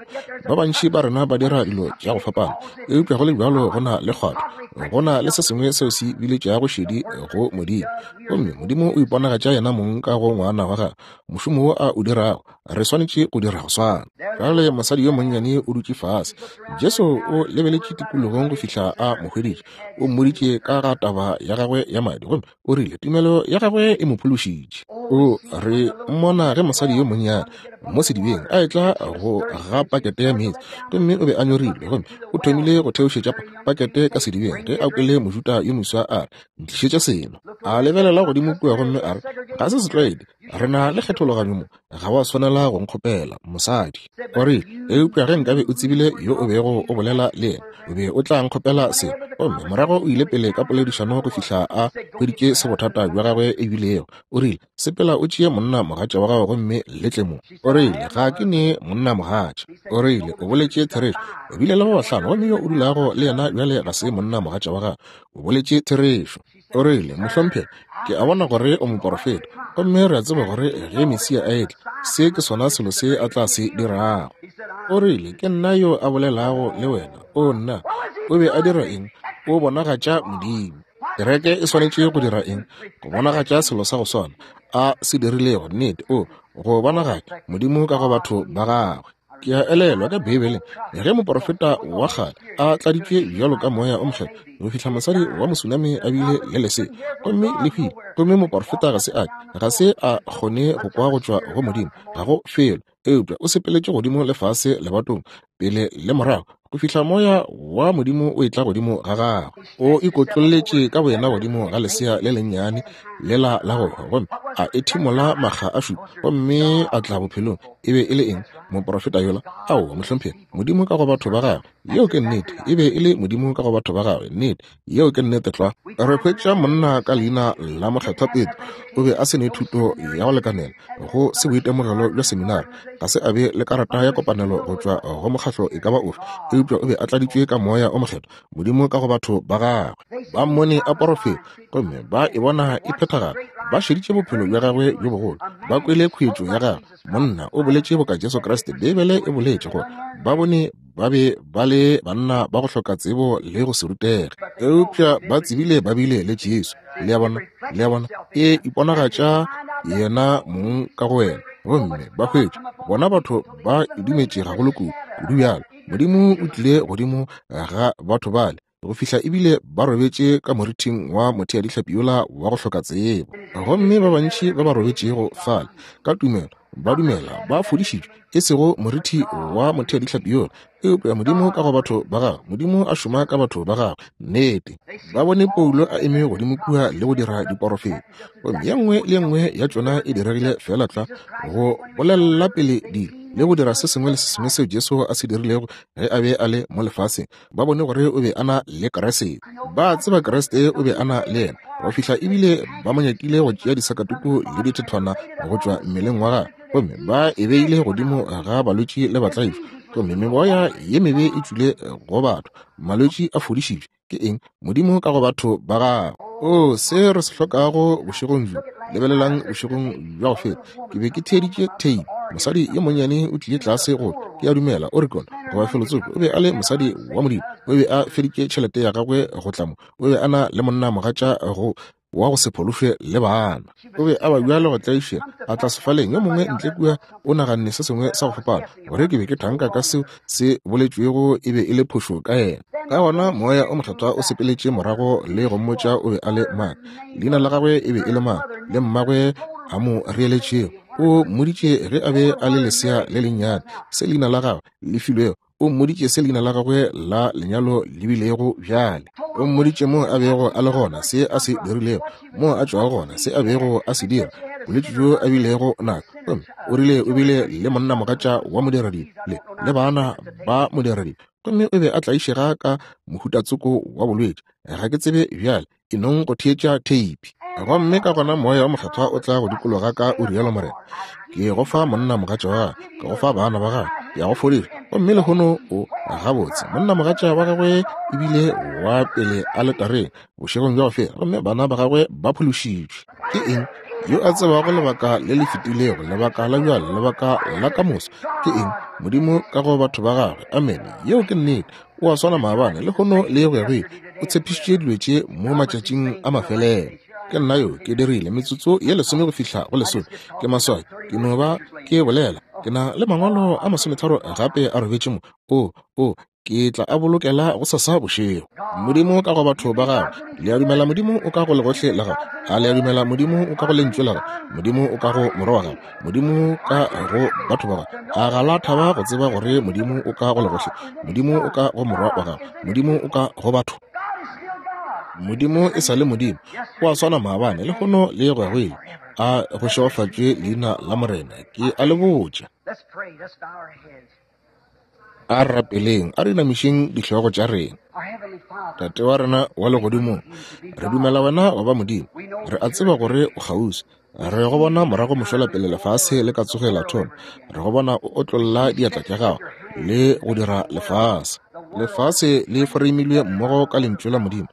Ba bantši ba rena ba dira dilo tša go fapana, eupša go le bjalo go na le kgwatho. Go na le se sengwe seo se biletšago šedi go Modimo. Gomme Modimo o iponagatša yena mong ka go ngwana wa gagwe. Mošomo wo a o dirago, re swanetše go dira go swana. Bjale mosadi yo monnyane o dutše fase. Jesu o lebeletše tikologong go fihla a mo hweditše. O mmoditše ka ga taba ya gagwe ya madi, gomme o rile tumelo ya gagwe e mo phološitše. O re mmona ge mosadi yo monnyane mo sedibeng a etla go ga pakete ya meetse, gomme o be a nyorilwe, gomme o thomile go theošetša pakete ka sedibeng ge a kwele Mojuda yo moswa a re, ntlišetša seno. A lebelela godimo kua gomme a re, ga se setlwaedi, re na le kgethologanyo mo, ga wa swanela go nkgopela, mosadi. O rile, eupša ge nkabe o tsebile yo o bego o bolela le yena, o be o tla nkgopela seno. Gomme morago o ile pele ka poledišano go fihla a hweditše se bothata bja gagwe e bilego. O rile, sepela o tšee monna mogatša wa gago gomme le tle mo. O rile, ga ke ne monna mogatša. O rile, o boletše therešo. O bile le ba bahlano, gomme yo o dulago le yena bjale ga se monna mogatša wa gago. O boletše therešo. O rile, mohlomphegi, ke a bona gore o moporofeta, gomme re a tseba gore ge Mesia a etla, se ke sona selo se a tla se dirago. O rile, ke nna yo a bolelago le wena. O nna, o be a dira eng? O bonagatša Modimo. Kereke e swanetše go dira eng? Go bonagatša selo sa go swana a se dirilego. Nnete, o go bonagatša Modimo ka go batho ba gagwe. Ke a elelwa ka Beibeleng ge moporofeta wa kgale a tladitšwe bjalo ka moya o mokgethwa go fihla mosadi wa Mosunami a bile le lesea, gomme le hwile, gomme moporofeta ga se a ga se a kgone go kwa go tšwa go Modimo, ga go felo, eupša o sepeletše godimo le fase lebatong pele le morago go fihla moya wa Modimo o etla godimo ga gagwe. O ikotlolletše ka boyena godimo ga lesea le lennyane lela la go hwa, gomme a ethimola makga a šupa, gomme a tla bophelong. E be e le eng? Moporofeta yola? Aowa, mohlomphegi, Modimo ka go batho ba gagwe. Yeo ke nnete. E be e le Modimo ka go batho ba gagwe. Nnete, yeo ke nnete tlwa. Re hwetša monna ka leina la Mokgethwa Petro. O be a se ne thuto ya go lekanela go se boitemogelo bja seminari, ga se a be le karata ya kopanelo go tšwa go mokgahlo e ka ba ofe, eupša o be a tladitšwe ka moya o mokgethwa, Modimo ka go batho ba gagwe. Ba mmone a porofeta, gomme ba e bona e phethagala. Ba šeditše bophelo bja gagwe bjo bogolo, ba kwele khuetšo ya gagwe. Monna o boletše boka Jesu Kriste. Beibele e boletše gore ba bone ba be ba le banna ba go hloka tsebo le go se rutege, eupša ba tsebile ba bile le Jesu. Le a bona, le a bona, e iponagatša yena mong ka go wena, gomme ba hwetša bona batho ba e dumetše gagolo kudu kudu bjalo. Modimo o tlile godimo ga batho bale go fihla ebile ba robetše ka morithing wa motheadihlapi yola wa go hloka tsebo. Gomme ba bantši ba ba robetšego fale ka tumelo ba dumela ba fodišitšwe, e sego morithi wa motheadihlapi yola, eupša Modimo ka go batho ba gagwe. Modimo a šoma ka batho ba gagwe. Nnete, ba bone Paulo a eme godimo kua le go dira diporofeto, gomme ye nngwe le ye nngwe ya tšona e diregile feela tlwa go bolelela pele dilo. le go dira se sengwe le se sengwe seo Jesu a se dirilego ge a be a le mo lefaseng. Ba bone gore o be a na le Kriste. Ba tseba Kriste o be a na le yena go fihla ebile ba mo nyakile go tšea disakatuku le dithethwana go tšwa mmeleng wa gagwe, gomme ba e beile godimo ga balwetši le batlaišwa, gomme meboya ye mebe e tšwile go batho, malwetši a fodišitšwe. Ke eng? Modimo ka go batho ba gagwe. O se re se hlokago bošegong bjo. Lebelelang bošegong bja go feta, ke be ke theeditše tape. Mosadi yo monnyane o tlile tlase go, ke a dumela, Oregon goba felotsoko. O be a le mosadi wa Modimo. O be a feditše tšhelete ya gagwe go tla mo. O be a na le monna mogatša go wa go se phološwe le bana. O be a ba bjale go tlaišega, a tla sefaleng. Yo mongwe ntle kua o naganne se sengwe sa go fapana, gore ke be ke thanka ka seo se boletšwego e be e le phošo ka yena. Ka gona moya o mokgethwa o sepeletše morago le go mmotša o be a le mang, leina la gagwe e be e le mang, le mmagwe a mo reeletšego. O mmoditše ge a be a le lesea le lennyane se leina la gagwe le filwego. O mmoditše se leina la gagwe la lenyalo le bilego bjale. O mmoditše mo a bego a le gona, se a se dirilego, mo a tšwago gona, se a bego a se dira, bolwetši bjo a bilego nako. Gomme o rile o bile le monnamogatša wa modiradibe le le bana ba modiradibe, gomme o be a tlaišega ka mohutatsoko wa bolwetši. Ga ke tsebe bjale, e nong go theetša theipi. Gomme ka gona moya wa mokgethwa o tla go dikologa ka o rialo Morena, ke go fa monna mogatša wa gagwe, ke go fa bana ba gagwe, ke a go fodiša. Gomme lehono o gabotse. Monna mogatša wa gagwe ebile wa pele aletareng bošegong bja go feta, gomme bana ba gagwe ba phološitšwe. Ke eng? Yo a tsebago lebaka le le fetilego, lebaka la bjale, lebaka la ka moso. Ke eng? Modimo ka go batho ba gagwe. Amene. Yeo ke nnete. O a swana maabane, lehono le go ya go ile. O tshepišitše dilo tše mo matšatšing a mafelelo. Ke nna yo ke dirile metsotso ye lesome go fihla go lesome. Ke maswabi, ke no ba ke bolela. Ke na le mangwalo a masometharo gape a robetše mo. O, o, ke tla a bolokela go sasa bošego. Modimo ka go batho ba gagwe. Le a dumela Modimo o ka go legohle la gago? A le a dumela Modimo o ka go lentšu la gago? Modimo o ka go morwa wa gago? Modimo ka go batho ba gago? A ga la thaba go tseba gore Modimo o ka go legohle? Modimo o ka go morwa wa gago? Modimo o ka go batho? Modimo e sa le Modimo. O a swana maabane, lehono le go ya go ile. A go šegofatšwe leina la Morena. Ke a le botša. A re rapeleng, a re inamišeng dihlogo tša rena. Tate wa rena wa legodimong, re dumela wena wa ba Modimo. Re a tseba gore o kgauswi. Re go bona morago mošola pele lefase le ka tsogela thoma. Re go bona o otlolla diatla tša gago le go dira lefase. Lefase le foreimilwe mmogo ka lentšu la Modimo.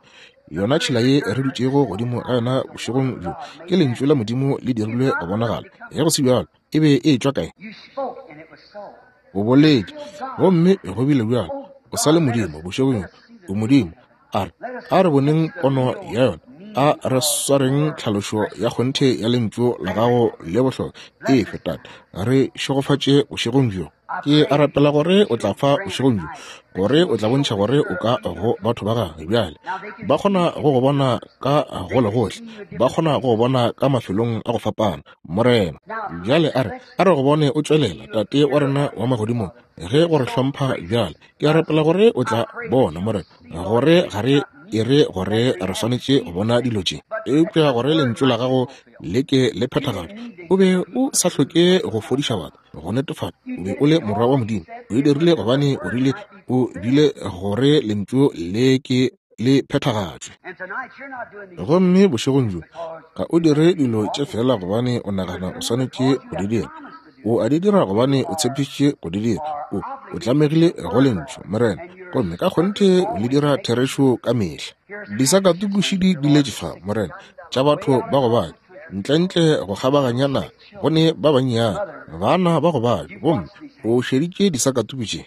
Yona tšhila ye re dutšego godimo ga yona bošegong bjo ke lentšu la Modimo le dirilwe go bonagala. Ge go se bjalo, e be e tšwa kae? O boletše, gomme go bile bjalo. O sa le Modimo bošegong, o Modimo. A re, a re boneng pono ya yona. A re swareng tlhalošo ya kgonthe ya lentšu la gago le bohlokwa. Efe, Tate, re šegofatše bošegong bjo. Ke a rapela gore o tla fa bošegong bjo, gore o tla bontšha gore o ka go batho ba gagwe bjale. Ba kgona go go bona ka go le gohle, ba kgona go go bona ka mafelong a go fapana, Morena. Bjale a re, a re go bone o tšwelela, Tate wa rena wa magodimong, ge go re hlompha bjale. Ke a rapela gore o tla bona, Morena, gore ga re e re gore re swanetše go bona dilo tše, eupša gore lentšu la gago le ke le phethagatšwe. O be o sa hloke go fodiša batho, go netefatša o be o le morwa wa Modimo. O e dirile gobane o rile o bile gore lentšu le ke le phethagatšwe. Gomme bošegong bjo ga o dire dilo tše fela gobane o nagana o swanetše go di dira. O a di dira gobane o tshepišitše go di dira. O, o tlamegile go lentšu, Morena, gomme ka kgonthe o le dira therešo ka mehla. Disakatukušidi di letše fa, Morena, tša batho ba go babja, ntlentle go kgabaganya naga, go ne ba bannyane, bana ba go babja, gomme o šeditše disakatuku tše.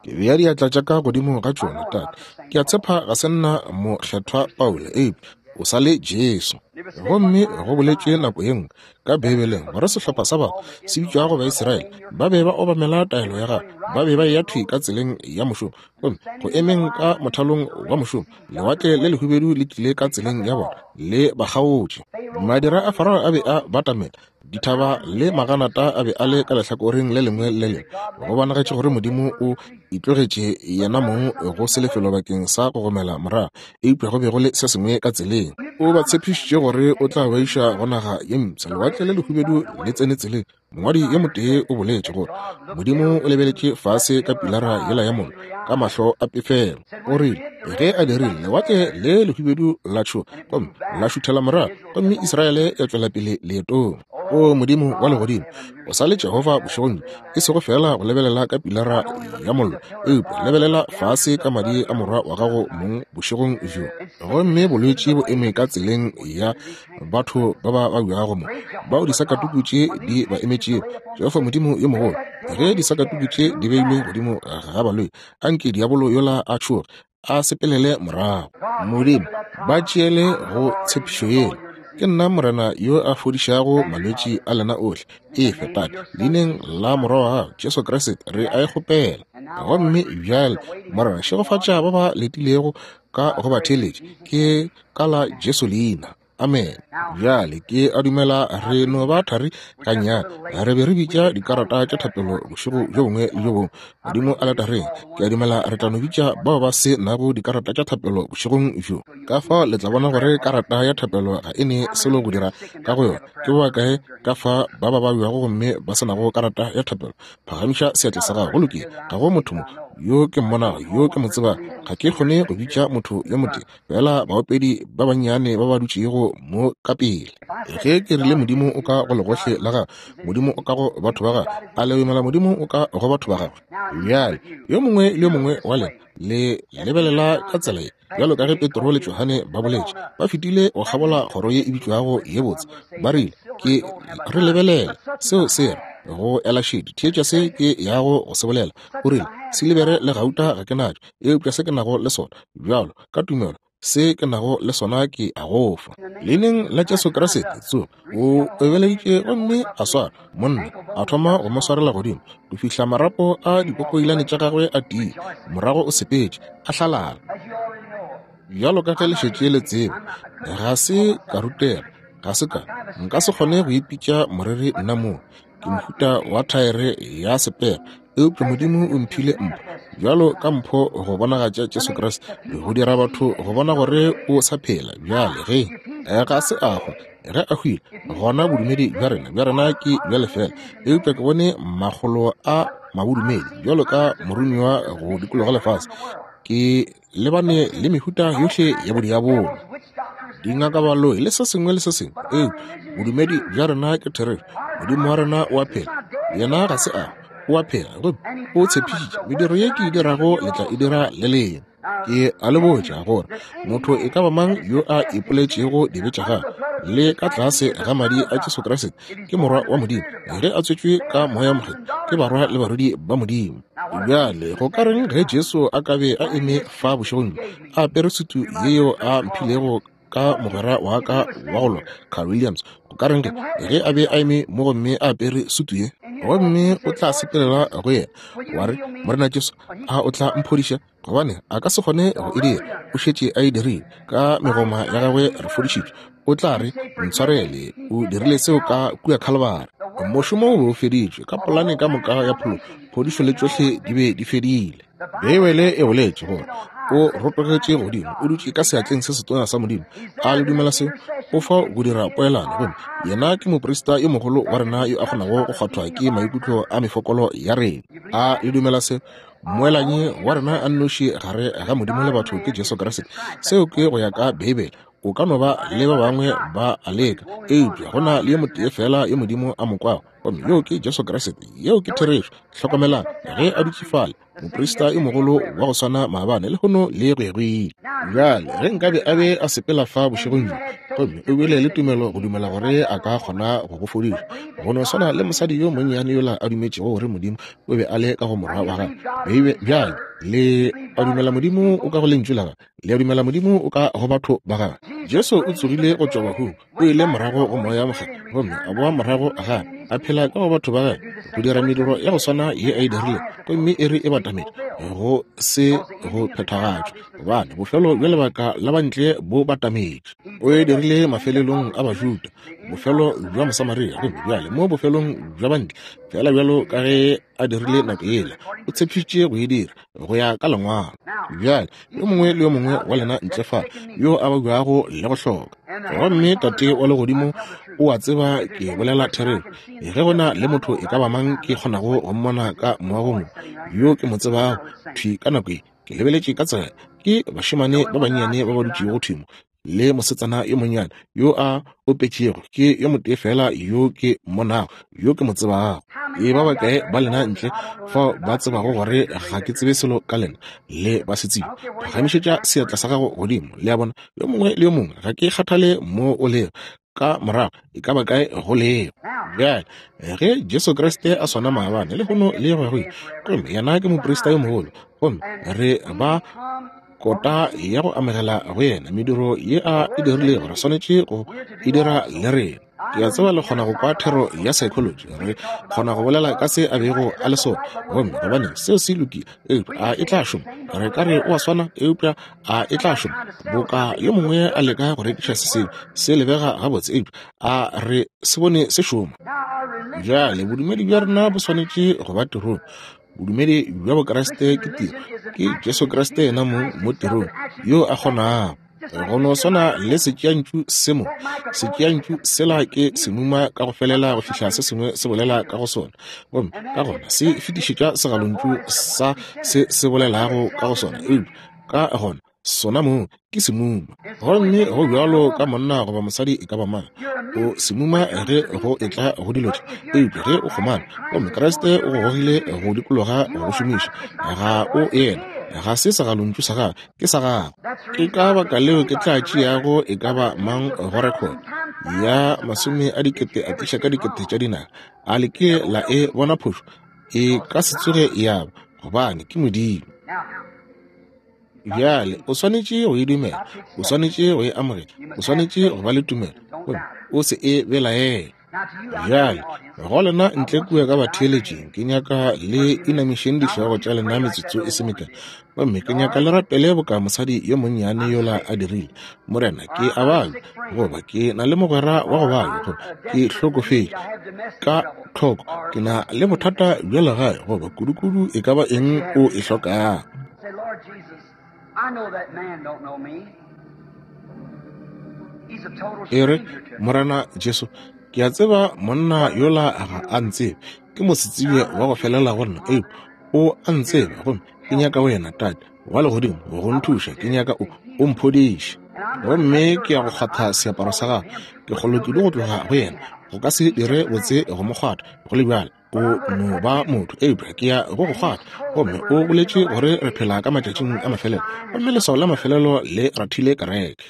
Ke bea diatla tša ka godimo ga tšona, Tate. Ke a tshepa ga se nna mokgethwa Paulo, eupša o sa le Jesu. Gomme go boletšwe nako ye nngwe ka Beibeleng gore sehlopha sa batho se bitšwago Baisraele ba be ba obamela taelo ya gagwe, ba be ba eya thwi ka tseleng ya mošomo, gomme go emeng ka mothalong wa mošomo, lewatle le lehubedu le tlile ka tseleng ya bona le ba kgaotše. Madira a Farao a be a batamela, dithaba le maganata a be a le ka lehlakoreng le lengwe le lengwe. Go bonagetše gore Modimo o itlogetše yena mong go se lefelo bakeng sa go gomela morago, eupša go be go le se sengwe ka tseleng. O ba tshepišitše gore o tla ba iša go naga ye mpsha. Lewatle le lehubedu le tsene tseleng. Mongwadi yo motee o boletše gore Modimo o lebeletše fase ka pilara yela ya mollo ka mahlo a pefelo. O rile ge a dirile, lewatle le lehubedu la tšhoga gomme la šuthela morago, gomme Israele ya tšwela pele leetong. O Modimo wa legodimo, o sa le Jehofa bošegong, e sego fela go lebelela ka pilara ya mollo, eupša lebelela fase ka madi a morwa wa gago mong bošegong bjo. Gomme bolwetši bo eme ka tseleng ya batho ba ba babjago mo, bao disakatuku tše di ba emetšego. Jehofa Modimo yo mogolo, ge disakatuku tše di beilwe godimo ga baloi, anke diabolo yola a tšhoge, a sepelele morago. Modimo, ba tšeele go tshepišo yela. Ke nna Morena yo a fodišago malwetši a lena ohle. Efe, Tate, leineng la Morwa wa gago Jesu Kriste re a e kgopela. Gomme bjale, Morena, šegofatša ba ba letilego ka go ba theeletša. Ke ka la Jesu leina. Amen. Bjale ke a dumela re no ba thari gannyane. Re be re bitša dikarata tša thapelo bošego bjo bongwe le bjo bongwe godimo aletareng. Ke a dumela re tla no bitša bao ba se nago dikarata tša thapelo bošegong bjo. Ka fao le tla bona gore karata ya thapelo ga e ne selo go dira ka go yona. Ke ba bakae ka fa ba ba babjago gomme ba se nago karata ya thapelo? Phagamiša seatla sa gago. Go lokile, ga go motho mo yo ke mmonago, yo ke mo tsebago. Ga ke kgone go bitša motho yo motee, fela baopedi ba bannyane ba ba dutšego mo ka pele. Ge ke rile Modimo o ka go legohle la gagwe, Modimo o ka go batho ba gagwe, a le dumela Modimo o ka go batho ba gagwe? Bjale yo mongwe le yo mongwe wa lena le lebelela ka tsela ye, bjalo ka ge Petro le Johane ba boletše, ba fetile go kgabola kgoro ye e bitšwago ye botse. Ba rile, ke re lebelele seo se re go ela šedi, theetša se ke yago go se bolela. O rile, silibere le gauta ga ke natšo, eupša se ke nago le sona, bjalo ka tumelo, se ke nago le sona ke a go fa. Leineng la Jesu Kriste, tsoga. O ebeleditše gomme a swara monna, a thoma go mo swarela godimo go fihla marapo a dikokoilane tša gagwe a tiile. Morago o sepetše a hlalala. Bjalo ka ge le šetše le tseba, ga se ka rutega, ga se ka, nka se kgone go ipitša moreri nna moo. Ke mohuta wa thaere ya sepere, eupša Modimo o mphile mpho, bjalo ka mpho go bonagatša Jesu Kriste, go dira batho go bona gore o sa phela. Bjale ge ga se a hwa, ge a hwile, gona bodumedi bja rena bja rena ke bja lefela. Eupša ke bone makgolo a mabodumedi bjalo ka morumiwa go dikologa lefase. Ke lebane le mehuta yohle ya bodiabolo, dingakabaloi le se sengwe le se sengwe. Eupša bodumedi bja rena ke therešo. Modimo wa rena o a phela, yena ga se a o a phela, gomme o tshepišitše, mediro ye ke e dirago le tla e dira le lena. Ke a le botša gore motho e ka ba mang yo a ipoletšego dibe tša gagwe le ka tlase ga madi a Jesu Kriste ke morwa wa Modimo, ge a tswetšwe ka Moya Mokgethwa, ke barwa le barwedi ba Modimo. Bjale go ka reng ge Jesu a ka be a eme fa bošegong bjo, a apere sutu yeo a mphilego ka mogwera wa ka wa go lwa, Carl Williams? Go ka reng ge a be a eme mo gomme a apere sutu ye, gomme o tla sepelela go yena wa re, Morena Jesu, a o tla mphodiša? Gobane a ka se kgone go e dira, o šetše a e dirile. Ka megoma ya gagwe re fodišitšwe. O tla re, ntshwarele, o dirile seo ka kua Khalibari. Mošomo o be o feditšwe, ka polane ka moka ya pholo, phodišo le tšohle di be di fedile. Beibele e boletše gore o rotogetše godimo, o dutše ka seatleng se setona sa Modimo. A le dumela seo? O fa go dira poelano, gomme yena ke moprista yo mogolo wa rena yo a kgonago go kgwathwa ke maikutlo a mefokolo ya rena. A le dumela seo? Moelanyi wa rena a nnoši gare ga Modimo le batho ke Jesu Kriste. Seo ke go ya ka Beibele. O ka no ba le ba bangwe ba a leka, eupša go na le yo motee fela yo Modimo a mo kwago, gomme yo ke Jesu Kriste. Yeo ke therešo. Hlokomelang, ge a dutše fale, moprista yo mogolo wa go swana maabane, lehono le go ya go ile. Bjale ge nkabe a be a sepela fa bošegong bjo, gomme o bile le tumelo go dumela gore a ka kgona go go fodiša, go no swana le mosadi yo monnyane yola a dumetšego gore Modimo o be a le ka go morwa wa gagwe. Bjale le a dumela Modimo o ka go lentšu la gagwe, le a dumela Modimo o ka go batho ba gagwe. Jesu o tsogile go tšwa bahung, o ile morago go Moya Mokgethwa, gomme a boa morago gape, a phela ka go batho ba gagwe, go dira mediro ya go swana ye a e dirilego, gomme e re e batametše go se go phethagatšwe, gobane bofelo bja lebaka la bantle bo batametše. O e dirile mafelelong a Bajuda, bofelo bja Mosamaria, gomme bjale mo bofelong bja bantle, fela bjalo ka ge a dirile nako yela, o tshepišitše go e dira go ya ka lengwalo. Bjale yo mongwe le yo mongwe wa lena ntle fa yo a babjago le go hloka, gomme Tate wa legodimo, O a tseba ke bolela therešo. Ge go na le motho e ka ba mang ke kgonago go mmona ka moagong yo ke mo tsebago thwi ka nako ye, ke lebeletše ka tsela, ke bašemane ba bannyane ba ba dutšego thwi mo, le mosetsana yo monnyane yo a opetšego, ke yo motee fela yo ke mmonago, yo ke mo tsebago. E ba bakae ba lena ntle fao ba tsebago gore ga ke tsebe selo ka lena le ba se tsebe? Phagamišetša seatla sa gago godimo. Le a bona, yo mongwe le yo mongwe, ga ke kgathale mo o lego ka morago, e ka ba kae go lego. Bjale ge Jesu Kriste a swana maabane, lehono le go ya go ile, gomme yena ke moprista yo mogolo, gomme re ba kota ya go amogela go yena mediro ye a e dirilego, re swanetše go e dira le rena. Ke a tseba le kgona go kwa thero ya psychology, re kgona go bolela ka se a bego a le sona, gomme gobane seo se lokile, eupša a e tla šoma? Re ka re o a swana, eupša a e tla šoma? Boka yo mongwe a leka go rekiša se sengwe se lebega gabotse, eupša a re se bone se šoma. Bjale bodumedi bja rena bo swanetše go ba tirong. Bodumedi bja Bokriste ke tiro, ke Jesu Kriste yena mong mo tirong yo a kgonago. Go no swana le setšeantšu se mo, setšeantšu sela ke semuma ka go felela go fihla se sengwe se bolela ka go sona, gomme ka gona se fetišetša segalontšu sa se se bolelago ka go sona, eupša ka gona sona mong ke semuma. Gomme go bjalo ka monna goba mosadi e ka ba mang, o semuma ge go etla go dilo tše, eupša ge o kgomana, gomme Kriste o go gogile go dikologa go šomiša, ga o yena, ga se segalontšu sa gagwe, ke sa gago. Ke ka baka leo ke tla tšeago e ka ba mang go record ya masome a dikete a tliša ka dikete tša dinaga, a le ke la e bona phošo? E ka se tsoge ya ba, gobane ke Modimo. Bjale o swanetše go e dumela, o swanetše go e amogela, o swanetše go ba le tumelo, gomme o se e belaele. Bjale go lena ntle kua ka batheeletšeng, ke nyaka le inamišeng dihlogo tša lena metsotso e se mekae, gomme ke nyaka le rapele boka mosadi yo monnyane yola a dirile. Morena, ke a babja, goba ke na le mogwera wa go babja, goba ke hlokofetše ka tlhoko, ke na le bothata bja legae, goba kudukudu e ka ba eng o e hlokago. E re, Morena Jesu, ke a tseba monna yola ga a ntsebe, ke mosetsebje wa go felela go nna, eupša o a ntseba, gomme ke nyaka wena, Tate wa legodimo, go nthuša, ke nyaka o o mphodiše. Gomme ke ya go kgwatha seaparo sa gagwe, ke kgolwe kudu go tloga go yena, go ka se dire botse go mo kgwatha, go le bjalo o no ba motho, eupša ke ya go go kgwatha. Gomme o boletše gore re phela ka matšatšing a mafelelo, gomme leswao la mafelelo le rathile kereke.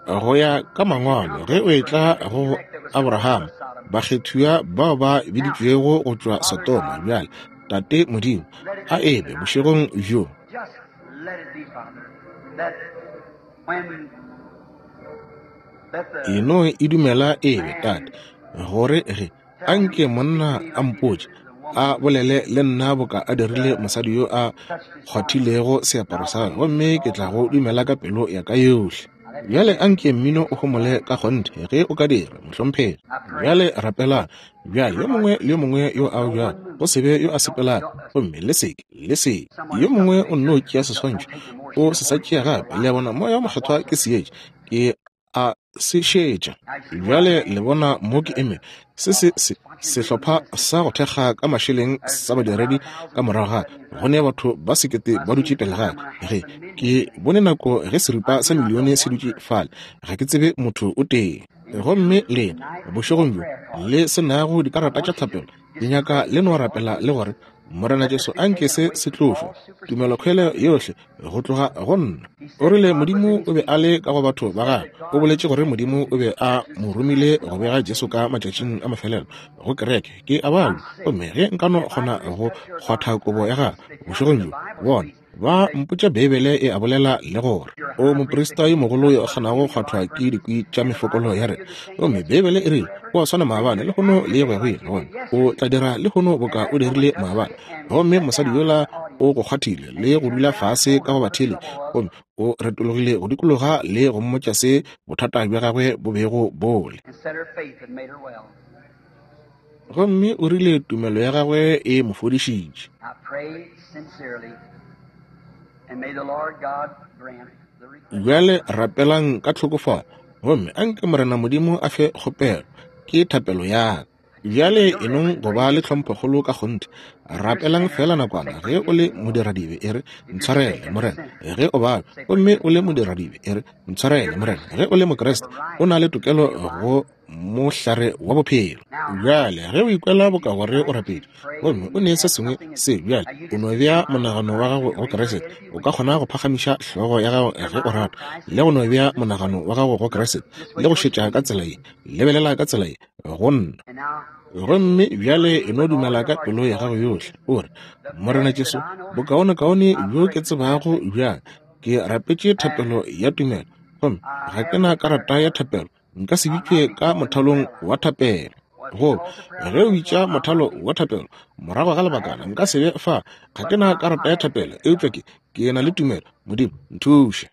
Go ya ka mangwalo, ge o etla go Abraham, bakgethiwa bao ba biditšwego go tšwa Sodoma, bjale Tate Modimo, a ebe bošegong bjo e no e dumela ebe, Tate, gore ge anke monna a mpotše, a bolele le nna boka a dirile mosadi yo a kgwathilego seaparo sa gagwe, gomme ke tla go dumela ka pelo ya ka yohle. Bjale anke mmino o homole ka kgonthe ge o ka dira, mohlomphegi. Bjale rapelang. Bjale yo mongwe le yo mongwe yo a bjalo, go se be yo a sepelago, gomme le seke, le seke. Yo mongwe o nno tšea seswantšho, o se sa tšea gape. Le a bona, Moya wo Mokgethwa ke seetša, ke a se šetša. Bjale le bona mo ke eme, se se se sehlopha sa go thekga ka mašeleng sa badiredi ka morago ga go ne batho ba sekete ba dutše pele ga ge ke bone nako ge seripa sa milione se dutše fale, ga ke tsebe motho o tee. Gomme lena bošegong bjo le se nago dikarata tša thapelo, ke nyaka le no rapela le gore Morena Jesu anke se se tlošwe, tumelokhwele yohle go tloga go nna. O rile Modimo o be a le ka go batho ba gagwe. O boletše gore Modimo o be a mo romile go bega Jesu ka matšatšing a mafelelo go kereke. Ke a babja, gomme ge nka no kgona go kgwatha kobo ya gagwe bošegong bjo, bona ba mpotša Beibele e a bolela le gore o moprista yo mogolo yo a kgonago go kgwathwa ke dikwi tša mefokolo ya rena. Gomme Beibele e rile o a swana maabane, lehono le go ya go ile, gomme o tla dira lehono boka o dirile maabane. Gomme mosadi yola o go kgwathile le go dula fase ka go batheeletši, gomme o retologile go dikologa le go mmotša se bothata bja gagwe bo bego bo le. Gomme o rile tumelo ya gagwe e mo fodišitše. Bjale rapelang ka tlhokofalo, Gomme anke Morena Modimo a fe kgopelo, ke thapelo ya ka. Bjale enong go ba le tlhomphokgolo ka kgonthe. Rapelang fela nakwana. Ge o le modiradibe, e re, ntshwarele, Morena. Ge o babja gomme o le modiradibe, e re, ntshwarele, Morena. Ge o le Mokriste, o na le tokelo go mohlare wa bophelo. Bjale ge o ikwela boka gore o rapetše gomme o ne se sengwe se, bjale o no bea monagano wa gago go Kriste. O ka kgona go phagamiša hlogo ya gago ge o rata, le go no bea monagano wa gago go Kriste, le go šetša ka tsela ye, lebelela ka tsela ye go nna. Gomme bjale e no dumela ka pelo ya gago yohle, o re, Morena Jesu, bokaonekaone bjo ke tsebago bjang, ke rapetše thapelo ya tumelo, gomme ga ke na karata ya thapelo, nka se bitšwe ka mothalong wa thapelo. Goba ge o bitša mothalo wa thapelo morago ga lebakana, nka se be fa, ga ke na karata ya thapelo, eupša ke ke na le tumelo. Modimo, nthuše.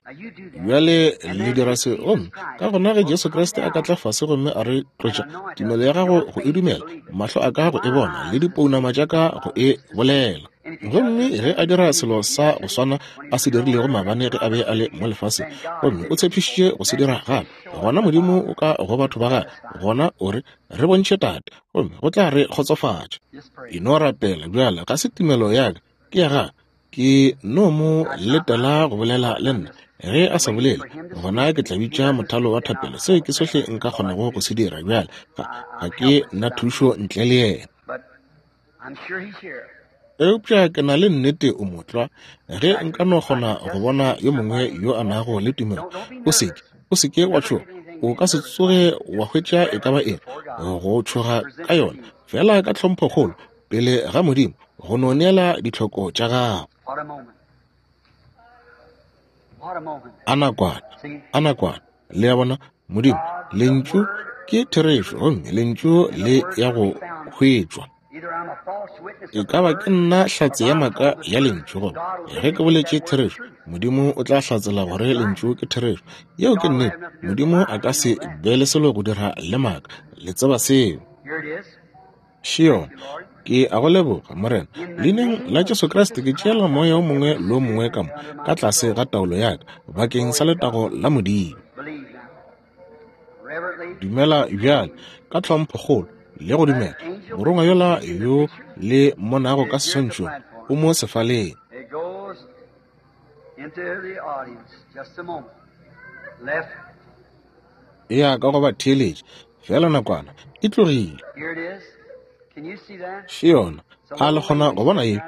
Bjale le dira se, gomme ka gona ge Jesu Kriste a ka tla fase gomme a re tlotša, tumelo ya gago go e dumela, mahlo a ka go e bona, le dipounama tša ka go e bolela. Gomme ge a dira selo sa go swana a se dirilego maabane ge a be a le mo lefaseng, gomme o tshepišitše go se dira gape, gona Modimo o ka go batho ba gagwe, gona o re, re bontšhe Tate, gomme go tla re kgotsofatša. E no rapela bjale, ga se tumelo ya ka, ke ya gagwe. Ke no mo letela go bolela le nna. Ge a sa bolele, gona ke tla bitša mothalo wa thapelo. Seo ke sohle nka kgonago go se dira bjale. Ga, ga ke na thušo ntle le yena. Eupša ke na le nnete o motlwa. Ge nka no kgona go bona yo mongwe yo a nago le tumelo, o seke, o seke wa tšhoga. O ka se tsoge wa hwetša e ka ba eng go tšhoga ka yona, fela ka tlhomphokgolo pele ga Modimo, go no neela ditlhoko tša gago. A nakwana, a nakwana, le a bona, Modimo, lentšu ke therešo, gomme lentšu le ya go hwetšwa. E ka ba ke nna hlatse ya maaka ya lentšu, goba ge ke boletše therešo, Modimo o tla hlatsela gore lentšu ke therešo. Yeo ke nnete. Modimo a ka se be le selo go dira le maaka. Le tseba seo. Še yona. Ke a go leboga, Morena. Leineng la Jesu Kriste ke tšeela moya o mongwe le o mongwe ka mo ka tlase ga taolo ya ka, bakeng sa letago la Modimo. Dumela bjale ka tlhomphokgolo le go dumela. Morongwa yola yo le mmonago ka seswantšhong o mo sefaleng. It goes into the audience. Just a moment. Left. E ya ka go ba theeletša fela nakwana, e tlogile. Here it is. Can you see that? Še yona. A le kgona go bona ye?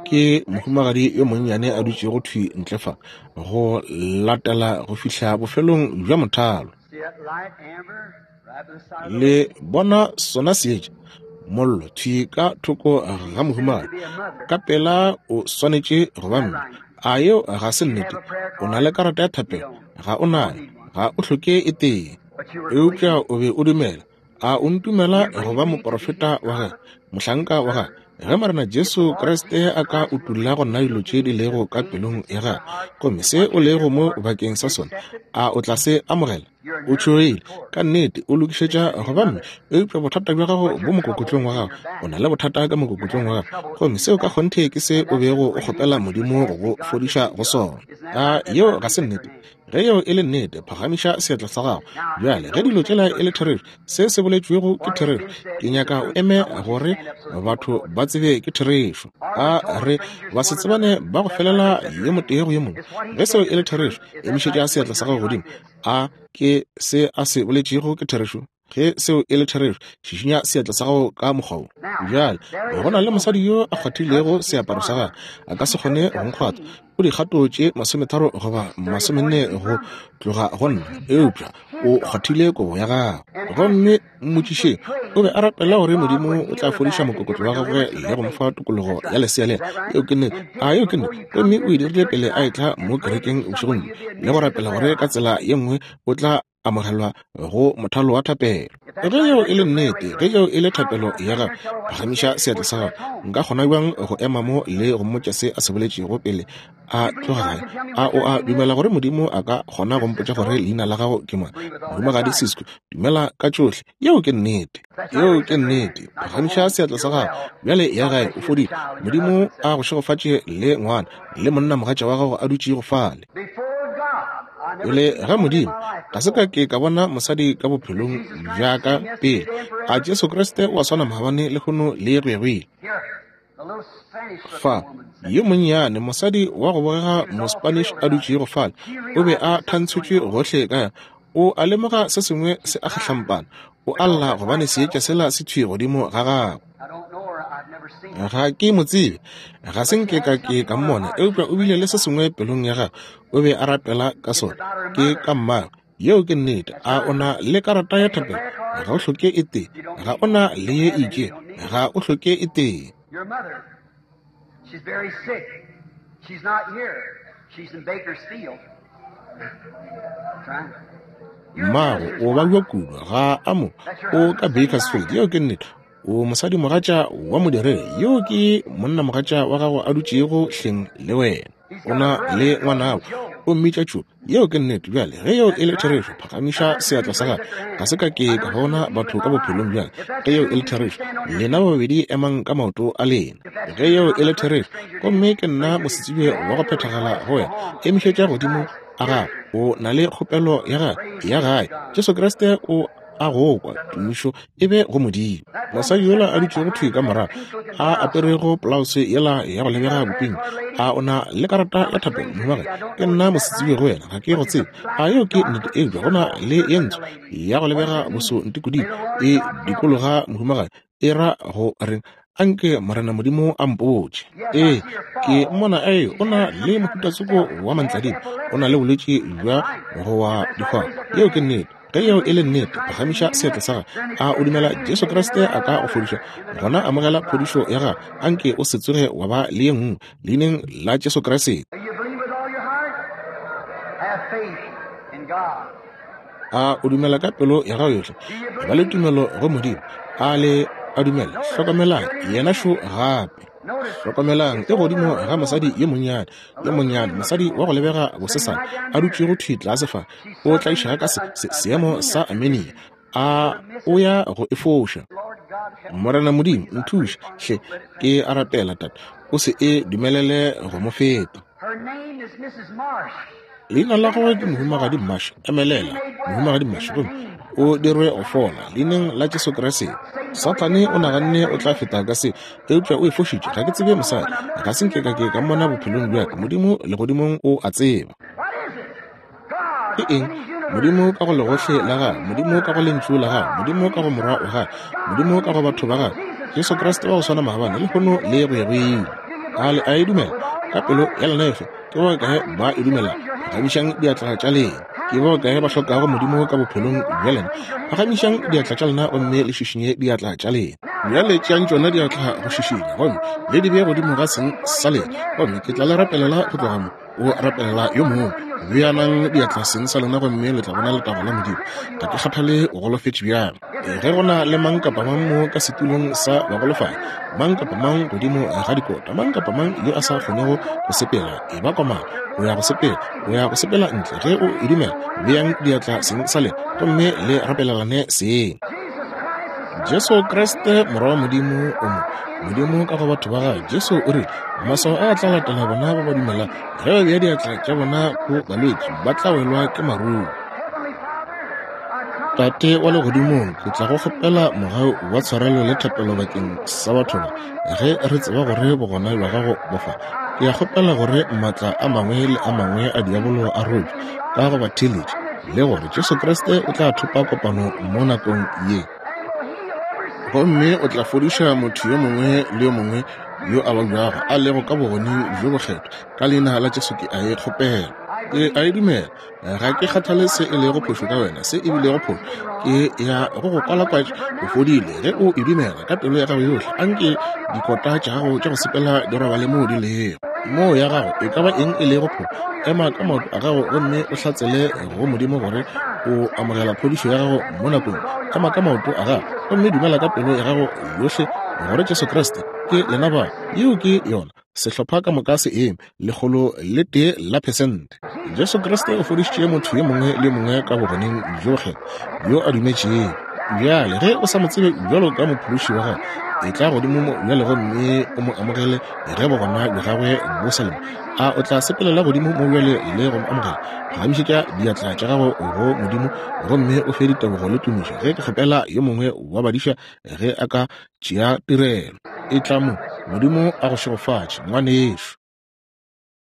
Ke mohumagadi yo monnyane a dutšego thwi ntle fa, go latela go fihla bofelong bja mothalo. See that light amber right by the side of the Le bona sona seetša mollo thwi ka thoko ga mohumagadi. Ka pela o swanetše go ba mme. A yeo ga se nnete? O na le karata ya thapelo? Ga o nayo. Ga o hloke e tee. But you were Eupša o be o dumela. A o ntumela go ba moprofeta wa gagwe, mohlanka wa gagwe? Ge Morena Jesu Kriste a ka utolla go nna dilo tše di lego ka pelong ya gagwe, gomme se o lego mo bakeng sa sona, a o tla se amogela? O tšhogile, ka nnete o lokišetša go ba mme, eupša bothata bja gago bo mokokotlong wa gago. O na le bothata ka mokokotlong wa gago, gomme seo ka kgonthe ke se o bego o kgopela Modimo go go fodiša go sona. A yeo ga se nnete? Ge yeo e le nnete, phagamiša seatla sa gago. Bjale ge dilo tšela e le therešo, se se boletšwego ke therešo, ke nyaka o eme gore batho ba tsebe ke therešo. A re ba se tsebane ba go felela yo motee go yo mongwe. Ge seo e le therešo, emišetša seatla sa gago godimo. A ke se a se boletšego ke therešo? Ge seo e le therešo, šišinya seatla sa gago ka mokgwa wo. Bjale go na le mosadi yo a kgwathilego seaparo sa gagwe, a ka se kgone go nkgwatha. O dikgato tše masometharo goba masomenne go tloga go nna, eupša o kgwathile kobo ya gagwe. Gomme mmotšišeng, o be a rapela gore Modimo o tla fodiša mokokotlo wa gagwe le go mo fa tokologo ya lesea lela. Yeo ke nnete. A yeo ke nnete? Gomme o e dirile pele a etla mo kerekeng bošegong bjo, le go rapela gore ka tsela ye nngwe o tla amogelwa go mothalo wa thapelo. Ge yeo e le nnete, ge yeo e le thapelo ya gago, phagamiša seatla sa gago. Nka kgona bjang go ema mo le go mmotša se a se boletšego pele a tloga gae? A o a dumela gore Modimo a ka kgona go mpotša gore leina la gago ke mang? Mohumagadi Sisko, dumela ka tšohle. Yeo ke nnete. Yeo ke nnete. Phagamiša seatla sa gago. Bjale ya gae, o fodile. Modimo a go šegofatše le ngwana le monnamogatša wa gago a dutšego fale. Before God, I Pele ga Modimo, ga se ka ke ka bona mosadi ka bophelong bja ka pele. A Jesu Kriste o a swana maabane, lehono le go ya go ile? Fa, yo monnyane mosadi wa go bogega Mospanish a dutšego fale, o be a thantshotšwe gohle ka. O a lemoga se sengwe se a kgahlampana. O a lla gobane seetša sela se thwi godimo ga gagwe. Ga ke mo tsebe, ga se nke ka ke ka mmona, eupša o bile le se sengwe pelong ya gagwe. O be a rapela ka sona. Ke ka mmagwe. Yeo ke nnete. A o na le karata ya thapelo? Ga o hloke e tee. Ga o na le ye itše. Ga o hloke e tee. Your mother, she's very sick. She's not here. She's in Bakersfield. Trying. Mmago o babja kudu, ga a mo, o ka Bakersfield. Yeo ke nnete. O mosadimogatša wa modiredi. Yeo ke monnamogatša wa gago a dutšego hleng le wena. O na le ngwanabo, o mmitša Tšo. Yeo ke nnete. Bjale ge yeo e le therešo, phagamiša seatla sa gago. Ga se ka ke ka bona batho ka bophelong bjale. Ge yeo e le therešo, lena ba babedi emang ka maoto a lena. Ge yeo e le therešo, gomme ke nna mosetsebje wa go phethagala go wena, emišetša godimo a gago. O na le kgopelo ya gae ya gae. Jesu Kriste o a go kwa. Tumišo e be go Modimo. Mosadi yola a dutšego thwi ka morago, a aperego polause yela ya go lebega bopeng, a o na le karata ya thapelo? Mohumagadi, ke nna mosetsebje go wena, ga ke go tsebe. A yeo ke nnete? Eupša go na le ye ntsho ya go lebega boso ntikodimo e dikologa mohumagadi, e ra go reng? Anke Morena Modimo a mpotše. Ee, ke mmona a o na le mohutatsoko wa mantladima, o na le bolwetši bja go wa dikgwabo. Yeo ke nnete. Ge yeo e le nnete, phagamiša seatla sa gago. A o dumela Jesu Kriste a ka go fodiša? Gona amogela phodišo ya gago. Anke o se tsoge wa ba le ye nngwe, leineng la Jesu Kriste. Do you believe with all your heart? Have faith in God. A o dumela ka pelo ya gago yohle? Ba le tumelo go Modimo. A le a dumela? Hlokomelang, yena šo gape. Hlokomelang, e godimo ga mosadi yo monnyane, yo monnyane, mosadi wa go lebega bosesane, a dutšego thwi tlase fa, o tlaišega ka se, se, seemo sa amenia. A o ya go e foša? Lord God, help Morena Modimo, nthuše hle, ke a rapela, Tate, o se e dumelele go mo feta. Her name is Missus Marsh. Leina la gagwe ke Mohumagadi Marsh. Emelela, Mohumagadi Marsh, gomme o dirwe go fola leineng la Jesu Kriste. Sathane o naganne o tla feta ka se, eupša o e fošitše. Ga ke tsebe mosadi, ga se nke ka ke ka mmona bophelong bja ka. Modimo legodimong o a tseba. What is it? God Ke eng? in his universe. Modimo ka go legohle la gagwe, Modimo ka go lentšu la gagwe, Modimo ka go morwa wa gagwe, Modimo ka go batho ba gagwe, Jesu Kriste wa go swana maabane, lehono le go ya go ile. A le a e dumela ka pelo ya lena yohle? Ke ba kae ba e dumela? Phagamišang diatla tša lena. Ke ba kae ba hlokago Modimo ka bophelong bja lena? Phagamišang diatla tša lena gomme le šišinye diatla tša lena. Bjale tšeang tšona diatla go šišinya gomme le di bee godimo ga seng sa lena, gomme ke tla le rapelela go tloga mo. O rapelela yo mongwe. Beanang diatla seng sa lena gomme le tla bona letago la Modimo. Ga ke kgathale o golofetše bjang. Ge go na le mang kapa mang mo ka setulong sa bagolofadi, mang kapa mang godimo ga dikota, mang kapa mang yo a sa kgonego go sepela, e ba komana, o ya go sepela, o ya go sepela ntle. Ge o e dumela, beang diatla seng sa lena gomme le rapelelane seng. Jesus Christ is Jesu Kriste morwa wa Modimo o mo. Modimo ka go batho ba gagwe. Jesu o rile, maswao a tla latela bona ba ba dumelang. Ge ba bea diatla tša bona go balwetši, ba tla welwa ke maruru. Heavenly Father, I come Tate wa legodimong, ke tla go kgopela mogau wa tshwarelo le thapelo bakeng sa batho ba. Ge re tseba gore bogona bja gago bo fa, ke a kgopela gore maatla a mangwe le a mangwe a diabolo a robje ka go ba theeletša, le gore Jesu Kriste o tla thopa kopano mo nakong ye. and will heal every sick Gomme o tla fodiša motho yo mongwe le yo mongwe yo a babjago a lego ka bogoneng bjo bokgethwa. Ka leina la Jesu ke a e kgopela. Ke a e dumela. Ga ke kgathale se e lego phošo ka wena, se e bilego phošo. Ke ya go go kwalakwatša o fodile. Ge o e dumela ka pelo ya gago yohle, anke dikota tša gago tša go sepela di robale moo di lego. Moo ya gago e ka ba eng e lego phošo, ema ka maoto a gago gomme o hlatsele go Modimo gore o amogela phodišo ya gago mo nakong. Ema ka maoto a gago gomme dumela ka pelo ya gago yohle gore Jesu Kriste ke lena ba. Yeo ke yona. Sehlopha ka moka se eme lekgolo le tee la phesente. Jesu Kriste o fodišitše motho yo mongwe le yo mongwe ka bogoneng bjo bokgethwa yo a dumetšego. Bjale ge o sa mo tsebe bjalo ka mophološi wa gago, e tla godimo mo bjale gomme o mo amogele ge bogona bja gagwe bo sa le mo. A o tla sepelela godimo mo bjale le go mo amogela? Phagamišetša diatla tša gago go Modimo gomme o fe ditebogo le tumišo ge ke kgopela yo mongwe wa badiša ge a ka tšea tirelo. E tla mo. Modimo a go šegofatše, ngwanešu.